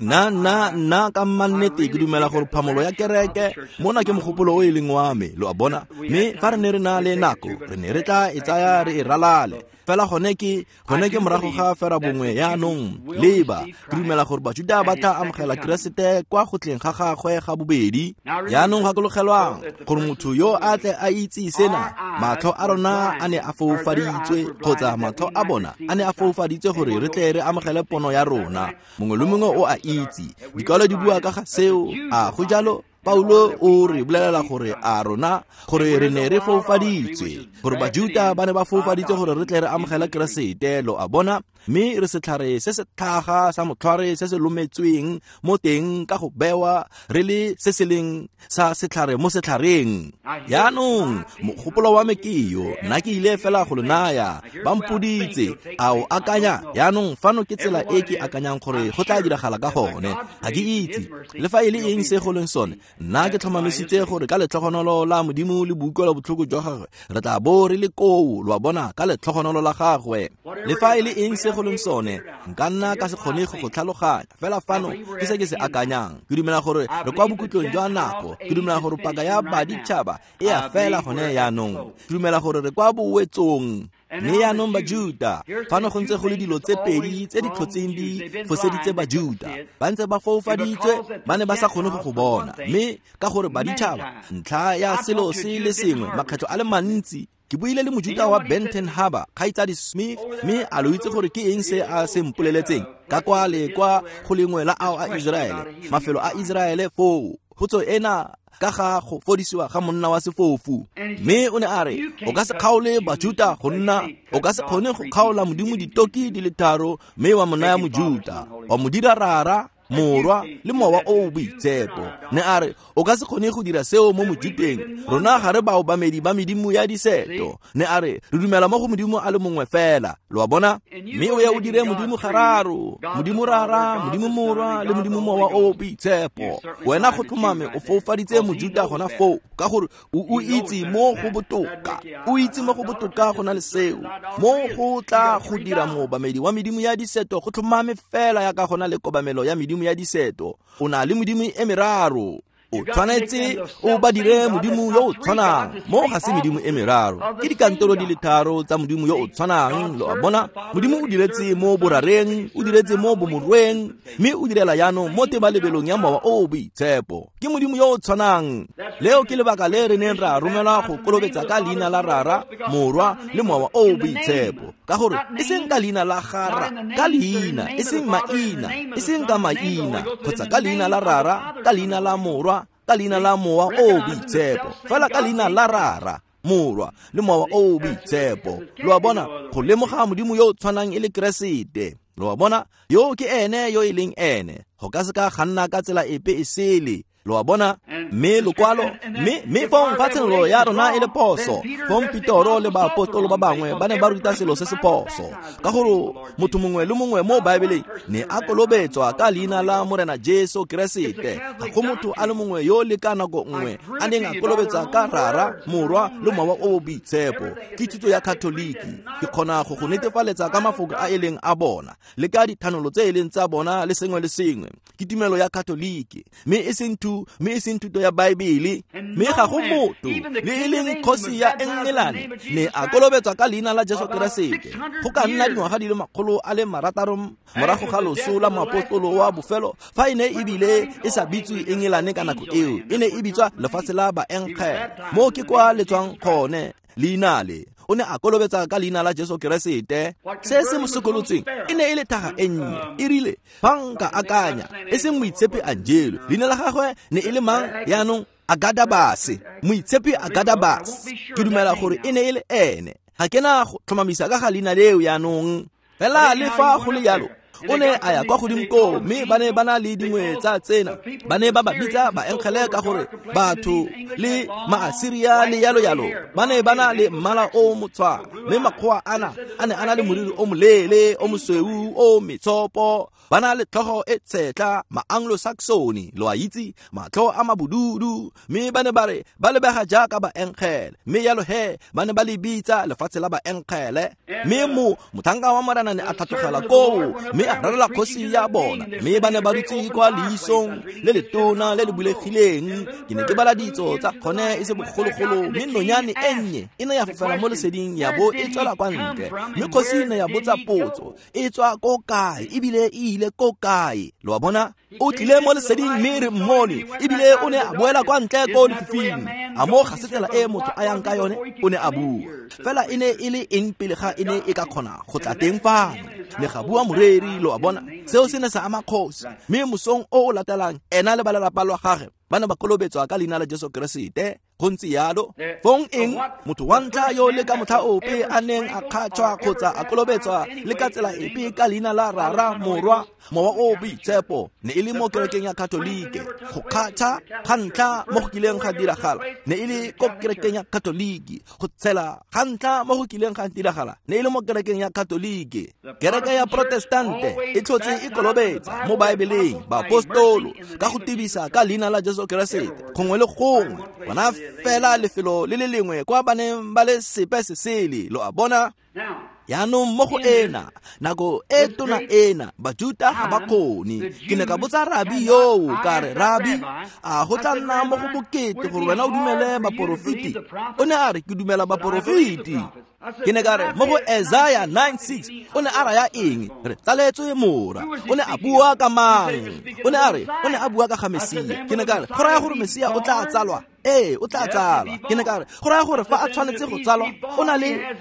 Speaker 1: Nna ka mannete ke dumela gore phamolo ya kereke mona ke mogopolo o e leng wa me, lo a bona. Mme fa re ne re na le nako, re ne re tla e tsaya re e ralale. Fela gone ke morago ga fera bongwe yaanong. Leba, ke dumela gore Bajuda ba tla amogela Keresete kwa go tleng ga gagwe ga bobedi. Yaanong gakologelwang gore motho yo a tle a itse sena, matlho a rona a ne a foufaditswe, kgotsa matlho a bona a ne a foufaditswe gore re tle re amogele pono ya rona. Mongwe le mongwe o a itse, dikwalo di bua ka ga seo. A go jalo? Paulo o re bolelela gore a rona gore re ne re foufaditswe, gore Bajuta ba ne ba foufaditswe gore re tle re amogele Keresete, lo a bona. Mme re setlhare se se tlhaga sa motlhware se se lometsweng mo teng ka go bewa re le se se leng sa setlhare mo setlhareng. Jaanong mogopolo wa me ke yo, nna ke ile fela go lo naya, ba mpoditse, a o akanya? Jaanong fano ke tsela e ke akanyang gore go tla diragala ka gone. Ga ke itse le fa e le eng se go leng sone. Nna ke tlhomamisitse gore ka letlhogonolo la Modimo le boutlwelo botlhoko jwa gagwe re tla bo re le koo, lo a bona, ka letlhogonolo la gagwe. Le fa e le eng se go leng sone, nka nna ka se kgone go go tlhaloganya. Fela fano ke se ke se akanyang. Ke dumela gore re kwa bokhutlong jwa nako. Ke dumela gore paka ya baditšhaba e a fela gone yaanong. Ke dumela gore re kwa bowetsong. Mme yaanong Bajuta, fano go ntse go le dilo tse pedi tse di tlhotseng di foseditse Bajuta. Ba ntse ba foufaditswe, ba ne ba sa kgone go go bona. Mme ka gore baditšhaba, ntlha ya selo se le sengwe makgetlho a le mantsi. Ke buile le Mojuta wa Benton Harbor, Kgaitsadi Smith, mme a lo itse gore ke eng se a se mpoleletseng ka kwa le kwa go lengwe la ao a Iseraele, mafelo a Iseraele foo. potso ena ka ga go fodisiwa ga monna wa sefofu. Mme o ne a re o ka se kgaole Bajuta go nna, o ka se kgone go kgaola Modimo ditoki di le tharo mme wa mo naya Mojuta, wa mo dira Rara, Morwa le Mowa o o Boitshepo. Ne a re o ka se kgone go dira seo mo Mojuteng, rona ga re baobamedi ba medimo ya diseto. Ne a re re dumela mo go Modimo a le mongwe fela, lo a bona? Mme o ya o dire Modimo gararo, Modimo Rara, Modimo Morwa le Modimo Mowa o o Boitshepo. Wena go tlhomame o foufaditse Mojuta gona foo, ka gore o itse mo go botoka, o itse mo go botoka go na le seo. Mo go tla go dira moobamedi wa medimo ya diseto go tlhomame fela ya ka gona le kobamelo ya medimo ya diseto. O na le modimo e meraro, o tshwanetse o ba dire Modimo yo o tshwanang. Mo ga se medimo e meraro, ke dikantoro di le tharo tsa Modimo yo o tshwanang, lo a bona? Modimo o diretse mo borareng, o diretse mo bomorweng, mme o direla jaanong mo tebalebelong ya Mowa o o Boitshepo. Ke Modimo yo o tshwanang. Leo ke lebaka le re neng ra romelwa go kolobetsa ka leina la Rara, Morwa le Mowa o o Boitshepo, ka gore e seng ka leina la gara, ka leina, e seng maina, e seng ka maina, kgotsa ka leina la Rara, ka leina la Morwa, ka leina la Mowa o o Boitshepo, fela ka leina la Rara, Morwa le Mowa o o Boitshepo. Lo a bona? Go lemoga Modimo yo o tshwanang e le Keresete. Lo a bona? Yo ke ene yo e leng ene. Go ka se ka ga nna ka tsela epe e sele. Lo a bona? Mme lokwalo, mme fong fa tshenolo ya rona e le phoso, fong Petoro le baapostolo ba bangwe ba ne ba ruta selo se se phoso, ka gore motho mongwe le mongwe mo Baebeleng ne a kolobetswa ka leina la Morena Jesu Keresete. Ga go motho a le mongwe yo le ka nako nngwe a neng a kolobetsa ka Rara, Morwa le Mowa o o Boitshepo. Ke thuto ya Katoliki. Ke kgona go go netefaletsa ka mafoko a e leng a bona le ka dithanolo tse e leng tsa bona le sengwe le sengwe. Ke tumelo ya Katoliki, mme e seng thuto ya Baebele. Mme ga go motho le e leng kgosi ya Engelane ne a kolobetswa ka leina la Jesu Keresete go ka nna dingwaga di le 600 morago ga loso la moapostolo wa bofelo, fa e ne ebile e sa bitswe Engelane ka nako eo, e ne e bitswa lefatshe la Baenkgele. Mo ke kwa le tswang gone leina le. O ne a kolobetsa ka leina la Jesu Keresete. Se se mo sokolotseng e ne e le thaga e nnye. E rile fa nka akanya, e seng Moitshepi Angelo, leina la gagwe ne e le mang yaanong? Agadabase, Moitshepi Agadabase. Ke dumela gore e ne e le ene. Ga ke na go tlhomamisa ka ga leina leo yaanong. Fela le fa go le jalo, o ne a ya kwa godimo koo, mme ba ne ba na le dingwe tsa tsena. Ba ne ba ba bitsa baenkgele ka gore batho le Maasiria le yalo yalo ba ne ba na le mmala o motshwana, mme makgowa ana a ne a na le moriri o moleele o mosweu o metshopo, ba na le tlhogo e tshetla, ma-Anglo-Saxone, lo a itse, matlho a mabududu, mme ba ne ba re ba lebega jaaka baenkgele. Mme yalo he ba ne ba le bitsa lefatshe la baenkgele. Mme mothanka wa Morena ne a tlhatlogela koo mme a rerela kgosi ya bona, mme ba ne ba dutse kwa leisong le letona le le bulegileng. Ke ne ke bala ditso tsa kgone e se bogologolo, mme nonyane e nnye e ne ya fofela mo leseding ya bo e tswela kwa ntle. Mme kgosi e ne ya botsa potso, e tswa ko kae ebile e ile ko kae? Lo a bona? O tlile mo leseding mme re mmone, ebile o ne a boela kwa ntle ko lefifing. A mo ga se tsela e motho a yang ka yone? O ne a bua. Fela e ne e le eng pele ga e ne e ka kgona go tla teng fano? Ne ga bua moreri, lo a bona? Seo se ne sa ama kgosi. Mme mosong o o latelang, ena le ba lelapa lwa gagwe ba ne ba kolobetswa ka leina la Jesu Keresete. Go ntse yalo. Fong eng? Motho wa ntlha yo le ka motlha ope a neng a kgatšhwa kgotsa a kolobetswa le ka tsela epe ka leina la Rara, Morwa, Mowa o o Boitshepo ne e le mo kerekeng ya Katolike. Go kgatšha ga ntlha mo go kileng ga diragala ne e le ko kerekeng ya Katoliki. Go tshela ga ntlha mo go kileng ga diragala ne e le mo kerekeng ya Katolike. Kereke ya Protestante e tlhotse e kolobetsa mo Baebeleng baapostolo ka go tibisa ka leina la Jesu Keresete gongwe le gongwe. Bona fela lefelo le le lengwe kwa ba neng ba le sepe se sele, lo a bona? Yaanong mo go ena nako e tona ena Bajuta ga ba kgone. Ke ne ka botsa rabi yoo, ka re, Rabi, a go tla nna mo go bokete gore wena o dumele baporofeti? O ne a re, ke dumela baporofeti. Ke ne ka re, mo go Isaiah 9:6 o ne a raya eng? Re tsaletswe mora. O ne a bua ka mang? O ne a re, o ne a bua ka ga Mesia. Ke ne ka re, go raya gore Mesia o tla tsalwa? Ee, o tla tsalwa. Ke ne ka re, go raya gore fa a tshwanetse go tsalwa,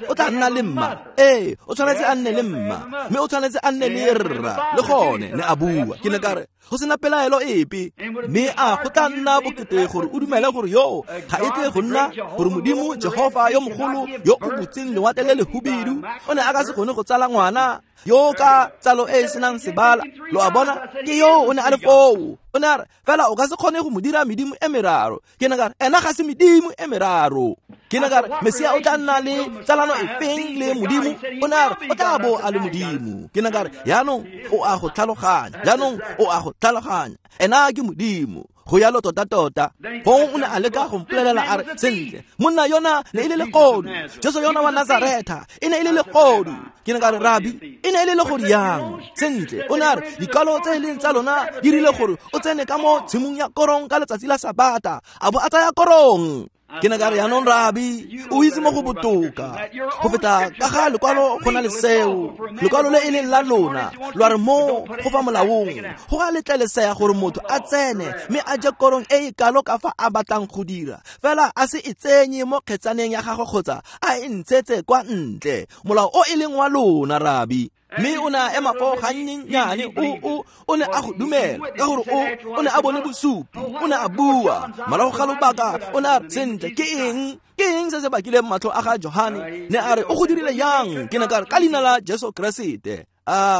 Speaker 1: o tla nna le mma. Ee, o tshwanetse a nne le mma, mme o tshwanetse a nne le rra le gone, ne a bua. Ke ne ka re, go sena pelaelo epe, mme a go tla nna bokete gore o dumele gore yoo ga e tle go nna gore Modimo Jehofa yo mogolo yo o butseng lewatle le lehubidu o ne a ka se kgone go tsala ngwana yo ka tsalo e e senang sebala. Lo a bona, ke yo o ne a le foo. O ne a re, fela o ka se kgone go mo dira medimo e meraro. Ke ne ka re, ena ga se medimo e meraro. Ke ne ka re, Mesia o tla nna le tsalano efeng le Modimo? O ne a re, o tla bo a le Modimo. Ke ne ka re, jaanong o a go tlhaloganya, jaanong o a go tlhaloganya, ena ke Modimo. Go yalo tota-tota. Fong o ne a leka go mpolelela a re, sentle, monna yona ne e le legodu, Jesu yona wa Nazaretha e ne e le legodu. Ke ne ka re, Rabi, e ne e le legodu yang? Sentle, o ne a re, dikalo tse e leng tsa lona di rile gore o tsene ka mo tshimong ya korong ka letsatsi la Sabata, a bo a tsaya korong. Ke ne ka re, jaanong Rabi, o itse mo go botoka go feta ka ga lekwalo go na le seo. Lekwalo le e leng la lona lwa re mo go fa molaong go ga letlelesega gore motho a tsene mme a je korong e e kalo ka fa a batlang go dira, fela a se e tsenye mo kgetsaneng ya gagwe kgotsa a e ntshetse kwa ntle. Molao o e leng wa lona, Rabi. Mme o ne a ema foo gannyenyane, o ne a go dumela ka gore o ne a bone bosupi, o ne a bua. Morago ga lobaka o ne a re, sentle, ke eng se se bakileng matlho a ga Johane? Ne a re, o go dirile yang? Ke ne ka re, ka leina la Jesu Keresete.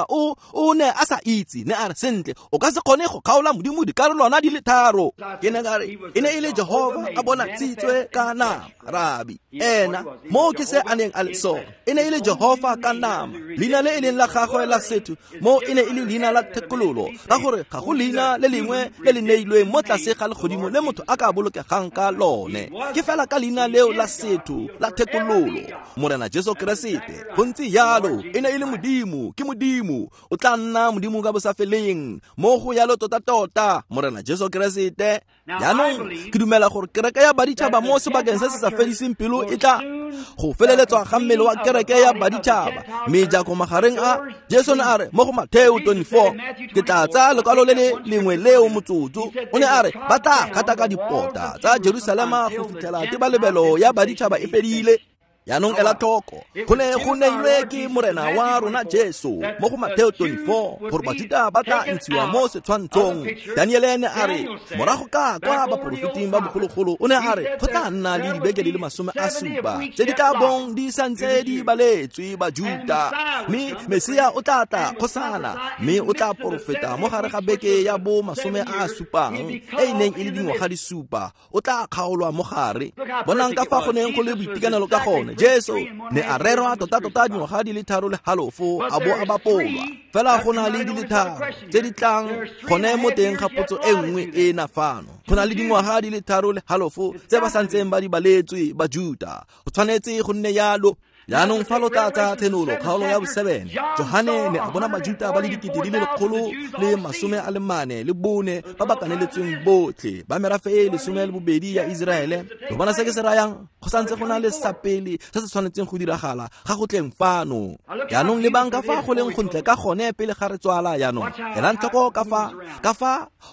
Speaker 1: O ne a sa itse. Ne a re, sentle, o ka se kgone go kgaola Modimo dikarolwana di le tharo. Ke ne ka re, e ne e le Jehova a bona tshitswe ka nama, Rabi. Ena mo ke se a neng a le sone, e ne e le Jehova ka nama. Leina le e leng la gagwe la setho mo e ne e le leina la thekololo, ka gore ga go leina le lengwe le le neilweng mo tlase ga legodimo le motho a ka bolokegang ka lone, ke fela ka leina leo la setho la thekololo, Morena Jesu Keresete. Go ntse yalo, e ne e le Modimo, ke Modimo, o tla nna Modimo ka bosafeleng. Mo go yalo tota-tota, Morena Jesu Keresete. Jaanong ke dumela gore kereke ya baditšhaba mo sebakeng se se sa fediseng pelo e tla go feleletswa ga mmele wa kereke ya baditšhaba. Mejako magareng a Jesu ne a re mo go Mateo 24, ke tla tsaya lekwalo le le lengwe leo motsotso. O ne a re ba tla gataka dipota tsa Jerusalema go fitlhela tebalebelo ya baditšhaba e fedile. Jaanong ela tlhoko, go ne go neilwe ke Morena wa rona Jesu mo go Mateo 24 gore Bajuda ba tla ntshiwa mo setshwantshong. Daniele ne a re morago ka kwa baporofeting ba bogologolo, o ne a re go tla nna le dibeke di le 70 tse di tla bong di santse di baletswe Bajuda, mme Mesia o tla tla kgosana, mme o tla porofeta mo gare ga beke ya bo 70 e e neng e le dingwaga di supa. O tla kgaolwa mo gare. Bonang ka fa go neng go le boitekanelo ka gone. Jesu ne a rerwa tota-tota dingwaga di le 3.5 a bo a bapolwa. Fela go na le di le tharo tse di tlang gone mo teng ga potso e nngwe e na fano. Go na le dingwaga di le 3.5 tse ba santseng ba di baletswe Bajuda. Go tshwanetse go nne yalo. Jaanong fa lo tla tsaya Tshenolo kgaolo ya bo-7, Johane ne a bona Bajuda ba le 144,000 ba ba kaneletsweng botlhe ba merafe e 12 ya Iseraele. Lo bona se ke se rayang? Go santse go na le sa pele se se tshwanetseng go diragala ga go tleng fano. Jaanong lebang ka fa go leng gontle ka gone pele ga re tswala. Jaanong elang tlhoko ka fa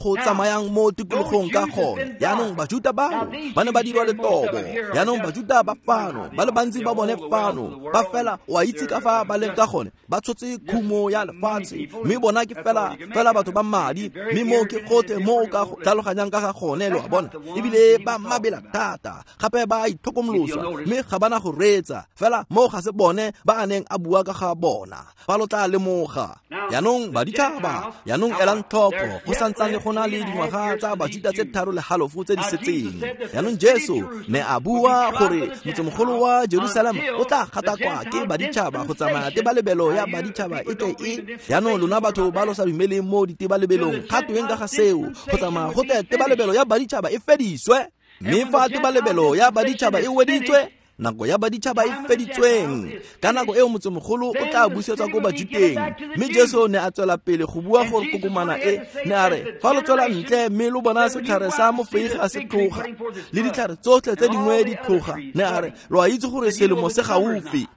Speaker 1: go tsamayang mo tikologong ka gone. Jaanong Bajuda bao ba ne ba dirwa letobo. Jaanong Bajuda ba fano, ba le bantsi ba bone fano, ba fela o a itse ka fa ba leng ka gone, ba tshotse khumo ya lefatshe, mme bona ke fela batho ba madi, mme mo ke gotlhe mo o ka tlhaloganyang ka ga gone, lo a bona. Ebile ba mabela thata, gape ba itlhokomolosa, mme ga ba na go reetsa. Fela mo ga se bone ba a neng a bua ka ga bona. Fa lo tla lemoga. Jaanong baditšhaba, jaanong elang tlhoko, go santsane go na le dingwaga tsa Bajuda tse 3.5 tse di setseng. Jaanong Jesu ne a bua gore motsemogolo wa Jerusalema o tla gatakwa ke baditšhaba go tsamaya tebalebelo ya baditšhaba e tle e. Jaanong lona batho ba lo sa dumeleng mo ditebalebelong, ga tweng ka ga seo? Go tsamaya go tle tebalebelo ya baditšhaba e fediswe. Mme fa tebalebelo ya baditšhaba e weditswe, nako ya baditšhaba e feditsweng, ka nako eo motsemogolo o tla busetswa ko Bajuteng. Mme Jesu ne a tswela pele go bua gore kokomana e ne a re, fa lo tswela ntle mme lo bona setlhare sa mofeige a se tloga le ditlhare tsotlhe tse dingwe di tloga, ne a re, lo a itse gore selemo se gaufi.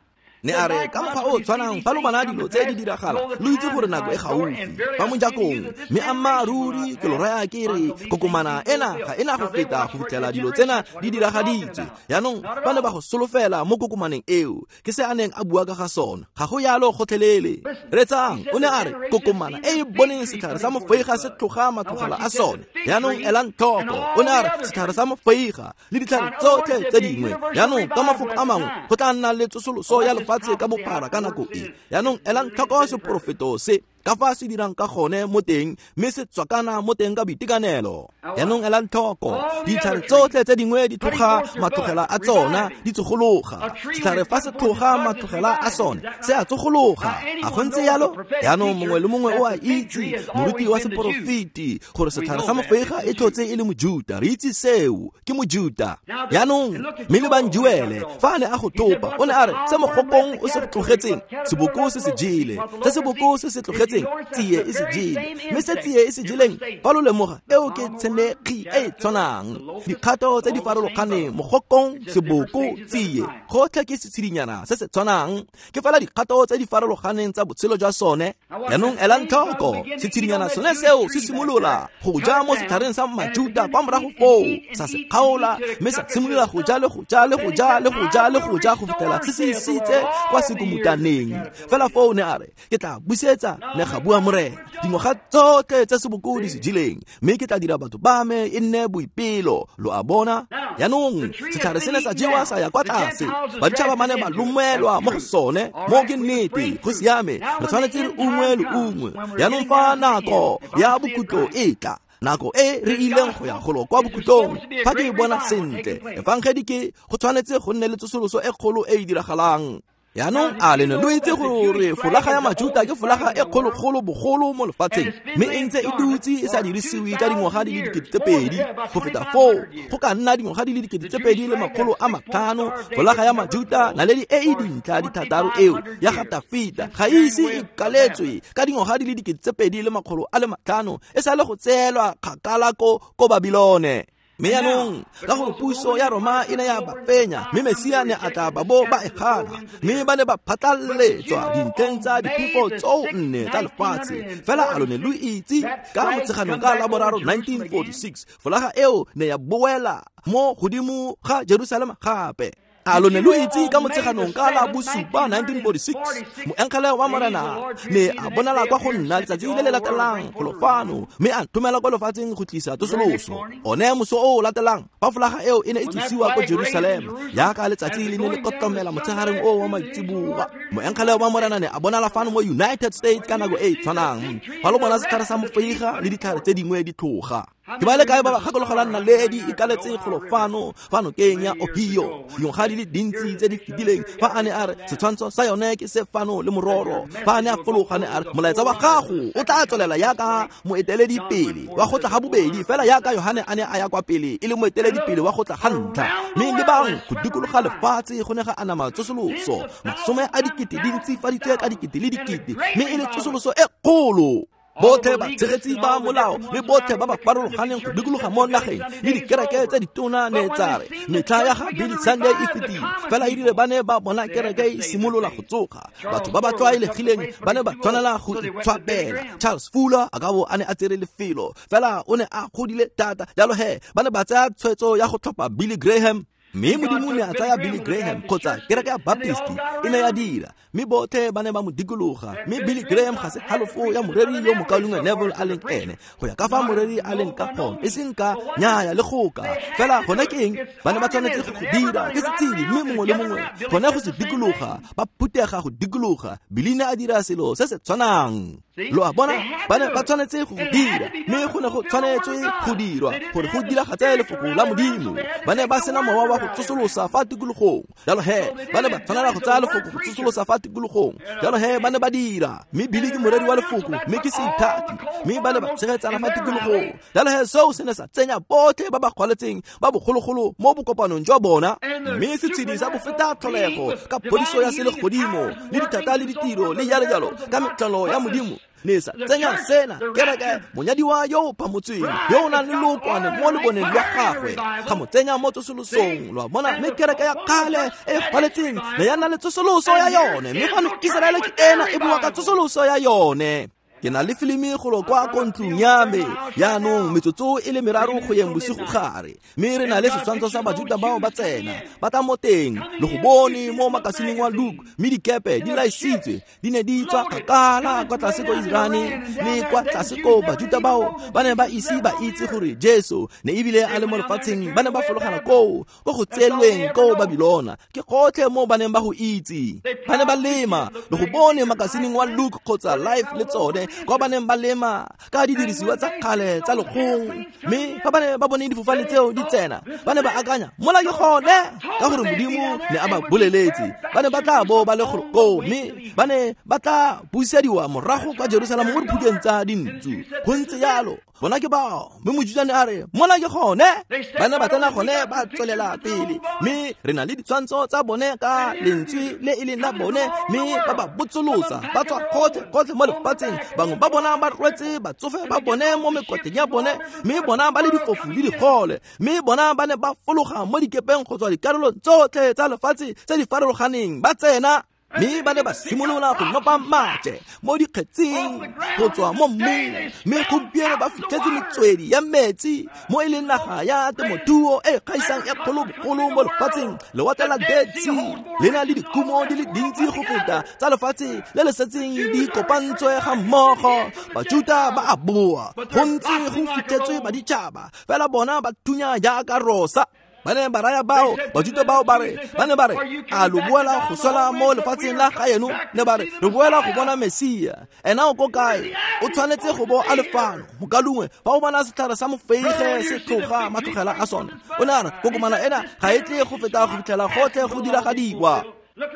Speaker 1: Ne a re ka mokgwa o tshwanang fa lo bona dilo tse di diragala lo itse gore nako e gaufi fa mojakong, mme ammaaruri ke lo raya ke re kokomana ena ga ena go feta go fitlhela dilo tsena di diragaditswe. Yaanong ba ne ba go solofela mo kokomaneng eo, ke se a neng a bua ka ga sona, ga go yalo gotlhelele. Retsang, o ne a re kokomana e e boneng setlhare sa mofeiga se tloga matlogela a sone. Yaanong elang tlhoko, o ne a re setlhare sa mofeiga le ditlhare tsotlhe tse dingwe. Yaanong ka mafoko a mangwe go tla nna le tsosoloso ya lefatshe ka bophara ka nako e. Yaanong elang tlhoko seporofeto se ka fa se dirang ka gone mo teng, mme se tswakana mo teng ka boitekanelo. Yaanong elang tlhoko, ditlhare tsotlhe tse dingwe di tloga matlogela a tsona di tsogologa. Setlhare fa se tloga matlogela a sone se a tsogologa. A go ntse yalo? Yaanong mongwe le mongwe o a itse, moruti wa seporofeti, gore setlhare sa mofeiga e tlhotse e le Mojuta. Re itse seo, ke Mojuta. Yaanong mme le Banjuele fa a ne a go topa, o ne a re se mogokong o se tlogetseng seboko se se jele, se seboko se se tlogetseng tsie e se jele, mme se tsie e se jeleng fa lo lemoga eo ke tshenekgi e e tshwanang. Dikgato tse di farologaneng, mogokong, seboko, tsie, gotlhe ke setshedinyana se se tshwanang, ke fela dikgato tse di farologaneng tsa botshelo jwa sone. Yaanong elang tlhoko, setshedinyana sone seo se simolola go ja mo setlhareng sa Majuta kwa morago foo, sa se kgaola, mme sa simolola go ja le go ja le go ja le go ja le go ja go fitlhela se se isitse kwa sekomutaneng. Fela foo ne a re ke tla busetsa, ne ga bua Morena, dingwaga tsotlhe tse seboko di se jeleng, mme ke tla dira batho ba me e nne boipelo. Lo a bona? Yaanong setlhare se ne sa jewa sa ya kwa tlase, baditšhaba ba ne ba lomelwa mo go sone. Mo ke nnete, go siame, re tshwanetse re ungwe le ungwe. Yaanong fa nako ya bokhutlo e tla, nako e re ileng go ya golo kwa bokhutlong, fa ke e bona sentle, efangedi ke go tshwanetse go nne le tsosoloso e kgolo e e diragalang. Yaanong a le ne lo itse gore folaga ya Majuta ke folaga e kgologolo bogolo mo lefatsheng, mme e ntse e dutse e sa dirisiwe ka dingwaga di le 2000. Go feta foo go ka nna dingwaga di le 2500. Folaga ya Majuta, naledi e e dintlha di thataro eo ya ga Tafita, ga ise e kaletswe ka dingwaga di le 2500, e sa le go tseelwa kgakala ko Babilone. Mme yaanong ka gore puso ya Roma e ne ya ba fenya, mme Mesia ne a tla ba bo ba e gana, mme ba ne ba phatlalletswa dintlheng tsa diphefo tsoo nne tsa lefatshe. Fela a lo ne lo itse ka Motsheganong ka laboraro 1946 folaga eo ne ya boela mo godimo ga Jerusalema gape. A lo ne lo itse ka Motsheganong ka la bosupa 1946 moengele wa Morena ne a bonala kwa go nna letsatsi le le latelang golo fano, mme a nthomela kwa lefatsheng go tlisa tsosoloso. One moso o o latelang fa folaga eo e ne e tsosiwa ko Jerusalema, yaka letsatsi le ne le kotlomela motshegareng o wa maitseboa, moengele wa Morena ne a bonala fano mo United States ka nako e e tshwanang. Fa lo bona setlhare sa mofeiga le ditlhare tse dingwe di tloga. Ke ba le kae ba ba gakologelang naledi e kaletse golo fano fa nokeng ya Ohio dingwaga di le dintsi tse di fetileng, fa a ne a re setshwantsho sa yone ke se fano le mororo. Fa a ne a fologa ne a re molaetsa wa gago o tla tswelela yaka moeteledipele wa go tla ga bobedi, fela yaka Yohane a ne a ya kwa pele e le moeteledipele wa go tla ga ntlha. Mme le bang go dikologa lefatshe go ne ga anama tsosoloso, 10,000 dintsi faditswe ka dikete le dikete, mme e le tsosoloso e kgolo. Botlhe batshegetsi ba molao le botlhe ba ba farologaneng go dikologa mo nageng le dikereke tse ditona ne tsa re metlha ya ga Billy Sunday e fetile. Fela e rile ba ne ba bona kereke e simolola go tsoga, batho ba ba tlwaelegileng ba ne ba tshwanela go itshwabela. Charles Fuller a ka bo a ne a tsere lefelo, fela o ne a godile thata, jalo he ba ne ba tsaya tshwetso ya go tlhopha Billy Graham. Mme Modimo ne a tsaya Billy Graham kgotsa kereke ya Baptist e ne ya dira, mme botlhe ba ne ba mo dikologa. Mme Billy Graham ga se halofo ya moreri yo mokaulengwe Neville a leng ene, go ya ka fa moreri a leng ka gone, e seng ka nyaya le goka. Fela gone ke eng? Ba ne ba tshwanetse go dira ke setshedi, mme mongwe le mongwe gone go se dikologa, ba phutega go dikologa. Billy ne a dira selo se se tshwanang. Lo a bona? Ba ne ba tshwanetse go dira, mme go ne go tshwanetswe go dirwa gore go diragatse lefoko la Modimo. Ba ne ba sena mowa wa go tsosolosa fa tikologong, jalo he ba ne ba tshwanela go tsaya lefoko go tsosolosa fa tikologong, jalo he ba ne ba dira. Mme Billy ke moreri wa lefoko, mme ke seithati, mme ba ne ba tshegetsana fa tikologong, jalo he seo se ne sa tsenya botlhe ba ba kgwaletseng ba bogologolo mo bokopanong jwa bona. Mme setshedi sa bofeta tlholego ka phodiso ya selegodimo le dithata le ditiro le jalo jalo ka metlholo ya Modimo Ne sa tsenya sena kereke monyadiwa yo o phamotsweng yo o nang le lookwane mo leboneng lwa gagwe ga mo tsenya mo tsosolosong lo a bona mme kereke ya kgale e gwaletseng ne ya nna le tsosoloso ya yone mme fano Iseraele ke ena e bua ka tsosoloso ya yone. Ke na le filimi golo kwa ko ntlong ya me yaanong metsotso e le meraro go yeng bosigo gare mme re na le setshwantsho sa Bajuta bao ba tsena ba tla mo teng le go bone mo makasineng wa Luke mme dikepe di laisitswe di ne di tswa kgakala kwa tlase ko Irane le kwa tlase ko Bajuta bao ba ne ba ise ba itse gore Jesu ne ebile a le mo lefatsheng ba ne ba fologela koo ko go tseelweng ko Babilona ke gotlhe mo ba neng ba go itse ba ne ba lema le go bone makasineng wa Luke kgotsa Life le tsone kwa ba neng ba lema ka didirisiwa tsa kgale tsa lekgong mme fa ba ne ba bone difofane tseo di tsena ba ne ba akanya mola ke gone ka gore Modimo ne a ba boleletse ba ne ba tla bo ba le golo koo mme ba ne ba tla busediwa morago kwa Jerusalem mo diphukeng tsa dintsu go ntse yalo bona ke bao mme Mojutane a re mola ke gone ba ne ba tsena gone ba tswelela pele mme re na le ditshwantsho tsa bone ka lentswe le e leng la bone mme ba ba botsolosa ba tswa gotlhe gotlhe mo lefatsheng bangwe ba bona ba rwetse batsofe ba bone mo mekoteng ya bone mme bona ba le difofu le digole mme bona ba ne ba fologa mo dikepeng go tswa dikarolong tsotlhe tsa lefatshe tse di farologaneng ba tsena mme ba ne ba simolola go nopa maje mo dikgetsing go tswa mo mmung mme gompieno ba fitlhetse metswedi ya metsi mo e leng naga ya temothuo e gaisang e kgolobogolo mo lefatsheng lewatle la Dead Sea le na le dikumo di le dintsi go feta tsa lefatshe le le setseng di kopantswe ga mmogo. Bajuta ba a boa go ntse go fitlhetswe baditšhaba fela bona ba thunya jaaka rosa. Ba ne ba raya bao Bajuta bao ba re ba ne ba re a lo boela go swela mo lefatsheng la gaeno ne ba re re boela go bona Mesia ena o ko kae o tshwanetse go bo a le fano mokalungwe fa o bona setlhare sa mofeige se tloga matlogela a sone o ne a re kokomana ena ga e tle go feta go fitlhela gotlhe go diragadiwa.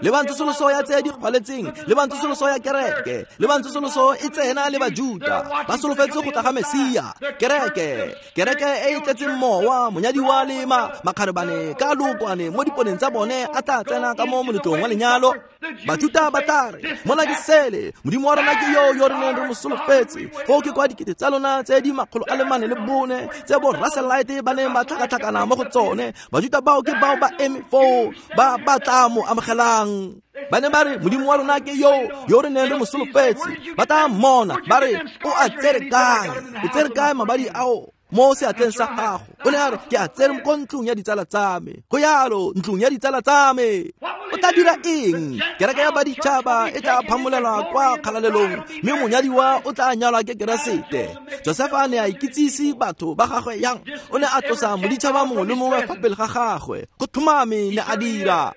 Speaker 1: Le ba tsosoloso ya tse di kgwaletseng le ba tsosoloso ya kereke le ba tsosoloso e tsena le Bajuta ba solofetse go tla ga Mesia kereke kereke e e tletseng mowa monyadiwa le makgarebane ka lookwane mo diponeng tsa bone a tla tsena ka mo moletlong wa lenyalo. Bajuta ba tla re mona ke sele Modimo wa rona ke yo yo re neng re mo solofetse foo ke kwa dikete tsa lona tse di 404 tse bo Russellite ba neng ba tlhakatlhakana mo go tsone. Bajuta bao ke bao ba eme foo ba ba tla mo amogelang. Ba ne ba re Modimo wa rona ke yo yo re neng re mo solofetse ba tla mmona ba re o a tsere kae o tsere kae mabadi ao mo seatleng sa gago o ne a re ke a tsere ko ntlong ya ditsala tsa me go yalo ntlong ya ditsala tsa me o tla dira eng kereke ya baditšhaba e tla phamolelwa kwa kgalalelong mme monyadiwa o tla nyalwa ke Keresete. Josefa ne a ikitsise batho ba gagwe yang o ne a tlosa moditšhaba mongwe le mongwe fa pele ga gagwe go tlhomame ne a dira.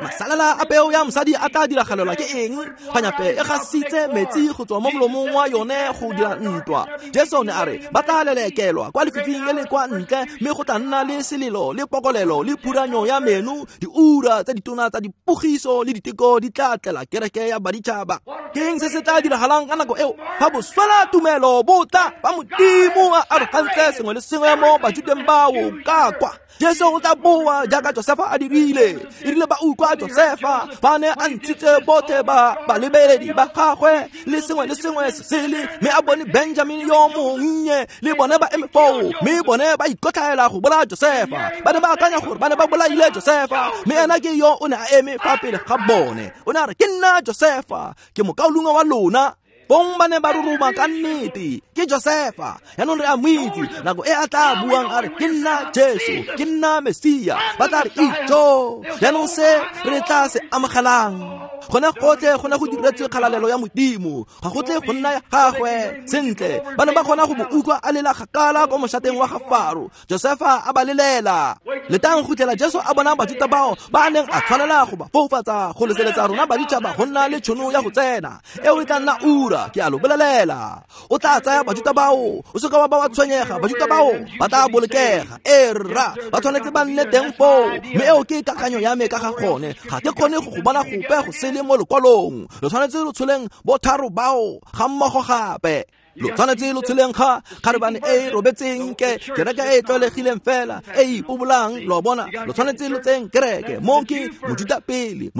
Speaker 1: Masalela a peo ya mosadi a tla diragalelwa ke eng kganyape e gasitse metsi go tswa mo molomong wa yone go dira ntwa. Jesu ne a re ba tla lelekelwa kwa lefifing le le kwa ntle mme go tla nna le selelo le pokolelo le phuranyo ya meno diura tse ditona tsa dipogiso le diteko di tla tlela kereke ya baditšhaba. Ke eng se se tla diragalang ka nako eo fa boswela tumelo bo tla ba Modimo a arogantse sengwe le sengwe mo Bajuteng bao ka kwa. Jesu o tla boa jaaka Josefa a dirile e rile ba utlwa Josefa ba ne a ntshitse botlhe ba balebeledi ba gagwe le sengwe le sengwe se sele mme a bone Benjamin yo monnye le bone ba eme foo mme bone ba ikotlhaela go bolaya Josefa ba ne ba akanya gore ba ne ba bolaile Josefa mme ena ke yo o ne a eme fa pele ga bone o ne a re ke nna Josefa ke mokaulengwe wa lona. Bong ba ne ba roroma ka nnete ke Josefa yaanong re a mo itse nako e a tla buang a re ke nna Jesu ke nna Mesia ba tla re itjo yaanong se re tla se amogelang gone gotlhe gone go diretswe kgalalelo ya Modimo ga go tle go nna ya gagwe sentle ba ne ba kgona go mo utlwa a lela kgakala ko mošateng wa ga Faro. Josefa a ba lelela letang go tlela Jesu a bona Bajuta bao ba neng a tshwanela go ba foufatsa go leseletsa rona baditšhaba go nna le tšhono ya go tsena eo e tla nna ura ke a lo bolelela o tla tsaya Bajuta bao o seka wa ba wa tshwenyega Bajuta bao ba tla bolokega e rra ba tshwanetse ba nne teng foo mme eo ke kakanyo ya me ka ga gone ga ke kgone go go bona gope go sele mo lekwalong lo tshwanetse lo tsholeng botharo bao ga mmogo gape. Lo tshwanetse lo tsheleng ga kgarebane e robetseng ke kereke e tlwaelegileng fela e ipobolang, lo bona. Lo tshwanetse lo tseng kereke mo ke Mojuta pele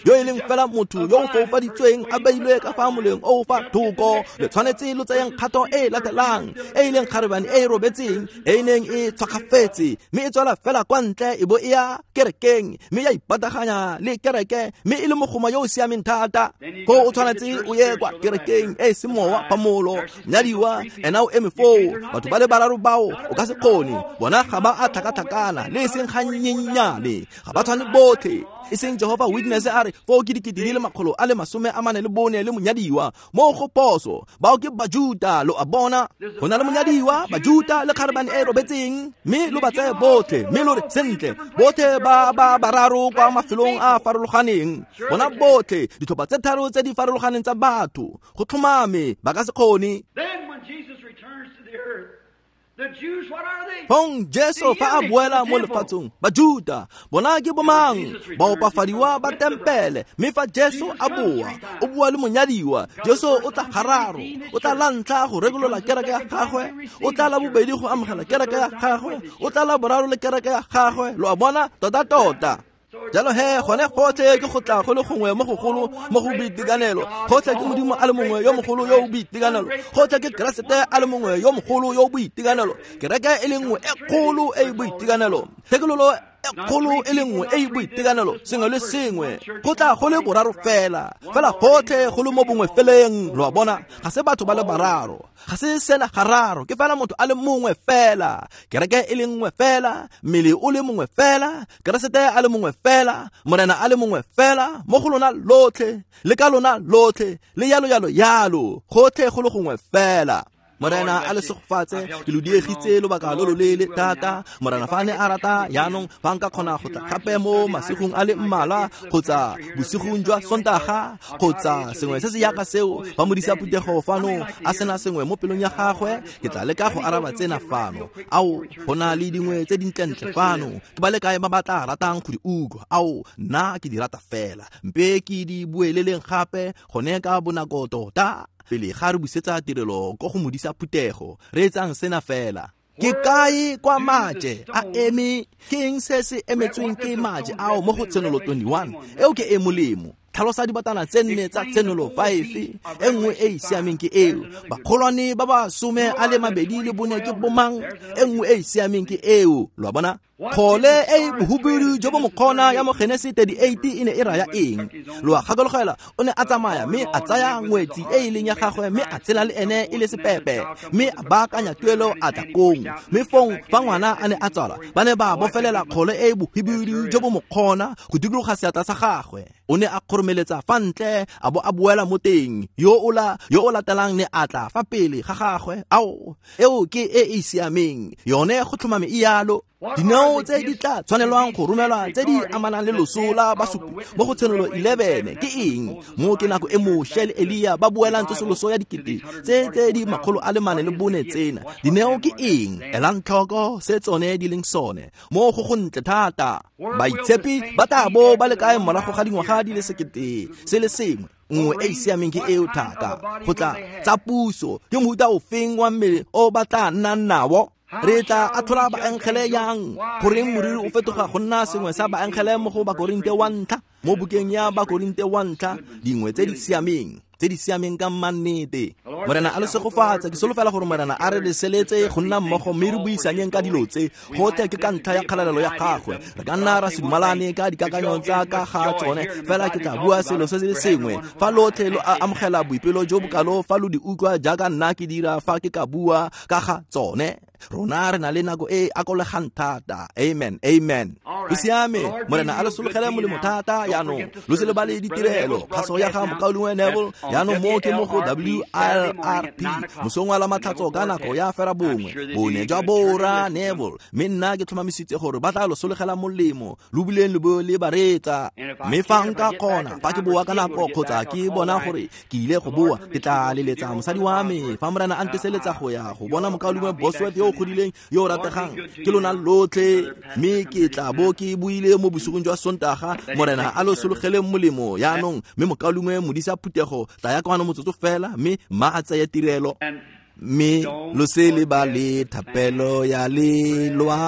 Speaker 1: yo e leng fela motho yo o foufaditsweng a beilwe ka fa moleng o fa thoko. Le tshwanetse lo tseyeng kgato e latelang e e leng kgarebane e robetseng e neng e tshwakgafetse mme e tswela fela kwa ntle e bo e ya kerekeng mme ya ipataganya le kereke mme e le mogoma yo o siameng thata. Ko o tshwanetse o ye kwa kerekeng e semowa phamolo nyadiwa ena o eme foo. Batho ba le bararo bao o ka se kgone, bona ga ba a tlhakatlhakana le e seng gannyenyane, ga ba tshwane botlhe. E seng Jehovah Witness a re foo ke 244 le monyadiwa mo go poso, bao ke Bajuta, lo a bona. Go na le monyadiwa, Bajuta le kgarebane e robetseng, mme lo ba tseye botlhe mme lo re sentle botlhe ba ba bararo kwa mafelong a farologaneng, bona botlhe ditlhopha tse tharo tse di farologaneng tsa batho, go tlhomame ba ka se kgone. Fong Jesu fa a boela mo lefatsheng, Bajuta bona ke bomang? Baopafadiwa ba tempele. Mme fa Jesu a boa, o boa le monyadiwa. Jesu o tla gararo, o tla la ntlha go rekolola kereke ya gagwe, o tla la bobedi go amogela kereke ya gagwe, o tla la boraro le kereke ya gagwe. Lo a bona tota-tota. Jalo he gone gotlhe ke go tla go le gongwe mo gogolo mo go boitekanelo, gotlhe ke Modimo a le mongwe yo mogolo yo o boitekanelo, gotlhe ke Keresete a le mongwe yo mogolo yo o boitekanelo, kereke e le nngwe e kgolo e e boitekanelo, thekololo e kgolo e le nngwe e e boitekanelo, sengwe le sengwe go tla go le boraro fela, fela gotlhe go le mo bongwe feleng. Lo a bona, ga se batho ba le bararo, ga se sena gararo, ke fela motho a le mongwe fela, kereke e le nngwe fela, mmele o le mongwe fela, Keresete a le mongwe fela, Morena a le mongwe fela, mo go lona lotlhe le ka lona lotlhe le yalo yalo yalo, gotlhe go le gongwe fela. Morena a le segofatse, ke lo diegitse lobaka lo loleele thata. Morena fa ne a rata jaanong fa nka kgona go tla gape mo masigong a le mmalwa kgotsa bosigong jwa Sontaga kgotsa sengwe se se yaka seo, fa modisa phuthego fano a sena sengwe mo pelong ya gagwe, ke tla leka go araba tsena fano. Ao, go na le dingwe tse dintlentle fano, ke ba le kae ba ba tla ratang go di utlwa? Ao, nna ke di rata fela, mpe ke di bueleleng gape gone ka bonako tota pele ga re busetsa tirelo ko go modisa phuthego. Re etsang sena fela. Ke kae kwa maje a eme? Ke eng se se emetsweng ke maje ao mo go Tshenolo 21? Eo ke e molemo. Tlhalosa dibatana tse nne tsa Tshenolo 5. E nngwe e e siameng ke eo. Bakgolwane ba ba 24 ke bomang? E nngwe e e siameng ke eo. Lo a bona? Kgole e bohubidu jo bo mokgona ya mo Genesi 38 e ne e raya eng? Lo a gakologela, o ne a tsamaya mme a tsaya ngwetsi e e leng ya gagwe mme a tshela le ene e le sepepe, mme a baakanya tuelo a tla kong. Mme fong fa ngwana a ne a tswalwa, ba ne ba bofelela kgole e bohubidu jo bo mokgona go dikologa seatla sa gagwe. O ne a kgoromeletsa fa ntle a bo a boela mo teng. Yo o latelang ne a tla fa pele ga gagwe. Ao, eo ke e e siameng yone, go tlhomame e yalo. Dineo tse di tla tshwanelwang go romelwa tse di amanang le loso la basupi mo go Tshenolo 11 ke eng? Mo ke nako e Moshe le Elia ba boelang tsosoloso ya dikete tse di 404 tsena. Dineo ke eng? Elang tlhoko se tsone di leng sone. Mo go gontle thata. Baitshepi ba tla bo ba le kae morago ga dingwaga di le 1001? Nngwe e e siameng ke eo thata. Go tla tsa puso ke mohuta ofeng wa mmele o ba tla nnang nao? Re tla atlhola baengele yang? Goreng moriri o fetoga go nna sengwe sa baengele mo go Bakorinte wa ntlha? Mo bukeng ya Bakorinte wa ntlha, dingwe tse di siameng ka mannete. Morena a le segofatse. Ke solofela gore Morena a re leseletse go nna mmogo mme re buisanyeng ka dilo tse. Gotlhe ke ka ntlha ya kgalalelo ya gagwe. Re ka nna ra se dumalane ka dikakanyo tsa ka ga tsone, fela ke tla bua selo se se sengwe. Fa lotlhe lo amogela boipelo jo bokalo fa lo di utlwa jaaka nna ke dira fa ke ka bua ka ga tsone, rona re na le nako e akolegang thata. Amen, amen. Go siame. Morena a le sologele molemo thata jaanong. Lo se lebale ditirelo. Kgaso ya ga mokaulengwe Neville jaanong mo ke mo go WLRP mosong wa la matlhatso ka nako ya 9:30. Bone jwa bora Neville, mme nna ke tlhomamisitse gore ba tla lo sologela molemo, lo bileng lo bo le bareetsa. Mme fa nka kgona, fa ke boa ka nako kgotsa ke bona gore ke ile go boa, ke tla leletsa mosadi wa me. Fa Morena a nteseletsa go ya go bona mokaulengwe Bosworth yo o godileng yo o rategang, ke lona lotlhe, mme ke tla bo ke buile mo bosigong jwa Sontaga. Morena a lo sologeleng molemo yaanong, mme mokaulengwe modisa phuthego tla ya kwano motsotso fela, mme mma a tseye tirelo. Mme lo se lebale thapelo ya lelwapa.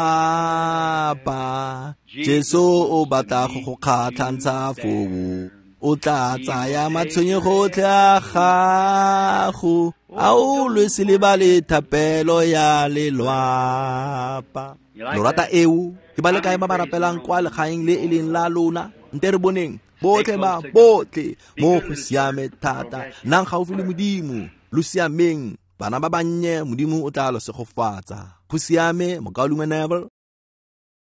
Speaker 1: Jesu o batla go go kgatlhantsha foo, o tla tsaya matshwenyego otlhe a gago. A o lo se lebale thapelo ya lelwapa. Lo rata eo? Ke ba le kae ba ba rapelang kwa legaeng le e leng la lona? Nte re boneng botlhe ba botlhe mo go siame thata. Nnang gaufi le Modimo, lo siameng. Bana ba bannye, Modimo o tla lo segofatsa. Go siame, mokaulengwe Neville.